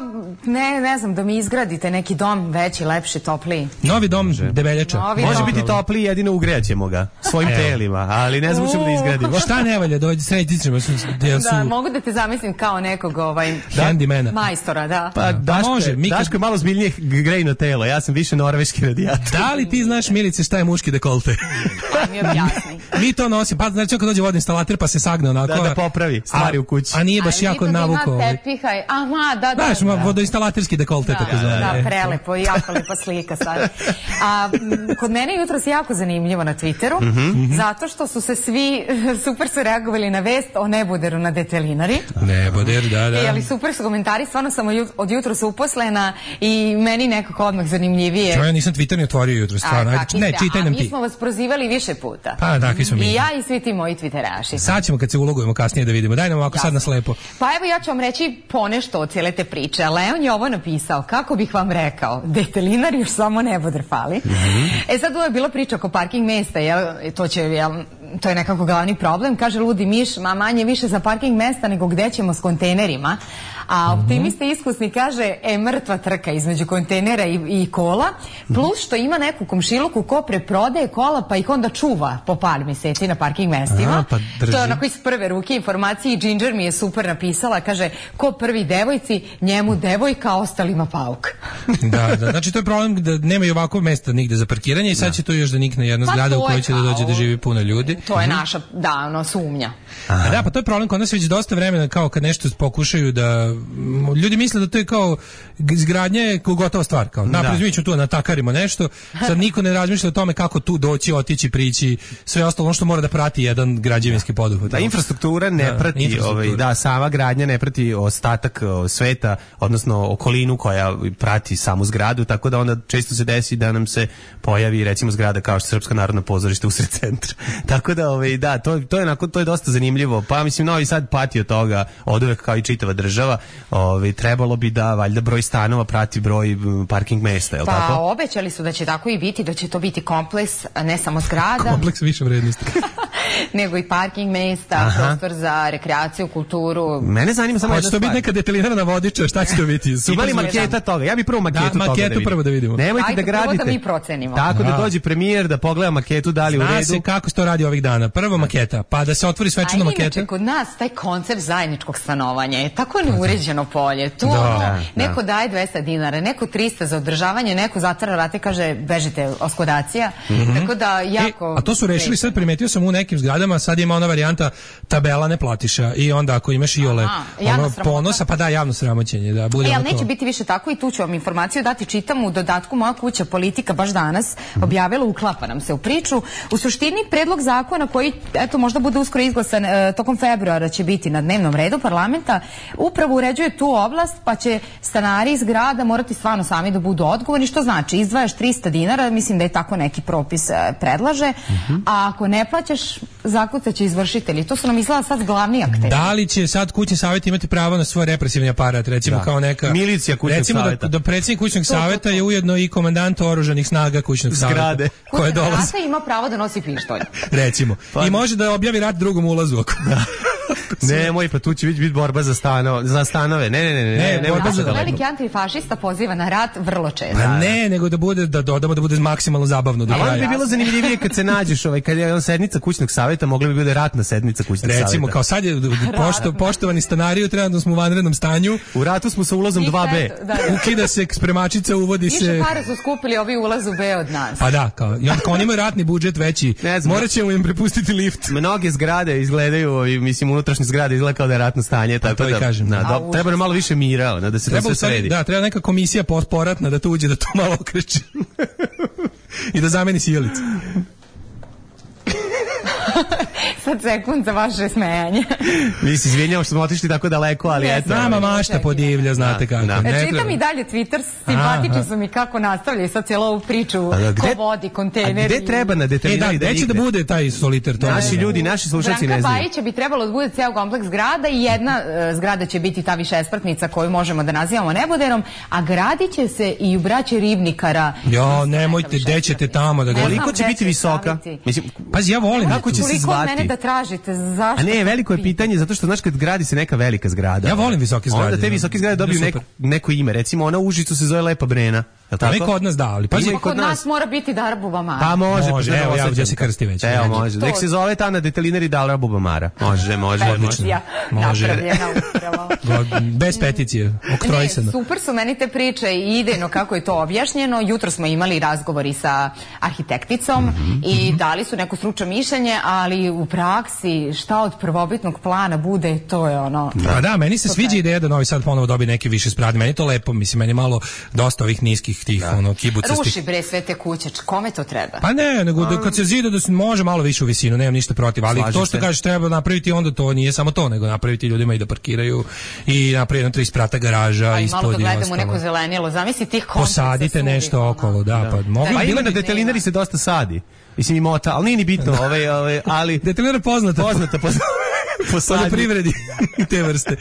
ne, ne znam, da mi izgradite neki dom veći, lepši, topliji. Novi dom Može. Debeljača. Novi Može dom. biti topliji, jedino ugrećemo ga svojim Evo. telima, ali ne znam ćemo da izgradimo. Šta ne valja, dođi srediti ćemo. Su, su... Da, mogu da te zamislim kao nekog ovaj, handymana. Majstora, da. Pa Daško, može, Mika... Daško je malo zbiljnije grejno telo, ja sam više norveški radijator. Da li ti znaš, Milice, šta je muški dekolte? Pa mi objasni. Mi to nosi, pa znači kad dođe vodoinstalater pa se sagne onako. Da, da popravi stvari a, u kući. A nije baš a jako navuko. A tepihaj, aha, da, da. Znaš, da, da. Vodoinstalaterski dekolte, da, tako zove. Da, da, prelepo, jako lepa slika sad. A kod mene jutros jako zanimljivo na Twitteru, mm-hmm. zato što su se svi, super su reagovali na vest o neboderu na Detelinari. Neboder, da, da. E, ali super su komentari, stvarno sam od jutros uposlena i meni nekako odmah zanimljivije. Čo, ja nisam Twitter ni otvorio jutros, stvarno. A, Ajde, ne, čitaj nam ti. A mi smo vas prozivali više puta. Pa, takvi smo mi. I ja i svi ti moji Twitteraši. Sad ćemo kad se ulogujemo kasnije da vidimo. Daj nam ovako sad na slepo. Pa evo ja ću vam reći ponešto od cijele te priče. Leon je ovo napisao. Kako bih vam rekao? Detelinar još samo neboder fali. Mm-hmm. E sad ovo je bila priča oko parking mesta. Jel? To će, jel, to je nekako glavni problem. Kaže ludi miš, ma manje više za parking mesta nego gde ćemo s kontejnerima. A optimista iskusni kaže, e, mrtva trka između kontejnera i, i kola, plus što ima neku komšiluku ko preprodaje kola pa ih onda čuva po par mjeseci na parking mestima. A, pa to je onako iz prve ruke informacije i Ginger mi je super napisala, kaže, ko prvi devojci, njemu devojka, ostalima pauk. Da, da, znači to je problem da nema i ovako mesta nigde za parkiranje i sad da. će to još da nikne jedna pa zgrada u kojoj će kao, da dođe da živi puno ljudi. To je naša, da, ono, sumnja. A da, pa to je problem kod nas već dosta vremena, kao kad nešto pokušaju da ljudi misle da to je kao izgradnja je gotova stvar, kao napravimo mi ćemo tu natakarimo nešto, sad niko ne razmišlja o tome kako tu doći, otići, prići, sve ostalo ono što mora da prati jedan građevinski poduhvat. Da, infrastruktura ne da, prati, infrastruktura. Ovaj, da, sama gradnja ne prati ostatak o, sveta, odnosno okolinu koja prati samu zgradu, tako da onda često se desi da nam se pojavi recimo zgrada kao što je Srpska narodno pozorište usred centra. Tako da, ovaj, da, to, to je onako, to je dosta zanimljivo. Pa mislim Novi Sad pati od toga oduvek kao i čitava država. Ovaj, trebalo bi da valjda broj stanova prati broj parking mesta, je li pa, tako? Pa obećali su da će tako i biti, da će to biti kompleks, ne samo zgrada. Kompleks više vrednosti. nego i parking mesta, aha, prostor za rekreaciju, kulturu. Mene zanima samo jedna stvar. Hoće to biti neka detaljirana vodiča, šta će to biti? Imali maketa toga? Ja bih prvo maketu da, toga maketu da vidim. prvo da vidimo. Nemojte ajde, da gradite. Prvo da mi procenimo. Tako da, da dođe premijer da pogleda maketu, da li u redu. Zna se kako se to radi ovih dana. Prvo maketa, pa da se otvori svečano maketa. Inače, kod nas taj koncept zajedničkog stanovanja je tako neuređeno polje. Tu da, ono, da, neko daje dvesta dinara, neko trista za održavanje, neko zatvara vrate, kaže bežite, oskodacija. Mm-hmm. Tako da jako... E, a to su rešili sad, primetio sam u nekim zgradama, sad ima ona varijanta tabela ne platiša i onda ako imaš iole ono, ponosa, pa da, javno sramoćenje. Da, bude e, ali neće to... biti više tako i tu ću vam informaciju dati, čitam u dodatku Moja kuća politika baš danas objavila, uklapa nam se u priču. U suštini predlog zakona koji, eto, možda bude uskoro izglasan e, tokom februara će biti na dnevnom redu parlamenta, upravo uređuje tu oblast, pa će stanari iz grada morati stvarno sami da budu odgovorni, što znači izdvajaš trista dinara, mislim da je tako neki propis e, predlaže, uh-huh. a ako ne plaćaš, zakucaće izvršitelji. To su nam izgleda sad glavni akteri. Da li će sad kućni savjet imati pravo na svoj represivni aparat, recimo da. Kao neka milicija kućnog recimo savjeta. Da, da predsjednik kućnog savjeta je ujedno i komandant oružanih snaga kućnog savjeta. Koje dolaze. Ima pravo da nosi pištolj. Recimo. Pa. I može da objavi rat drugom ulazu ako. Da. Ne, moj, pa tu će biti borba za stanove, za stanove. Ne, ne, ne, ne, ne, ne borba za veliki antifašista poziva na rat vrlo često. Pa ne, nego da bude da dodamo da bude maksimalno zabavno do kraja. Ali bi bilo zanimljivije kad se nađeš, ovaj kad je on sednica kućnog savjeta, mogla bi biti ratna sednica kućnog savjeta. Recimo, kao sad je pošto, poštovani stanari, trenutno smo u vanrednom stanju. U ratu smo sa ulazom dva be. Da, da. Ukida se spremačica, uvodi se. Više pare su skupili ovi ulaz u B od nas. Pa da, kao i on kao oni imaju ratni budžet veći. Moraćemo im prepustiti lift. Mnoge zgrade izgledaju, mislim unutrašnje zgrade izgleda kao da je ratno stanje, tako to da. Kažem, na, do, treba nam malo više mira, da se treba to sve sredi. Da, treba neka komisija poratna da to uđe, da to malo okreće. I da zameni sjelicu. Sad sekund za vaše smejanje. Mi se izvinjamo što smo otišli tako daleko, ali yes, eto. Nama mašta podivlja, znate kako. Da. E, čitam i dalje Twitter, simpatični su mi kako nastavljaju sad cijelu ovu priču, a, gde, ko vodi, kontejneri. A gde treba na detaljnoj e, da, da će da bude taj soliter? To naši ljudi, naši slušalci ne znaju. Branka Bajića bi trebalo da bude ceo kompleks zgrada i jedna uh, zgrada će biti ta višespratnica koju možemo da nazivamo neboderom, a gradit će se i u braće Ribnikara. Jo, nemojte, gde ćete tamo da ga... Koliko će biti visoka? Mislim, pazi, ja volim. Kako će se zvati? Mene da tražite, zašto? A ne, veliko je pitanje, zato što znaš kad gradi se neka velika zgrada. Ja volim visoke zgrade. Onda te visoke zgrade dobiju neko, neko ime. Recimo ona u Užicu se zove Lepa Brena. Pa neko od nas da, ali pazi, kod, kod nas, nas mora biti Darbuba Mara. Pa može, može, pa evo, ja da se krsti već. Evo, može. Nek se zove ta na detalinari Darbuba Mara. Može, može, odlično. Može. Bez peticije, oktrojsano. Ne, super su meni te priče i idejno kako je to objašnjeno. Jutro smo imali razgovori sa arhitekticom mm-hmm. i dali su neko stručno mišljenje, ali u praksi šta od prvobitnog plana bude, to je ono... Da, da, meni se sviđa ideja da Novi Sad ponovo dobije neke više sprade. Meni to lepo, mislim, meni malo dosta ovih niskih tih, da. Ono, kibucastih. Ruši bre sve te kuće, kome to treba? Pa ne, nego da, kad se zida da se može malo više u visinu, nemam ništa protiv, ali slažim to što se. Kažeš treba napraviti, onda to nije samo to, nego napraviti ljudima i da parkiraju i napraviti na tri sprata garaža a ispod i malo da gledamo ostalo. neko zelenilo, zamisli tih kompleksa. Posadite nešto okolo, da, da. Pa mogu. Pa ima na detalinari se dosta sadi. Mislim i mota, ali nije ni bitno, ovaj, ovaj, ali detalinari poznata, poznata, poznata. Po privredi te vrste.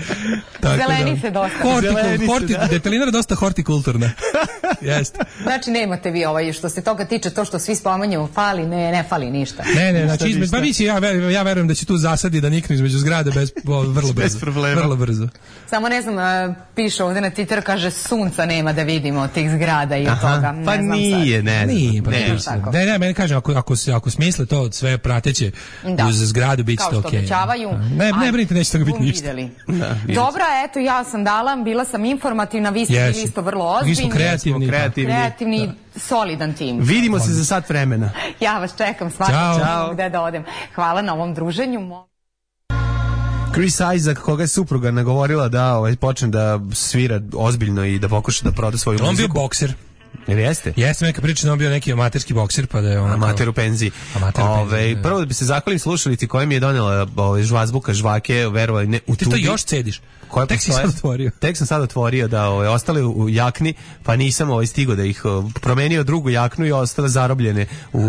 Tako zeleni da. Se dosta. Hortikul, horti, da. Detalinara je dosta hortikulturna. Jeste. Znači nemate vi ovaj, što se toga tiče, to što svi spominju, fali, ne, ne fali ništa. Ne, ne, znači između, pa misli, ja, ja verujem da će tu zasadi da niknu između zgrade bez, o, vrlo brzo. Bez problema. Vrlo brzo. Samo ne znam, piše ovdje na Twitteru, kaže sunca nema da vidimo tih zgrada i od toga. Ne pa znam nije, sad. ne, nije, pa ne, ne, ne, ne, meni kažem, ako, ako, ako smisle to sve prateće da. Uz zgradu, bit će to okej. Kao što obećavaju. Ne, ne brinite, neće toga biti ništa. Da, dobra, eto, ja sam dala, bila sam informativna, vi ste bili isto vrlo ozbiljni. Mi smo kreativni. Kreativni, kreativni da. Solidan tim. Vidimo se za sat vremena. Ja vas čekam svaki čas gde da odem. Hvala na ovom druženju. Chris Isaac, koga je supruga nagovorila da ovaj, počne da svira ozbiljno i da pokuša da proda svoju on muziku. On bio bokser. Jer jeste? Jeste, neka priča da on bio neki amaterski bokser, pa da je on... Amater u penziji. Amater u penziji, Ove, da. Prvo da bi se zahvalim slušalici koja mi je donela ove, žvazbuka, žvake, verovali ne, u Ti tubi. to još cediš? Koje Tek si sad otvorio. Tek sam sad otvorio, da ove, ostali u, u jakni, pa nisam ovaj, stigo da ih o, promenio drugu jaknu i ostale zarobljene u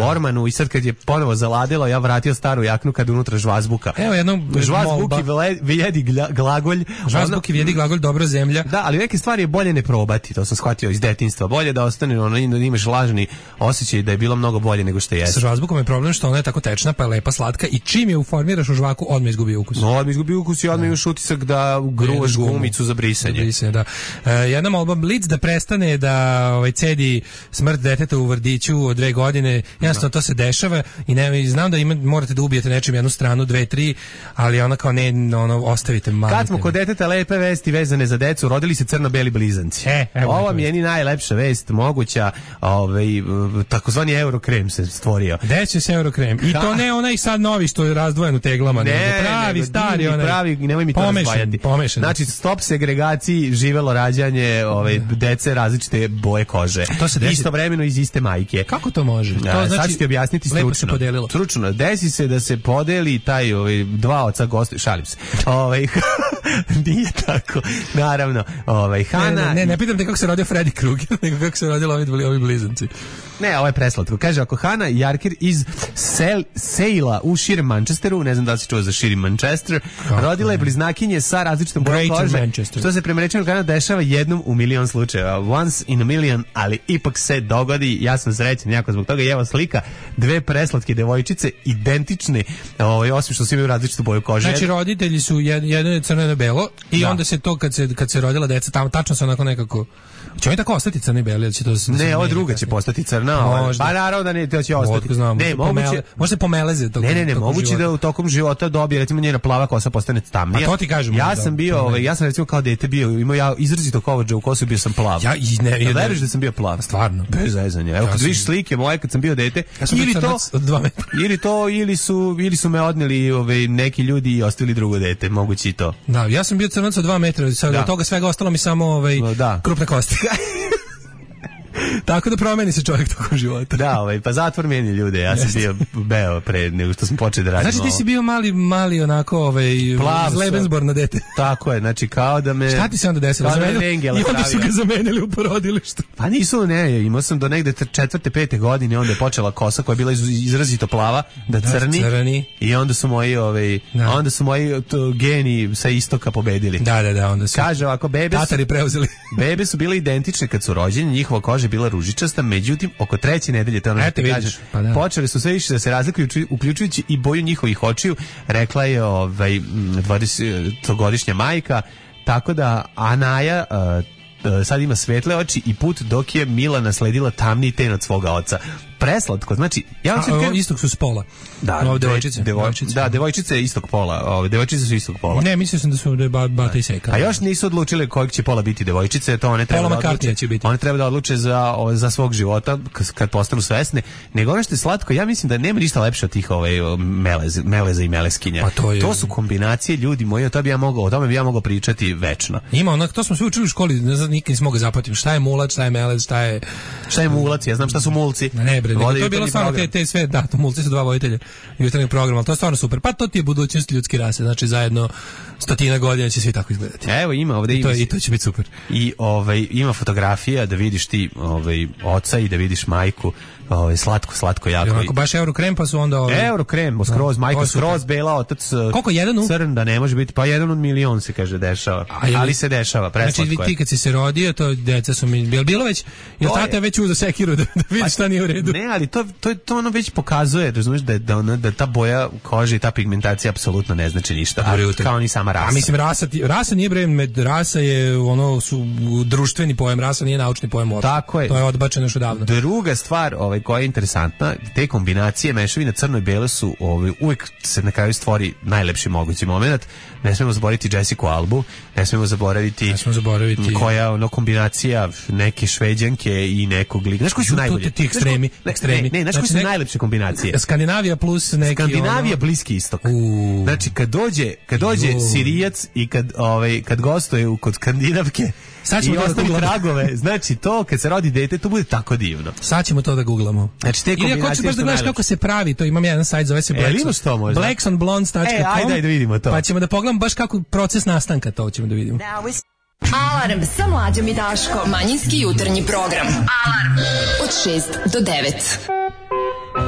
A. ormanu i sad kad je ponovo zaladilo, ja vratio staru jaknu kad unutra žvazbuka. Evo jednom žvazbuki vjedi glagolj. Žvazbuki vjedi glagolj, dobra zemlja. Da, ali neke stvari je bolje ne probati, to sam shvatio iz detinjstva. Bolje da ostane ono, da imaš lažni osjećaj da je bilo mnogo bolje nego što jeste. Sa žvazbukom je problem što ona je tako tečna, pa je lepa, slatka i čim je uformiraš u žvaku, odmah izgubi ukus. No, odmah izgubi ukus i odmah imaš utisak da gruvaš gumicu za brisanje. Za brisanje, da. E, jedna molba Blitz da prestane da ovaj, cedi smrt deteta u vrtiću od dve godine. Jasno, to se dešava i ne, znam da ima, morate da ubijete nečim jednu stranu, dve, tri, ali ona kao ne, ono, ostavite malo. Kad smo kod deteta, lepe vesti vezane za decu, rodili se crno-beli blizanci. E, evo Ova mi je ni najlepša vest moguća, ovaj, takozvani Eurokrem se stvorio. Gde će se Eurokrem? I to ne onaj sad novi što je razdvojen u teglama, ne, nego pravi, nego stari, divni, onaj. pravi, nemoj mi to pomešan, razdvajati. Pomešan. Znači, stop segregaciji, živelo rađanje ovaj, dece različite boje kože. To se desi... Istovremeno iz iste majke. Kako to može? To A, znači, sad ću ti objasniti stručno. Se podelilo. Stručno. Desi se da se podeli taj ovaj, dva oca gosti, šalim se. Ovaj, nije tako. Naravno, ovaj, Hana... Ne, ne, ne, ne pitam te kako se rodio Freddy Krueger, nego kako se rodili ovi, ovi blizanci. Ne, ovo je preslatko. Kaže, ako Hana Jarker iz Sel, Sejla u širem Manchesteru, ne znam da li si čuo za širi Manchester, kako rodila je bliznakinje sa različitom bojom kože, što se prema rečima Hana dešava jednom u milion slučajeva. Once in a million, ali ipak se dogodi. Ja sam srećan jako zbog toga. I evo slika, dve preslatke devojčice, identične, ovaj, osim što su imaju različitu boju kože. Znači, roditelji su jed, jedno je crno, jedno je belo i da. Onda se to, kad se, kad se rodila deca, tamo tačno se onako nekako... Će oni tako ostati crni beli ili će to se... Ne, ova druga će postati crna. Možda. Pa naravno da ne, to će ostati. Znam, ne, moguće... Može se pomeleze tokom Ne, ne, ne, moguće života. da u tokom života dobije, recimo njena plava kosa postane tamnija. Pa to ti kažem. Ja sam bio, ovaj, ja sam recimo kao dete bio, imao ja izrazito kovođa u kosu, bio sam plav. Ja i ne, ne, veruješ da sam bio plav? Stvarno. Bez zezanja. Evo, ja kad sam... vidiš slike moje kad sam bio dete, ja sam ili to, od dva metra. ili to, ili su, ili su me odneli ovaj, neki ljudi i ostavili drugo dete, moguće i to. Da, ja sam bio crnac od dva metra, sad od toga svega ostalo mi samo ovaj, da. krupne kosti. Tako da promeni se čovjek tokom života. Da, ovaj, pa zatvor meni ljude. Ja sam bio beo pre nego što sam počeo da radim. Znači ti si bio mali, mali onako ovaj, Lebensborn dete. Tako je, znači kao da me... Šta ti se onda desilo? I onda su ga zamenili u porodilištu. Pa nisu, ne, imao sam do negde četvrte, pete godine, onda je počela kosa koja je bila izrazito plava, da crni. Da, crni. I onda su moji, ovaj, da. onda su moji to, geni sa istoka pobedili. Da, da, da, onda su... Kaže ovako, bebe su... Tatari preuzeli. Bebe su bile identične kad su rođeni, njihova koža je bila ružičasta, međutim, oko treće nedelje, to ono što ti kažeš, pa da. Počeli su sve više da se razlikuju, uključujući i boju njihovih očiju, rekla je ovaj, dvadesetogodišnja majka, tako da Anaja uh, sad ima svetle oči i put dok je Mila nasledila tamniji ten od svoga oca. Preslatko, znači ja A, o, istog su s pola. Da, no, devojčice, devo, devojčice. Da, devojčice istog pola. Ove devojčice su istog pola. Ne, mislio sam da su da ba, bata i seka. A još nisu odlučili kojeg će pola biti devojčice, to one treba pola da odluče. Će biti. One treba da odluče za za svog života kad postanu svesne. Nego ono što je slatko, ja mislim da nema ništa lepše od tih ovaj meleze, meleza i meleskinja. Pa to, je... to su kombinacije ljudi moji, o tome bi ja mogao, o tome bi ja mogao pričati večno. Ima onak, to smo sve učili u školi, ne znam, nikad nisam mogao zapamtiti šta je mulac, šta je melez, šta je šta je mulac, ja znam šta su mulci. Ne bre, to je bilo stvarno te, te sve, da, to mulci su dva voditelja jutarnjeg programa, ali to je stvarno super. Pa to ti je budućnost ljudske rase, znači zajedno stotina godina će svi tako izgledati. Evo ima ovde I to, i to će biti super. I ovaj ima fotografija da vidiš ti ovaj oca i da vidiš majku, ovaj slatko slatko jako. I onako baš Eurokrem pa su onda ovaj Eurokrem, skroz majka skroz bela, otac koliko jedan u crn da ne može biti, pa jedan od milion se kaže dešava. Ali, ali se dešava, preslatko. Znači ti kad si se rodio, to deca su mi bilo bilo već, je tata već uzeo sekiru da, da vidi šta nije u redu. Ne, ali to to to ono već pokazuje, razumiješ da da ona da ta boja kože i ta pigmentacija apsolutno ne znači ništa. A, kao ni sama rasa. A mislim rasa rasa nije bre med rasa je ono su društveni pojam, rasa nije naučni pojam uopšte. Tako je. To je odbačeno još odavno. Druga stvar, ovaj koja je interesantna, te kombinacije mešavina crno i bele su ovaj uvek se na kraju stvori najlepši mogući momenat. Ne smemo zaboraviti Jessica Albu, ne smemo zaboraviti, ne smemo zaboraviti koja ono kombinacija neke Šveđanke i nekog lika. Znaš koji su najbolji? Ti ekstremi. ekstremi. Ne, ne, znaš koji su nek- najlepše kombinacije? Skandinavija plus neki Skandinavija, ono... Bliski istok. U. Znači kad dođe, kad dođe U. Sirijac i kad ovaj kad gostuje u kod Skandinavke Sad ćemo i to da ostavi googlamo. tragove, znači to kad se rodi dete, to bude tako divno. Sad ćemo to da googlamo. Znači te Ili ako kombinacije ćeš baš da su gledaš najlepše. kako se pravi, to imam jedan sajt, zove se E, Blackson. imaš to možda? blacksonblondes dot com. E, ajde, ajde, vidimo to. Pa ćemo da pogledamo baš kako proces nastanka, to ćemo da vidimo. Alarm sa mlađom i Daškom. Manjinski jutarnji program. Alarm od šest do devet.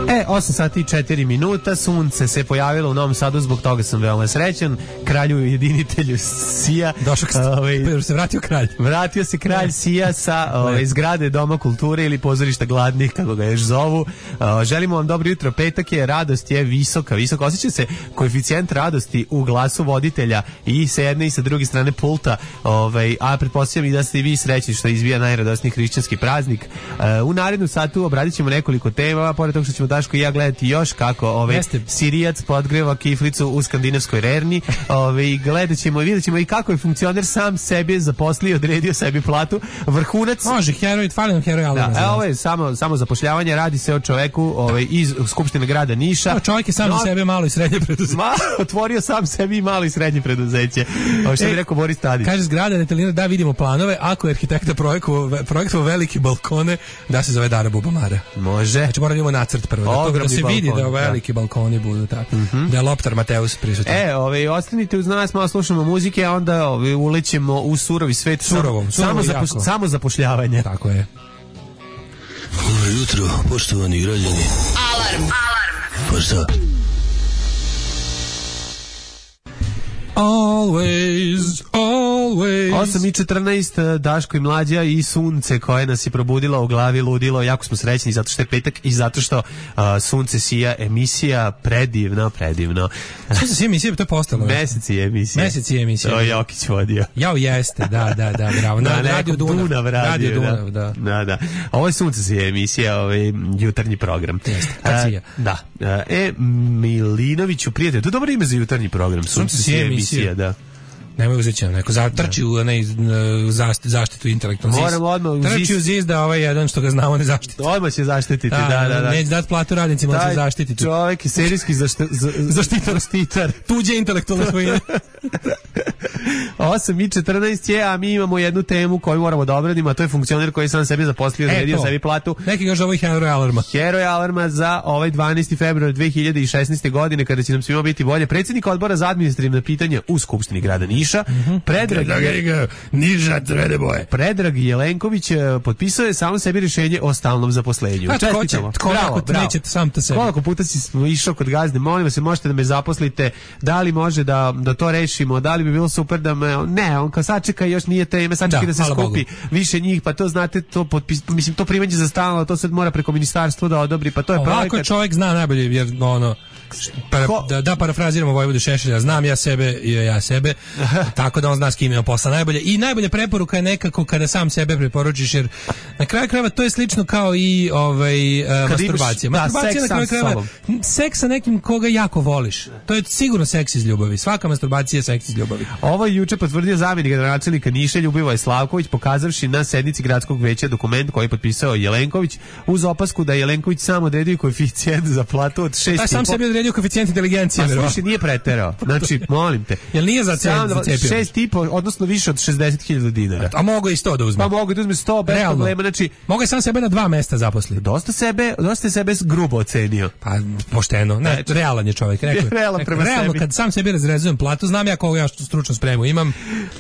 E, osam sati i četiri minuta, sunce se pojavilo u Novom Sadu, zbog toga sam veoma srećan. Kralju jedinitelju Sija. Došao se, ovaj, se vratio kralj. Vratio se kralj Sija sa ovaj, zgrade Doma kulture ili pozorišta gladnih, kako ga još zovu. Uh, želimo vam dobro jutro, petak je, radost je visoka, visoka. Osjeća se koeficijent radosti u glasu voditelja i sa jedne i sa druge strane pulta, ovaj, a pretpostavljam i da ste i vi srećni što izbija najradosniji hrišćanski praznik. Uh, u narednom satu obradit ćemo nekoliko tema, pored toga što ćemo Daško i ja gledati još kako ovaj Jeste. Sirijac podgreva kiflicu u skandinavskoj rerni. Ovaj gledat ćemo i vidjet ćemo i kako je funkcioner sam sebi zaposlio i odredio sebi platu. Vrhunac. Može, heroj, fali nam heroj Alarma. Da, e, ovo je samo, samo zapošljavanje, radi se o čoveku ovaj, iz Skupštine grada Niša. No, čovjek je sam No, za sebe malo i srednje preduzeće. Ma, otvorio sam sebi i malo i srednje preduzeće. Ovo što E, bi rekao Boris Tadić. Kaže zgrada detaljira da vidimo planove, ako je arhitekta projektovao projektovao velike balkone, da se zove Dara Bubamara. Može. Znači moramo da imamo nacrt prvo, da, to, da Ogromni se vidi balkon, da da. veliki balkoni budu tako. Mm-hmm. Da je Loptar Mateus prisutan. E, ovaj, ostanite uz nas, malo slušamo muzike, a onda ovaj, ulećemo u surovi svet. Surovom, samo, surovo samo, jako. zapoš, samo zapošljavanje. Tako je. Dobro jutro, poštovani građani. Alarm. Alarm. Pa šta? Always, always. osam i četrnaest, Daško i Mlađa i sunce koje nas je probudilo u glavi, ludilo. Jako smo srećni zato što je petak i zato što uh, sunce sija, emisija predivno, predivno. Sunce sija emisija, to je postalo. Mesec je emisija. Mesec je emisija. To je Jokić vodio. Jao jeste, da, da, da, bravo. Na, Na radio nekom Dunav. Dunav radio, Radio da. Dunav, da. Da, da. Ovo je sunce sija emisija, ovaj jutarnji program. Jeste, kad sija. E, da. E, Milinoviću, prijatelj, to je dobro ime za jutarnji program. Sunce sija emisija, da. Nemoj uzeti neko zatrči u ne zaštitu, zaštitu intelektualnog zis. Moramo odmah u trči zis. u zis da ovaj jedan što ga znamo ne zaštiti. Odmah će zaštititi, da, da, da. Neće dati platu radnicima, da se zaštititi. Čovjek je serijski zašt, za, Zaštitar. zaštitar. Tuđe intelektualne svojine. osam i četrnaest je, a mi imamo jednu temu koju moramo da obradimo, a to je funkcioner koji sam sebi zaposlio, odredio sebi platu. Neki ga zove heroj Alarma. Heroj Alarma za ovaj dvanaesti februar dve hiljade šesnaeste. godine, kada će nam svima biti bolje. Predsjednik odbora za administrativna pitanja u Skupštini grada Niša, mm-hmm. Predrag, je, Niža crvene boje. Predrag Jelenković potpisao je sam sebi rješenje o stalnom zaposlenju. A tko će? Čestitamo. Tko Bravo, ako bravo. neće sam to sebi? Koliko puta si išao kod gazde, molim vas, možete da me zaposlite, da li može da, da to rešimo, da li bi bilo super da me, ne, on kao sačeka, još nije teme, sačeka da, da se skupi Bogu. Više njih, pa to znate, to potpis, mislim, to primanje za stalno, to sad mora preko ministarstva da odobri, pa to je projekat. Ovako čovjek zna najbolje, jer ono, para, da, da parafraziramo Vojvodu Šešelja, znam ja sebe i ja sebe, tako da on zna s kim ima posla najbolje. I najbolja preporuka je nekako kada sam sebe preporučiš, jer na kraju krajeva to je slično kao i ovaj, uh, masturbacija. Imaš, masturbacija da, na kraju krajeva, seks sa nekim koga jako voliš. To je sigurno seks iz ljubavi. Svaka masturbacija je seks iz ljubavi. Ovo je juče potvrdio zamjenik gradonačelnika Niša Ljubivoje Slavković, pokazavši na sednici gradskog veća dokument koji je potpisao Jelenković, uz opasku da je Jelenković sam odredio koeficijent za platu od šest. Taj sam sebi odredio koeficijent inteligencije. Pa slušaj, nije preterao. Znači, molim te. Jel nije za cepio? šest i po, odnosno više od šezdeset hiljada dinara. A mogu i sto da uzme. Pa mogu da uzme sto bez realno problema, znači mogu sam sebe na dva mesta zaposliti. Dosta sebe, dosta sebe grubo ocenio. Pa pošteno, ne, znači, realan je čovjek, rekao. Realan prema realno sebi. Kad sam sebi razrezujem platu, znam ja koliko ja stručnu spremu imam.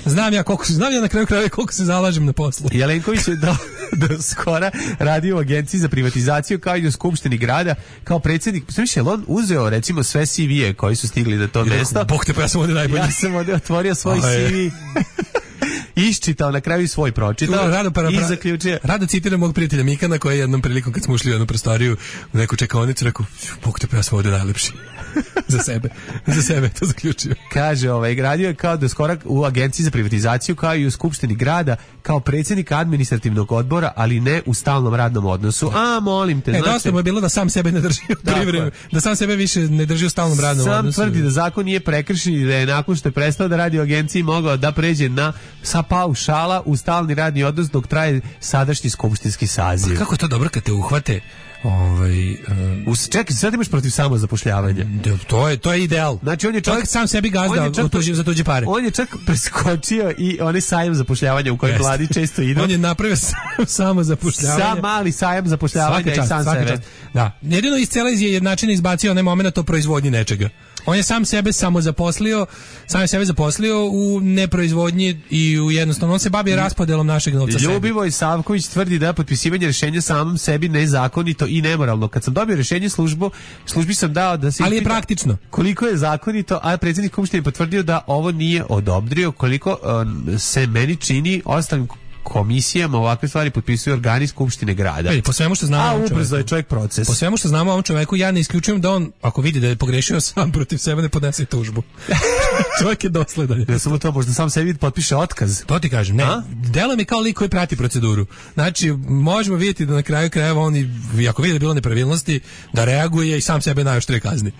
Znam ja koliko, znam ja na kraju krajeva koliko se zalažem na poslu. Jelenković je do, do skora radio u agenciji za privatizaciju kao i u skupštini grada kao predsjednik. Znači, je on uzeo recimo sve C V-e koji su stigli na to mesto. Bog te, pa ja sam ovdje najbolji. Ja sam ovdje otvorio svoj C V. Iščitao, na kraju svoj pročitao rado para, i zaključio. Rado citiram mog prijatelja Mikana koji je jednom prilikom kad smo ušli u jednu prostoriju u neku čekaonicu rekao, Bog te, pa ja sam ovdje najlepši. za sebe. Za sebe to zaključio. Kaže, ovaj, gradio je kao do skora u agenciji za privatizaciju kao i u skupštini grada kao predsjednik administrativnog odbora, ali ne u stalnom radnom odnosu. A, molim te. E, znači, dosta mu je bilo da sam sebe ne drži u privremenu, da sam sebe više ne drži u stalnom radnom sam odnosu. Sam tvrdi da zakon nije prekršen i da je nakon što je prestao da radi u agenciji mogao da pređe na sa ta paušala u stalni radni odnos dok traje sadašnji skupštinski saziv. Pa kako je to dobro kad te uhvate? Ovaj um, Us, čekaj, sad imaš protiv samozapošljavanja. To je to je ideal. Znači on je čak, sam sebi gazda čak, tuđi, za tuđe pare. On je čak preskočio i onaj sajam zapošljavanja u kojem mladi često idu. On je napravio sam, samozapošljavanje. Sam mali sajam zapošljavanja i sam sebe. Čast. Da. Jedino iz cele jednačine izbacio onaj moment o proizvodnji nečega. On je sam sebe samo zaposlio, sam je sebe zaposlio u neproizvodnji i u jednostavno on se bavi raspodelom našeg novca. Ljubivoj Savković tvrdi da je potpisivanje rješenja samom sebi nezakonito i nemoralno. Kad sam dobio rješenje službu, službi sam dao da se ali je praktično. Koliko je zakonito, a predsjednik Skupštine potvrdio da ovo nije odobrio, koliko um, se meni čini ostalim komisijama ovakve stvari potpisuju organi Skupštine grada. Ej, po svemu što znamo, a ubrzo je čovjek proces. Po svemu što znamo o ovom čoveku, ja ne isključujem da on, ako vidi da je pogrešio sam protiv sebe, ne podnese tužbu. Čovjek je dosledan. Ne samo to, možda sam sebi potpiše otkaz. To ti kažem, ne. Delo mi kao lik koji prati proceduru. Znači, možemo vidjeti da na kraju krajeva on, i, ako vidi da je bilo nepravilnosti, da reaguje i sam sebe najoštrije kazni.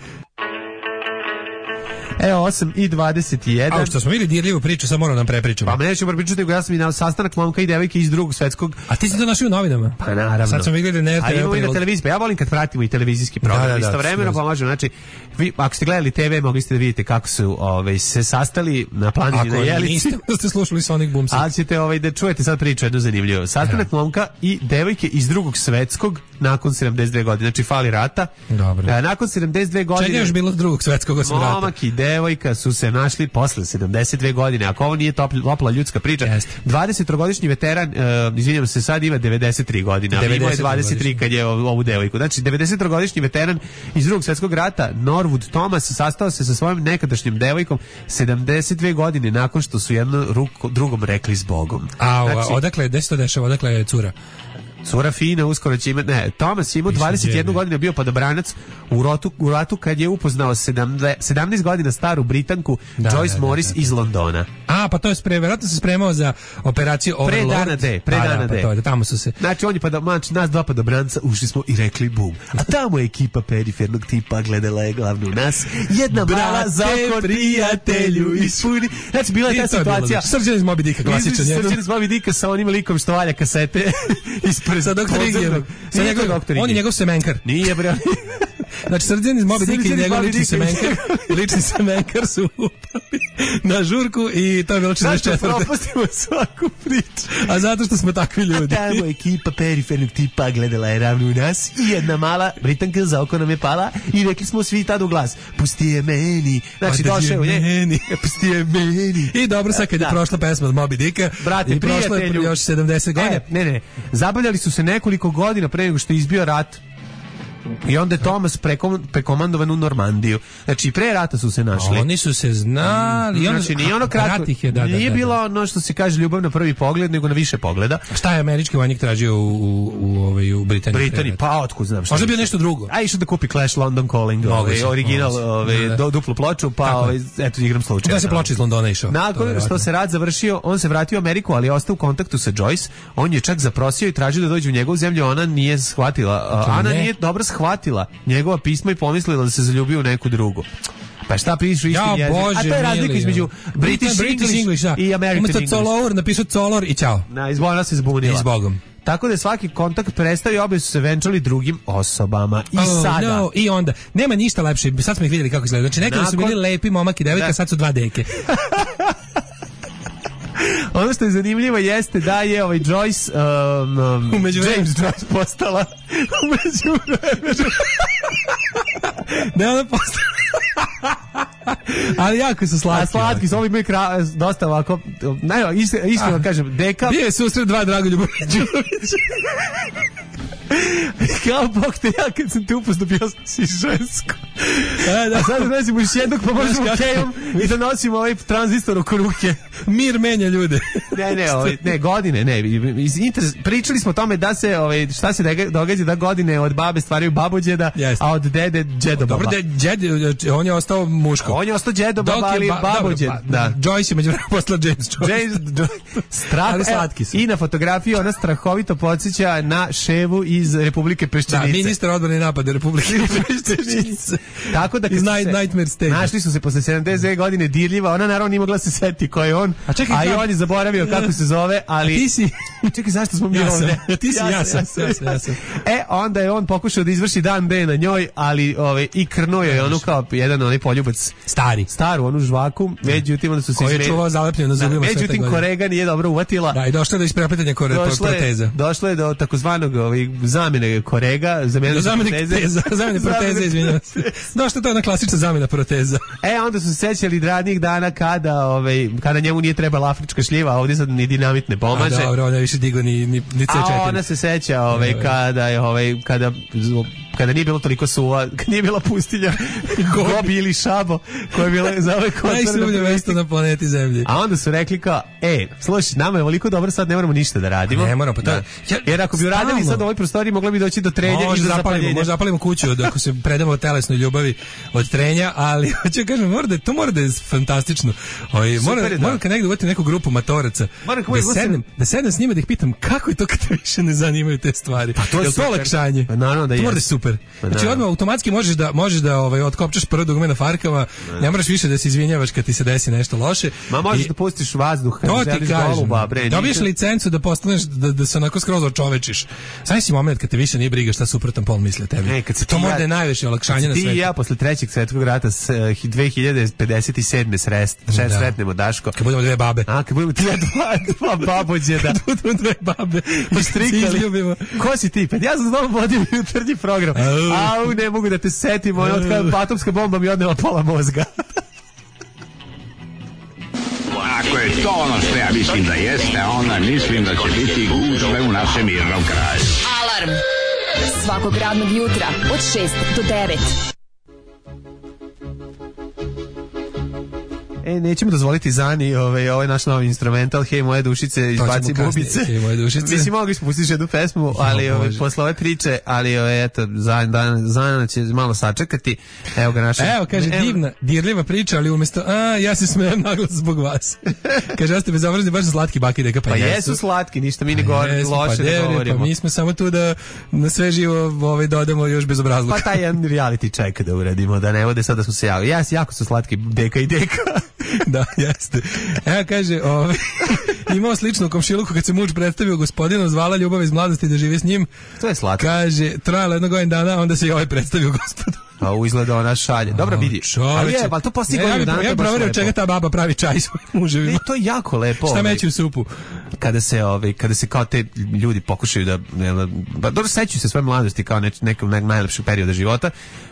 Evo, osam i dvadeset jedan. A što smo vidjeli dirljivu priču, sad moram nam prepričamo. Pa neću moram pričati, nego ja sam i na sastanak momka i devojke iz drugog svetskog. A ti si to našao u novinama? Pa naravno. Sad smo vidjeli na R T V. A imamo i na televiziji, pa ja volim kad pratimo i televizijski program. Da, da, da, istovremeno pomažu, znači, vi, ako ste gledali te ve, mogli ste da vidite kako su ovaj, se sastali na planini na Jelici. Ako niste, da ste slušali Sonic Boom. Ali ćete ovaj, da čujete sad priču jednu zanimljivu. Sastanak ja. momka i devojke iz drugog svetskog nakon sedamdeset dve godine. Znači, fali rata. Dobro. A, nakon sedamdeset dve godine... Čega je još bilo s drugog svetskog osim rata? Momak i devojka su se našli posle sedamdeset dve godine. Ako ovo nije topla, topla ljudska priča, Jest. dvadesettrogodišnji veteran, uh, izvinjam se, sad ima devedeset tri godine, a imao je dvadeset tri kad je ovu, ovu devojku. Znači, devedesettrogodišnji veteran iz drugog svjetskog rata, Norwood Thomas, sastao se sa svojom nekadašnjom devojkom sedamdeset dve godine nakon što su jedno ruko, drugom rekli s Bogom. A, znači, odakle, gde se to dešava, odakle je cura? Cura fina, uskoro će imati, ne, Thomas imao dvadeset jednu godinu, bio padobranac u ratu, u ratu kad je upoznao sedamnaest godina staru Britanku da, Joyce da, Morris da, da, da. iz Londona. A, pa to je spremao, verovatno se spremao za operaciju Overlord. Pre dana de, pre dana da, pa de. to je, tamo su se. Znači, on je pa znači, nas dva padobranca ušli smo i rekli bum. A tamo je ekipa perifernog tipa gledala je glavnu nas. Jedna Brate, mala za oko prijatelju ispuni. Znači, bila je ta situacija. Srđan iz Moby Dicka, klasičan. Srđan iz Moby Dicka sa onim likom što valja kasete ispred sa doktor Igor. Sa njegov doktor On je njegov semenkar. Nije bre. Znači Srđan iz Moby Dicka i njegov lični semenkar. Lični semenkar su upali na žurku i to je bilo četrdeset četvrte. Zašto propustimo svaku priču? A zato što smo takvi ljudi. A tamo ekipa perifernog tipa gledala je ravno u nas i jedna mala Britanka za oko nam je pala i rekli smo svi tad u glas, pusti je meni. Znači došao u nje, pusti je meni. I dobro, sad kad je prošla pesma od Moby Dicka, brate, i prošlo je još sedamdeset godina. Ne, ne, zabavljali su se nekoliko godina pre nego što je izbio rat. I onda je Thomas prekomandovan u Normandiju. Znači, pre rata su se našli. Oni su se znali. Mm, znači, nije ono kratko. Je, da, nije da, da, bilo da. ono što se kaže ljubav na prvi pogled, nego na više pogleda. Šta je američki vojnik tražio u, u, u, ovaj, u Britaniji? Britaniji, pa otkud znam šta. Možda bio nešto drugo. A išao da kupi Clash London Calling, ovaj, original, ovaj, da, da. duplu ploču, pa ovaj, eto, igram slučajno. Da se ploče iz Londona išao. Nakon što se rat završio, on se vratio u Ameriku, ali je ostao u kontaktu sa Joyce. On je čak zaprosio i tražio da dođe u njegovu zemlju, ona nije shvatila. Ana ne. nije dobro shvatila njegova pisma i pomislila da se zaljubio u neku drugu. Pa šta pišu isti ja, jezik? Bože, a to je razlika između British, British English, English da. i American Umesto English. Umesto Color napisao Color i čao. Na, izbogla se zbunila. Izbogom. Tako da je svaki kontakt prestao i obe su se venčali drugim osobama. I oh, sada. No, i onda. Nema ništa lepše. Sad smo ih vidjeli kako izgleda. Znači nekada Nakon... su bili lepi momak i devojka, da. Sad su dva deke. Ono što je zanimljivo jeste da je ovaj Joyce um, um, umeđu James Joyce postala umeđu ne, ona postala ali jako su slatki. A slatki su, ovi imaju kra... dosta ovako, ne, iskreno kažem, deka... Bio je susret dva Dragoljuba Đurovića. Kao Bog te, ja kad sam te upoznao bio si žensko. A, da. A sad nosimo još jednog, pa možemo kejom i da nosimo ovaj tranzistor oko ruke. Mir menja ljude. Ne, ne, ovaj, ne, godine, ne. Iz interes, pričali smo o tome da se, ovaj, šta se događa da godine od babe stvaraju babođeda, yes. a od dede džedobaba. Dobro, džed, on je ostao muško. On je ostao džedobaba, ali ba, babođed. Dobro, ba, da. Joyce je međuvremenu postala James Joyce. James Joyce. Strah, ali slatki su. I na fotografiji ona strahovito podsjeća na ševu iz Republike Peščenice. Da, ministar odbrane napada Republike Peščenice. Tako da kad Iz su Night- se, Nightmare Stage. našli su se posle sedamdeset dve godine dirljiva, ona naravno nije mogla se setiti ko je on, A čekaj, a i znam. on je zaboravio kako se zove, ali... A ti si... Čekaj, zašto smo mi Ja sam. ovde? Ti si, ja sam, ja sam, ja sam. E, onda je on pokušao da izvrši dan D na njoj, ali ove, i krnuo je onu kao jedan onaj poljubac, Stari. staru onu žvaku, međutim onda su se Koji je izme- čuvao zalepljeno na Da, zubima sve te međutim godine. korega nije dobro uvatila. Da, i došlo je do isprepletanja kore, Došlo je, proteza. došlo je do takozvanog ovaj, zamene korega, zamene Do zamene proteze. teza, zamene proteze, izvinjavam se. Došlo to je ona klasična zamena proteza. E, onda su se sećali radnih dana kada, ovaj, kada njemu nije trebala afrička šljiva, a ovdje sad ni dinamit ne A pomaže. dobro, ona je više digo ni, ni, ni C četiri. A ona se seća ovaj, Evo je. kada je ovaj, kada kada nije bilo toliko suva, kada nije bila pustilja Gobi ili Šabo koja je bila za ovaj koncert. Najsuvnje mesto na planeti Zemlji. A onda su rekli kao, e, slušaj, nama je ovoliko dobro, sad ne moramo ništa da radimo. Ne moramo, pa to je- Da. Jer ako bi uradili Stalno. sad u ovoj prostoriji, mogla bi doći do trenja i Može do zapalimo, zapaljenja. može zapalimo kuću od, ako se predamo telesnoj ljubavi od trenja, ali hoću kažem, mora da, je- to mora da je fantastično. Oj, mora, Super je, da. moram kad negdje uvati neku grupu matoraca, Moram kad da uvijek uvati- sednem, da sednem s njima da ih pitam kako je to kad te više ne zanimaju te stvari. Pa to je to super. olakšanje? Pa naravno da to mora da je jest. super. Pa Znači naravno. odmah automatski možeš da možeš da ovaj otkopčaš prvo dugme na farkama, ne moraš više da se izvinjavaš kad ti se desi nešto loše. Ma možeš I- da pustiš vazduh kad To ti želiš kažem. goluba, bre. Dobiješ nisam- licencu da postaneš da, da se onako skroz očovečiš. Znaš si moment kad te više nije briga šta suprotan pol misli o tebi. E, kad se to ti mora ja- da je najveće olakšanje Kad na se ti svetu. i ja posle trećeg svetskog rata s eh, dve hiljade pedeset sedme srest, šest Da. sretnemo Daško. Kad budemo dve babe. A, kad budemo ti ja dva, dva babođe da Budemo dve babe. i strikali. Izljubimo. Ko si ti? Pa ja sam znovu vodio jutarnji program. Au. Au, ne mogu da te setim, ono od kada atomska bomba mi odnela pola mozga. Ako je to ono što ja mislim da jeste, onda mislim da će biti gužve u našem mirnom kraju. Alarm svakog radnog jutra od šest do devet. E, nećemo dozvoliti Zani, ovaj, ovaj naš novi instrumental, hej moje dušice, izbaci kasnije, bubice. Hej moje dušice. Mislim, mogli smo pustiti jednu pesmu, ali Jo, ovaj, Bože. posle ove priče, ali ovaj, eto, Zana, Zana će malo sačekati. Evo ga naša... Evo, kaže, Evo- divna, dirljiva priča, ali umjesto, a, ja se smijem naglas zbog vas. Kaže, ja ste bezobrazni, baš su slatki baki deka, pa, Pa jesu slatki, ništa mi ne govorimo, Jesu, loše pa ne devre, govorimo. Pa mi smo samo tu da na sve živo ovaj, dodamo još bezobrazluka. Pa taj jedan reality check da uradimo, da ne vode sad da smo se javili. Jes, jako su slatki deka i deka. Da, jeste. Evo kaže, ovaj, imao sličnu komšiluku kad se muž predstavio gospodinu, zvala ljubav iz mladosti da živi s njim. To je slatko. Kaže, trajalo jedno godin dana, onda se i ovaj predstavio gospodu. A u izgleda ona šalje. Dobro vidi. Ali je, ali to postoji ja, ja, godinu bi- dana. to ja je bi baš proverio lepo. čega ta baba pravi čaj svojim muževima. Ne, to je jako lepo. Šta ovaj, meći u supu? kada se ovaj kada se kao te ljudi pokušaju da ne, ba dobro sećaju se svoje mladosti kao neč, nekog naj, najlepšeg perioda života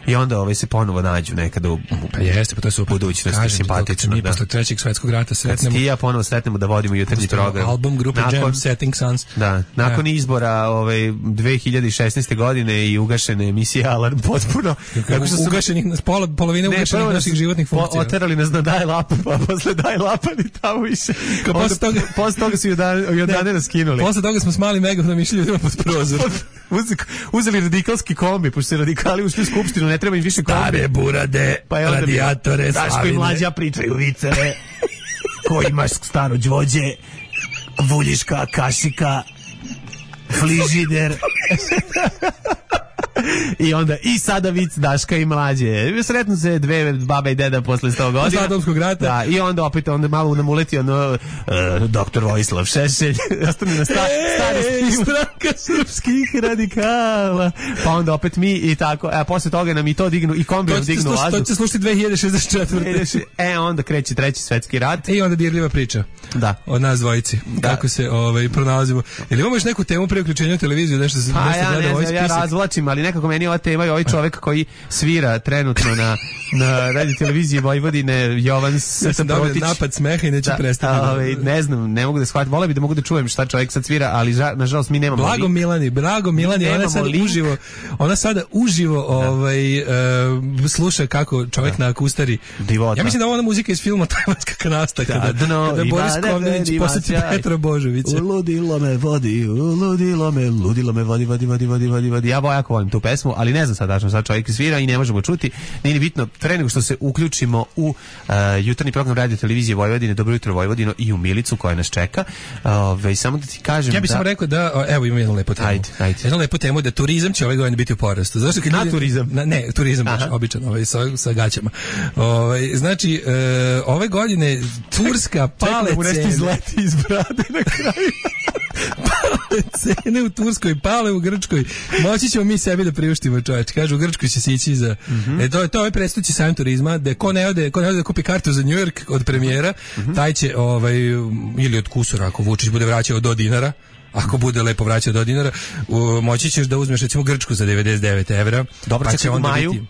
i onda ovaj se ponovo nađu nekada u, u Pa jeste, pa to je super. budućnosti, Kažem ti, to kad se simpatično. mi Da. posle trećeg svetskog rata Kad se sretnemo. ti i ja ponovo sretnemo da vodimo jutarnji program. Album grupe Nakon- Jam Setting Suns. Da, nakon izbora ovaj dve hiljade šesnaeste godine i ugašene emisije Alarm potpuno. Kako što su su- ugašenih, pola, polovine Ne, ugašenih prvo naših nas životnih po- funkcija. Oterali nas na daj lap, pa posle daj lapa ni tamo više. Kao posle Onda- toga- posle toga su i od Jordane nas skinuli. Posle toga smo s malim megafonom išli ljudima pod prozor. Uzeli- uzeli radikalski kombi, pošto se radikali ušli u skupštinu, ne treba im više kombi. Stare burade, Pa je onda bilo, radijatore, Daško i slavine. mlađa pričaju viceve. Ko imaš staro đvođe, vuljiška, kašika, fližider. I onda i sada vic Daška i mlađe. Sretnu se dve baba i deda posle sto godina. Posle atomskog rata. Da, i onda opet onda malo nam uleti ono uh, doktor Vojislav Šešelj. Ostane na sta, stari Ej, stil stranka srpskih radikala. Pa onda opet mi i tako. A posle toga nam i to dignu i kombi To nam će dignu slušati, to vazduh. će slušati dve hiljade šezdeset četvrte. E, onda kreće treći svetski rat. I onda dirljiva priča. Da. Od nas dvojici. Kako se ovaj, pronalazimo. Ili imamo još neku temu pre uključenja u televiziju, nešto se Pa nešto ja gleda ne ovaj znam, ja spisak? razvlačim, ali nekako meni ova tema i ovaj čovek koji svira trenutno na, na radio televiziji Vojvodine, Jovan Ja sam dobio Protić. napad smeha i neću Da, prestati. a, ovaj, ne znam, ne mogu da shvatim. Voleo bi da mogu da čujem šta čovjek sad svira, ali ža, nažalost mi nemamo. Blago link. Milani, Blago Milani, ona nemamo sada link. uživo, ona sada uživo ovaj, e, sluša kako čovjek na akustari. Divota. Ja mislim da je ona muzika iz filma Tajvanska kanasta, kada, dno kada ima Boris Kovninić neveri posjeti vaćaj. Petra Božovića. Ludilo me vodi, ludilo me, ludilo me vodi, vodi, vodi, vodi, vodi, vodi. Ja jako volim tu tu pesmu, ali ne znam sad tačno sad čovjek svira i ne možemo čuti. Nije ni bitno, pre nego što se uključimo u uh, jutarnji program Radio Televizije Vojvodine, Dobro jutro Vojvodino i u Milicu koja nas čeka. Ove, samo da ti kažem ja bih da... samo rekao da, evo imam jednu lepu temu. Ajde, ajde. Jednu lepu temu da turizam će ove godine biti u porastu. Zašto kad na ljudi, turizam? Na, ne, turizam baš, običan, ovaj, sa, sa gaćama. Ovaj, znači, e, ove godine turska pale Čekaj, cene... nešto izleti iz brade na kraju. Pale cene u Turskoj, pale u Grčkoj. Moći ćemo mi sebi da priuštimo, čoveč. Kažu, u Grčkoj će se ići za... Mm-hmm. E, to je to ovaj predstavljači sajam turizma, da ko ne ode, ko ne ode da kupi kartu za New York od premijera, mm-hmm. taj će, ovaj, ili od kusura, ako Vučić bude vraćao do dinara, ako bude lepo vraćao do dinara, u, moći ćeš da uzmeš recimo Grčku za devedeset devet evra. Dobro, pa će onda u maju? biti...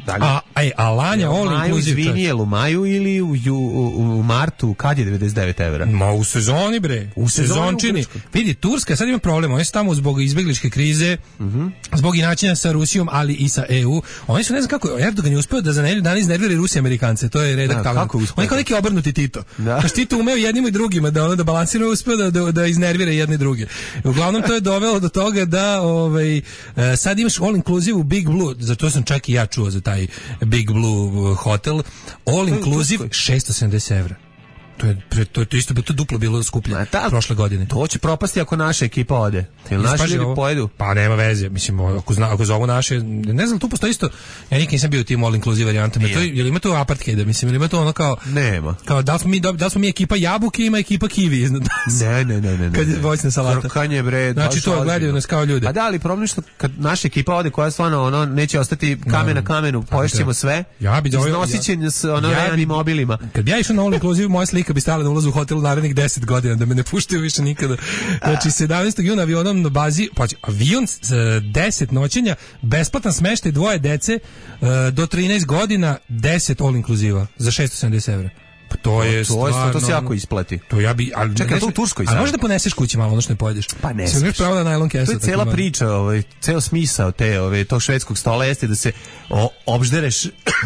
A, aj, a Lanja all inclusive. Izvini, je li u maju ili u, u, u, u martu, kad je devedeset devet evra? Ma u sezoni, bre. U, u sezončini. Vidi, Turska sad ima problem. Oni su tamo zbog izbegličke krize, mm-hmm. zbog inačenja sa Rusijom, ali i sa E U. Oni su, ne znam kako, Erdogan je uspeo da za nedelju dana iznervira Rusije Amerikance. To je redak tamo. Oni kao neki obrnuti Tito. Da. Kaš Tito umeo jednim i drugima da ono da balansira, uspeo da, da, da iznervira jedne i druge. Uglavnom to je dovelo do toga da ovaj, sad imaš all inclusive u Big Blue. Zato sam čak i ja čuo za taj Big Blue hotel, all inclusive šesto sedamdeset evra. To je, to je to isto bilo, to duplo bilo skuplje ta, prošle godine. To će propasti ako naša ekipa ode. Ili naši ljudi pojedu? Pa nema veze. Mislim, ako, zna, ako zovu naše, ne znam, tu postoji isto, ja nikad nisam bio u tim all inclusive varijantama. To, je li ima to apartheida? Mislim, ili ima to ono kao... Nema. Kao, da li smo mi, da li smo mi ekipa jabuke, ima ekipa kiwi iznad nas. Ne, ne, ne, ne. Kad je voćna salata. Krkanje, bre. Znači, to gledaju nas kao ljude. A da, ali problem što kad naša ekipa ode, koja stvarno, ono, neće ostati kamen na kamenu, poješćemo sve, ja bi iznosit će s ono realnim mobilima. Kad ja išao na all inclusive, moja slika bi stala na ulazu u hotel u narednih deset godina, da me ne puštaju više nikada. Znači, sedamnaestog juna avionom na bazi, pa avion s deset noćenja, besplatan smeštaj dvoje dece do trinaest godina, deset all inclusiva za šesto sedamdeset evra. Pa to je to, stvarno... To se jako isplati. To ja bi... Ali čekaj, to u Turskoj sad. A možeš da poneseš kući malo, ono što ne pojedeš? Pa ne. Sve imaš pravo na najlon kesu. To je cela priča, ovaj, ceo smisao te, ovaj, tog švedskog stola jeste da se o, obždereš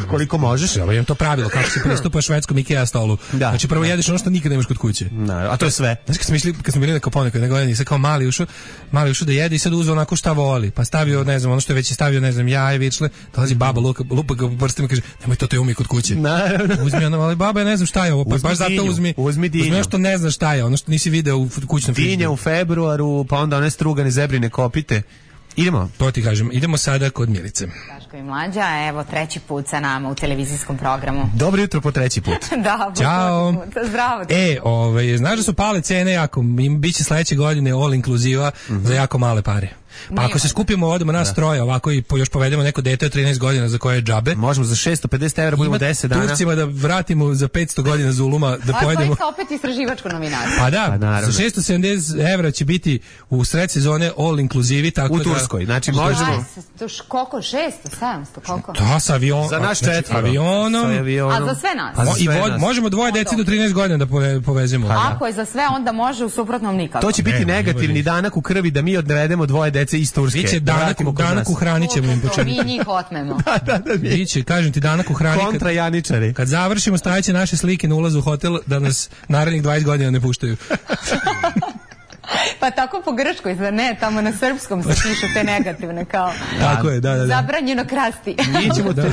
koliko možeš. Ja imam to pravilo, kako se pristupa švedskom IKEA stolu. Da, znači prvo da. jedeš ono što nikad nemaš kod kuće. Da, a to je sve. Znači kad smo išli, kad smo bili na Kapone, kad nego nisam kao mali ušao, mali ušao da jede i sad uzeo onako šta voli. Pa stavio, ne znam, ono što je već stavio, ne znam, jaje, vičle, dolazi baba luka, lupa ga po prstima, kaže: "Nemoj to, te umi kod kuće." Naravno. Uzmi ono, ali baba, ja ne znam šta je ovo, pa baš zato uzmi. Uzmi dinju. Uzmi što ne znaš šta je, ono što nisi video u kućnom frižideru. Dinja u februaru, pa onda one strugane zebrine kopite. Idemo. To ti kažem, idemo sada kod Milice. Daško i Mlađa, evo treći put sa nama u televizijskom programu. Dobro jutro po treći put. Da, po Ćao. treći put. Zdravo. E, ovaj, znaš da su pale cene jako, im biće sledeće godine all inclusiva mm-hmm. za jako male pare. Pa ako se skupimo, odemo nas troje ovako i po, još povedemo neko dete od trinaest godina za koje je džabe. Možemo za šesto pedeset evra budemo deset dana. Turcima da vratimo za petsto godina Zuluma da a pojedemo. A to je opet istraživačko novinarstvo. Pa da, pa za šesto sedamdeset evra će biti u sred sezone all inclusive, tako u da... Turskoj, znači možemo... Koliko? šesto, sedamsto, koliko? Da, sa avionom. Za naš četvoro. Avionom. A za sve nas? A za sve I nas. Možemo dvoje deci do trinaest godina da povezemo. Ako je za sve, onda može, u suprotnom nikako. To će biti negativni danak u krvi da mi odvedemo dvoje dece iz Turske. Danak, danak uhranit ćemo im početku. Mi njih otmemo. Da, da, da. Biće, kažem ti, danak uhrani. Kontra Janičari. Kad završimo, stajeće naše slike na ulazu u hotel da nas narednih dvadeset godina ne puštaju. Pa tako po grčkoj, zar ne? Tamo na srpskom se pišu te negativne kao... Tako je, da, da, da. Zabranjeno krasti. Mi ćemo, da.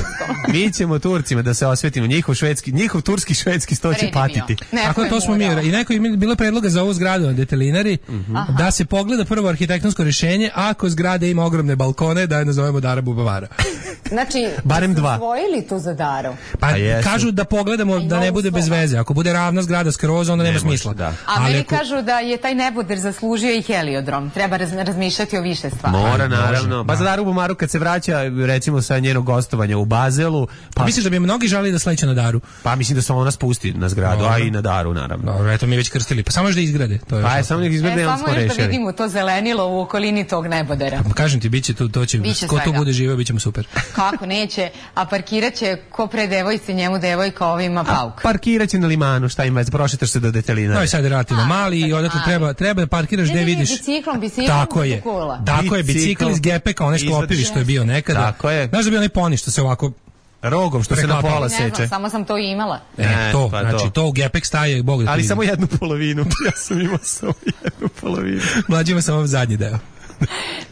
mi ćemo Turcima da se osvetimo. Njihov švedski, njihov turski švedski sto će patiti. Tako to smo mi. I neko je bilo predloga za ovu zgradu na Detelinari, uh-huh. da se pogleda prvo arhitektonsko rješenje, ako zgrada ima ogromne balkone, da je nazovemo Dara Bubavara. Znači, barem dva. Osvojili tu za Daru? Pa, pa kažu da pogledamo da ne bude bez veze. Ako bude ravna zgrada skroz, onda nema smisla. Da. A meni ako... kažu da je taj neboder zaslužio i heliodrom. Treba raz, razmišljati o više stvari. Mora, naravno. Pa za Daru Bumaru kad se vraća, recimo sa njenog gostovanja u Bazelu... Pa... Misliš da bi mnogi žali da sleće na Daru? Pa mislim da se ona spusti na zgradu, no. a i na Daru, naravno. Dobro, eto mi već krstili. Pa samo još da izgrade. To je pa je samo nek izgrade, e, on smo rešili. Samo još da vidimo to zelenilo u okolini tog nebodera. Pa, kažem ti, biće to, to će, biće ko svega. tu bude živeo, bićemo super. Kako neće, a parkirat će ko pre devojci, njemu devojka, ovima pauk. A parkirat će na limanu, šta ima, prošetaš se do Detelinara. No i sad rati na mali i odatle treba, treba da parkiraš gde vidiš. Biciklom, biciklom, tako je, tako je, bicikl iz gepeka, onaj sklopivi što je bio nekada. Tako je. Znaš da bi onaj poni što se ovako rogom što se na pola seče. Ne znam, samo sam to i imala. E, to, pa znači to, to u gepek staje, Bog da ali ti samo jednu polovinu, ja sam imao samo jednu polovinu. Mlađima sam vam zadnji deo.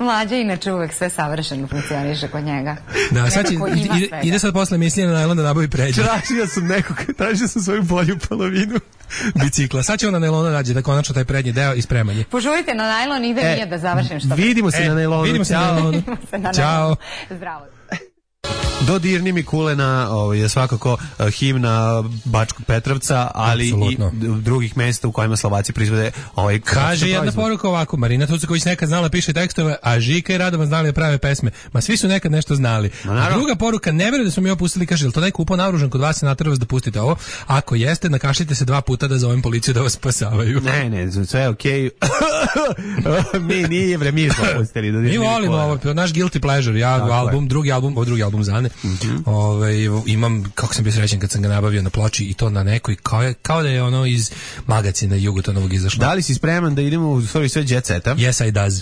Mlađa inače uvek sve savršeno funkcioniše kod njega. Da, sad će, ide, ide sad posle emisije na najlon da nabavi pređe. Tražio sam nekog, tražio sam svoju bolju polovinu bicikla. Sad će on na najlonu nađe da konačno taj prednji deo i spremanje. Požurite na najlon, ide e, nije da završim što. Vidimo se e, na najlonu. Vidimo se na najlonu. Ćao. Zdravo. Dodirni mi kulena ovaj, je svakako uh, himna Bačkog Petrovca, ali Absolutno. I drugih mesta u kojima Slovaci proizvode ovaj kaže jedna proizvod. Poruka ovako, Marina Tucaković nekad znala piše tekstove, a Žika i Radovan znali da prave pesme. Ma svi su nekad nešto znali. A druga poruka, ne verujem da smo mi opustili, kaže, jel to neko upao naoružan kod vas i naterao vas da pustite ovo? Ako jeste, nakašljite se dva puta da zovem policiju da vas spasavaju. Ne, ne, sve je okej. Okay. mi nije bre, mi smo pustili. Mi volimo ovo, naš Guilty Pleasure, ja Tako album, je. drugi album, ovo drugi album Zane. Mm-hmm. Ove, imam, kako sam bio srećen kad sam ga nabavio na ploči i to na nekoj, kao, je, kao da je ono iz magazina Jugotonovog izašlo. Da li si spreman da idemo u stvari sve Jet Seta? Yes, I does.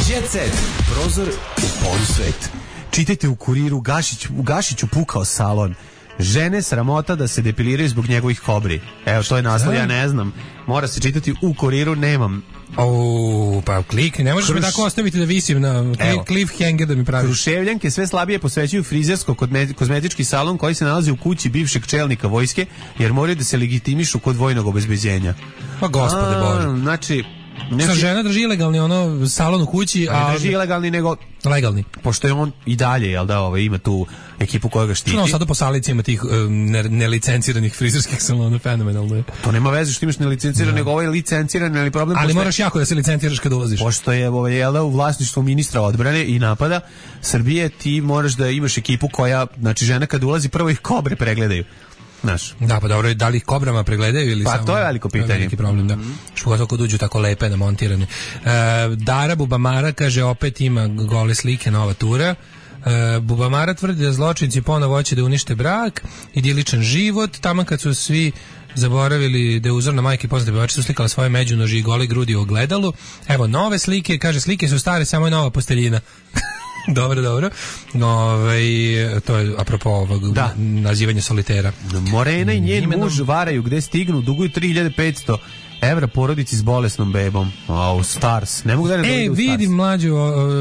Jet Set, prozor u polusvet. Čitajte u Kuriru, Gašić, Gašiću pukao salon. Žene sramota da se depiliraju zbog njegovih kobri. Evo, to je naslov, ja ne znam. Mora se čitati u Kuriru, nemam. O, pa klikni, ne možeš Kruš... me tako ostaviti da visim na cliffhanger da mi praviš. Kruševljanke sve slabije posvećuju frizersko kozmetički salon koji se nalazi u kući bivšeg čelnika vojske, jer moraju da se legitimišu kod vojnog obezbeđenja. Pa gospode Bože. Znači, Sa žena drži ilegalni ono salon u kući, a ne drži ilegalni nego legalni. Pošto je on i dalje, jel da, ovaj ima tu ekipu koja ga štiti. No, sada po salici ima tih um, nelicenciranih frizerskih salona, fenomenalno je. To nema veze što imaš nelicenciran, no. nego ovaj licenciran, ali problem ali moraš jako da se licenciraš kad ulaziš. Pošto je ovaj jel da u vlasništvu ministra odbrane i napada Srbije, ti moraš da imaš ekipu koja, znači žena kad ulazi prvo ih kobre pregledaju. Naš. Da, pa dobro, da li ih kobrama pregledaju ili pa samo... Pa to je veliko pitanje. Veliki problem, da. Mm-hmm. Što kad uđu tako lepe, namontirane. E, Dara Bubamara kaže, opet ima gole slike, nova tura. E, Bubamara tvrdi da zločinci ponovo hoće da unište brak, idiličan život, tamo kad su svi zaboravili da je uzorna majke poznate pevačice su slikala svoje međunoži i gole grudi u ogledalu. Evo, nove slike, kaže, slike su stare, samo je nova posteljina. Dobro, dobro. Ove, to je apropo ovog da. nazivanja solitera. Morena i njen Imenom... muž varaju gde stignu, duguju tri hiljade petsto evra porodici s bolesnom bebom. Wow, Stars. Ne mogu da ne E, vidim mlađu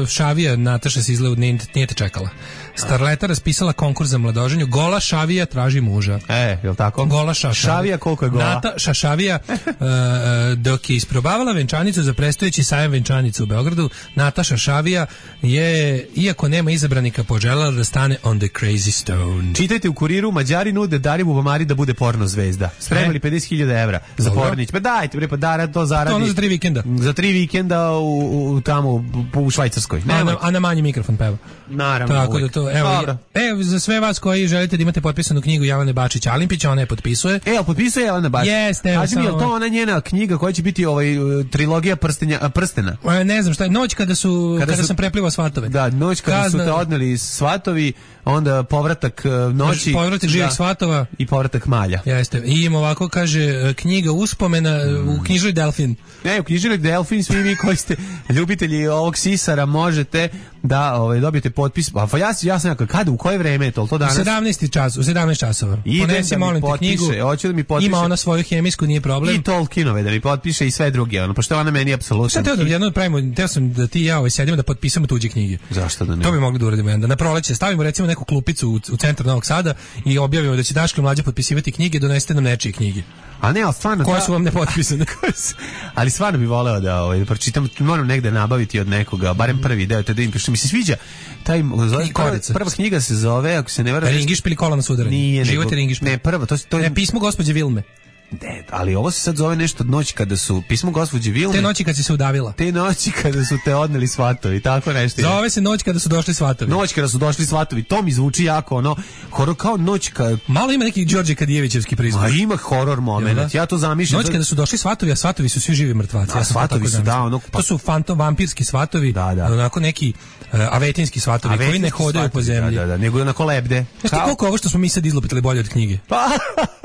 Šavija, Nataša se izgleda, nije, nije te čekala. Starleta raspisala konkurs za mladoženju. Gola Šavija traži muža. E, je li tako? Gola Šavija. Šavija koliko je gola? Nataša Šavija, uh, dok je isprobavala venčanicu za predstojeći sajam venčanicu u Beogradu, Nataša Šavija je, iako nema izabranika, poželjela da stane on the crazy stone. Čitajte u Kuriru, Mađari nude Dari Bubamari da bude porno zvezda. Spremali e? pedeset hiljada evra za pornić. Pa dajte, bre, pa Dara to zaradi. To ono za tri vikenda. Za tri vikenda u, u tamo u, u Švajcarskoj. A na, a na manji mikrofon peva. Naravno. Tako uvijek. Da to, evo, evo, za sve vas koji želite da imate potpisanu knjigu Jelene Bačić Alimpić, ona je potpisuje. E, potpisuje Jelena Bačić. Jeste, evo. Kaži mi, je to ona njena knjiga koja će biti ovaj trilogija prstenja, prstena? E, ne znam šta je, noć kada su, kada, kada su, sam preplivao svatove. Da, noć kada Kazna, su te odneli svatovi, onda povratak noći. Povratak živih svatova. I povratak malja. Jeste. I im ovako kaže, knjiga uspomena mm. u knjižari Delfin. Ne, u knjižari Delfin, svi vi koji ste ljubitelji ovog sisara možete da ovaj, dobijete potpis. Pa ja, ja sam nekako, kada, u koje vreme je to? To danas? U sedamnaest čas, u sedamnaest časova. Ponesi, molim te knjigu. Hoće da mi potpiše. Ima ona svoju hemijsku, nije problem. I Tolkienove da mi potpiše i sve druge. Ono, pošto ona meni apsolutno. Šta teo da jedno pravimo, teo sam da ti i ja ovaj sedimo da potpisamo tuđe knjige. Zašto da ne? To bi mogli da uradimo jedan. Na proleće stavimo recimo neku klupicu u, u centru Novog Sada i objavimo da će Daško i Mlađa potpisivati knjige, donesete nam nečije knjige. A ne, ali stvarno... Koje su vam nepotpisane? Ali stvarno bi voleo da, ovaj, da pročitam, moram negde nabaviti od nekoga, barem prvi deo, te da im piše. Mi se sviđa, taj, zove, prva, prva knjiga se zove, ako se ne vera... Ringišpil kola na sudaranje. Nije, Život je Ringišpil. Ne, prva, to, to je... Ne, pismo gospođe Vilme. Ne, ali ovo se sad zove nešto od noći kada su pismo gospođe Vilme. Te noći kad si se udavila. Te noći kada su te odneli svatovi, tako nešto. Zove se noć kada su došli svatovi. Noć kada su došli svatovi, to mi zvuči jako ono, horor kao noć kada... Malo ima neki Đorđe Kadijevićevski prizvuk. A ima horor moment, ja to zamišljam. Noć kada su došli svatovi, a svatovi su svi živi mrtvaci. A ja svatovi su, da, ono... Pa... To su fantom, vampirski svatovi, da, da. Onako neki uh, avetinski svatovi avetinski koji ne hodaju po zemlji. Da, da, da, nego onako lebde. Znaš ti koliko ovo što smo mi sad izlupitali bolje od knjige? Pa...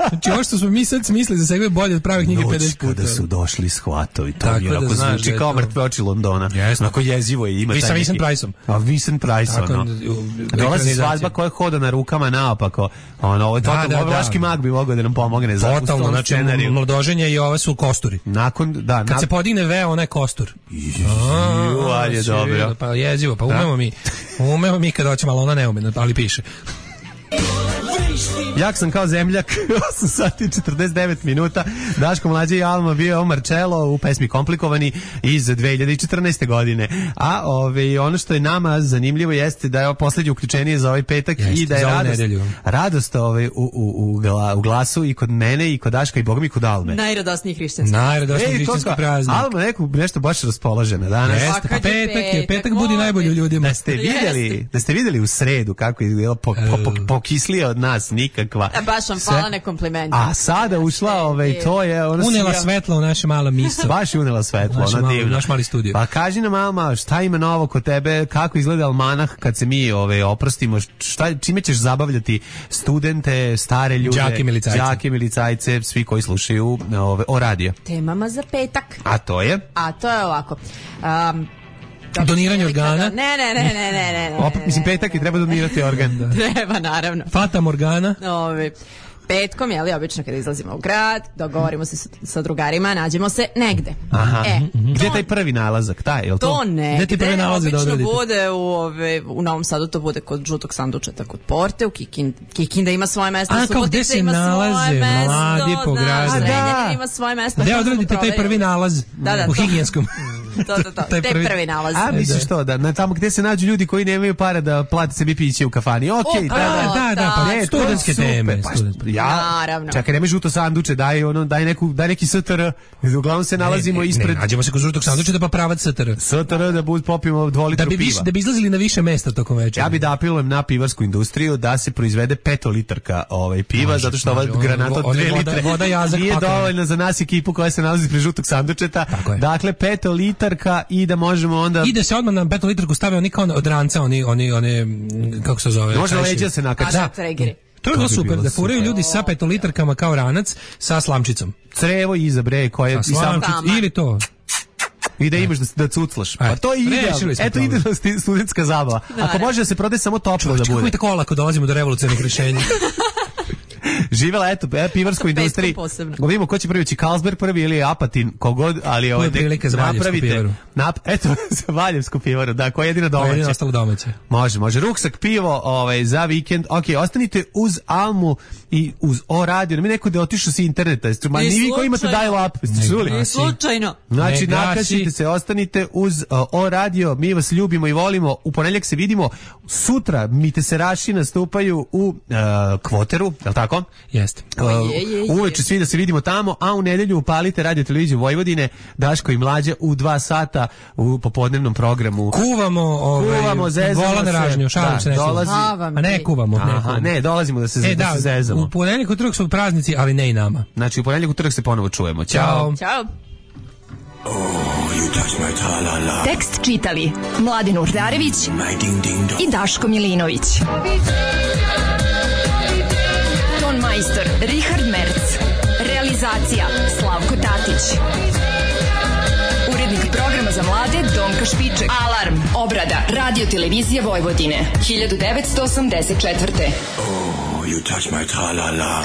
Znači, ovo što smo mi sad smislili za sebe bolje od prave knjige Noć pedeset puta. kada su došli shvatovi, to Tako mi da onako znaš zvuči da je kao to- mrtve oči Londona. Jesno. Onako jezivo je, ima Vi taj sa neki... Vincent Priceom. A Vincent Price, Tako, ono. u- u- Dolazi ekranizacija. svadba koja hoda na rukama naopako. Ono, ovo je Da, totalno, da, ovo da. Vlaški mag bi mogao da nam pomogne za Totalno, u znači, scenariju. mladoženje i ova su kosturi. Nakon, da, Kad na... se podigne veo, ona je kostur. Ju, ali je dobro. Pa jezivo, pa umemo mi. Umemo mi kad hoćemo, ali ona ne ume, ali piše. Jak sam kao zemljak, osam sati i četrdeset devet minuta. Daško Mlađe i Alma bio Marcello u pesmi Komplikovani iz dve hiljade četrnaeste. godine. A ove, ono što je nama zanimljivo jeste da je ovo poslednje uključenje za ovaj petak Jeste, i da je za ovu radost, nedelju. radost ove, u, u, u, gla, u glasu i kod mene i kod Daška i bogom i kod Alme. Najradosniji hrišćanski. Najradosniji Ej, to hrišćanski kao- praznik. Alma neku, nešto baš raspoložena danas. Jeste, pa kad je petak je, petak, petak budi voli. najbolji u ljudima. Da ste videli, da ste videli u sredu kako je izgledalo po, po, po, pokislije od nas nikakva. A baš vam Sve- hvala na komplimenti. A sada ušla, ovaj, to je... Ona Unela sija- svetlo u naše malo misto. Baš je unela svetlo, Naš ona mali- divna. naš mali studio. Pa kaži nam, Alma, šta ima novo kod tebe, kako izgleda almanah kad se mi ove, oprostimo, šta, čime ćeš zabavljati studente, stare ljude, Đake milicajce. đake milicajce, svi koji slušaju ove, o radio. Temama za petak. A to je? A to je ovako. Um, Doniranje organa. Ne, ne, ne, ne, ne, ne. Op, mislim, petak i treba donirati organ. Da. Treba, naravno. Fata Morgana. Ove, petkom, jeli, obično kada izlazimo u grad, dogovorimo se sa, sa drugarima, nađemo se negde. Aha. E, Gde je taj prvi nalazak? Taj, je li to? to Gde ti negde, prvi nalazi da obično odradite? bude u, ove, u Novom Sadu, to bude kod žutog sandučeta, kod Porte, u Kikin, Kikinda ima svoje mesto, A, kao Subotica gde se ima nalaze svoje mesto, mladi po znaš, gradu? Zrenjanin ima svoje mesto. Gde to odradite smo taj prvi proverili. nalaz Da, da, u to. higijenskom? To, to, to. Taj Te prvi- prvi nalaz. A, misliš to, da, na tamo gde se nađu ljudi koji nemaju para da plate sebi piće u kafani. Okej, O, da, da, da, da, da, pa Ne, to je studentske super. teme. Pa, studentske. ja, Naravno. čekaj, nemoj žuto sanduče, daj, ono, daj, neku, daj neki S T R. Uglavnom se nalazimo Ne, ne, ispred Ne, nađemo se kod žutog sandučeta pa pravac S T R. S T R da bud popijemo dva litra Da bi, piva. više, da bi izlazili na više mesta tokom večera. Ja bi da apelujem na pivarsku industriju da se proizvede petolitarka ovaj, piva, Može, zato što ova može. Ono, granata od ono je dve voda- litre voda jazak nije pakovana. dovoljna za nas ekipu koja se nalazi pred žutog sandučeta. Tako je. Dakle, petolitarka i da možemo onda... I da se odmah na petolitarku stave oni kao od ranca, oni, oni, one, mm, kako se zove? Može čajševi. leđa se nakači. Da, tregeri. To je To bilo bi super, bilo da furaju super. ljudi sa petolitarkama kao ranac, sa slamčicom. Crevo iza bre, koje... Sa i samo- slamčicom, ili to. I da imaš da, da cuclaš. Pa E, to je idealno. rešili smo Eto problem. idealna sti- studentska zabava. Ako može da se prode samo toplo da Kako mi bude. tako olako dolazimo do revolucionarnih rješenja? Živela, eto, e, pivarskoj industriji. posebno. Da vidimo ko će prvi, će Carlsberg prvi ili Apatin, kogod, ali ovaj, je prilika za Valjevsku napravite. pivaru. Nap, eto, za Valjevsku pivaru, da, koja je jedina To je domaća. jedino ostalo domaće. Može, može. Ruksak pivo ovaj, za vikend. Ok, ostanite uz Almu i uz O radio. Mi neko da je otišao sa interneta. Jeste- Ma I ni vi koji imate slučajno. dial-up. Jeste čuli? I slučajno. Znači, Ne gasi. nakačite se, ostanite uz uh, O radio, mi vas ljubimo i volimo. U ponedjeljak se vidimo. Sutra Miteseraši nastupaju u uh, Kvoteru, je li tako? Jeste. Uh, je, je, je. uveče svi da se vidimo tamo, a u nedelju upalite radio televiziju Vojvodine, Daško i Mlađa u dva sata u popodnevnom programu. Kuvamo, ovaj, Kuvamo, zezamo vola na se. ražnju, šalim Da, se, ne kuvam. dolazi- A, vam A ne ti. kuvamo, ne Aha, kuvamo. ne, dolazimo da se, E, da, da, se zezamo. u ponedjeljak utorak su praznici, ali ne i nama. Znači, u ponedjeljak utorak se ponovo čujemo. Ćao. Ćao. Ćao. Tekst čitali Mladin Urdarević i Daško Milinović. Ton majstor Richard Merc. Realizacija Slavko Tatić. Urednik programa za mlade Donka Špiček. Alarm. Obrada Radio Televizije Vojvodine. hiljadu devetsto osamdeset četvrte. You touch my tra-la-la.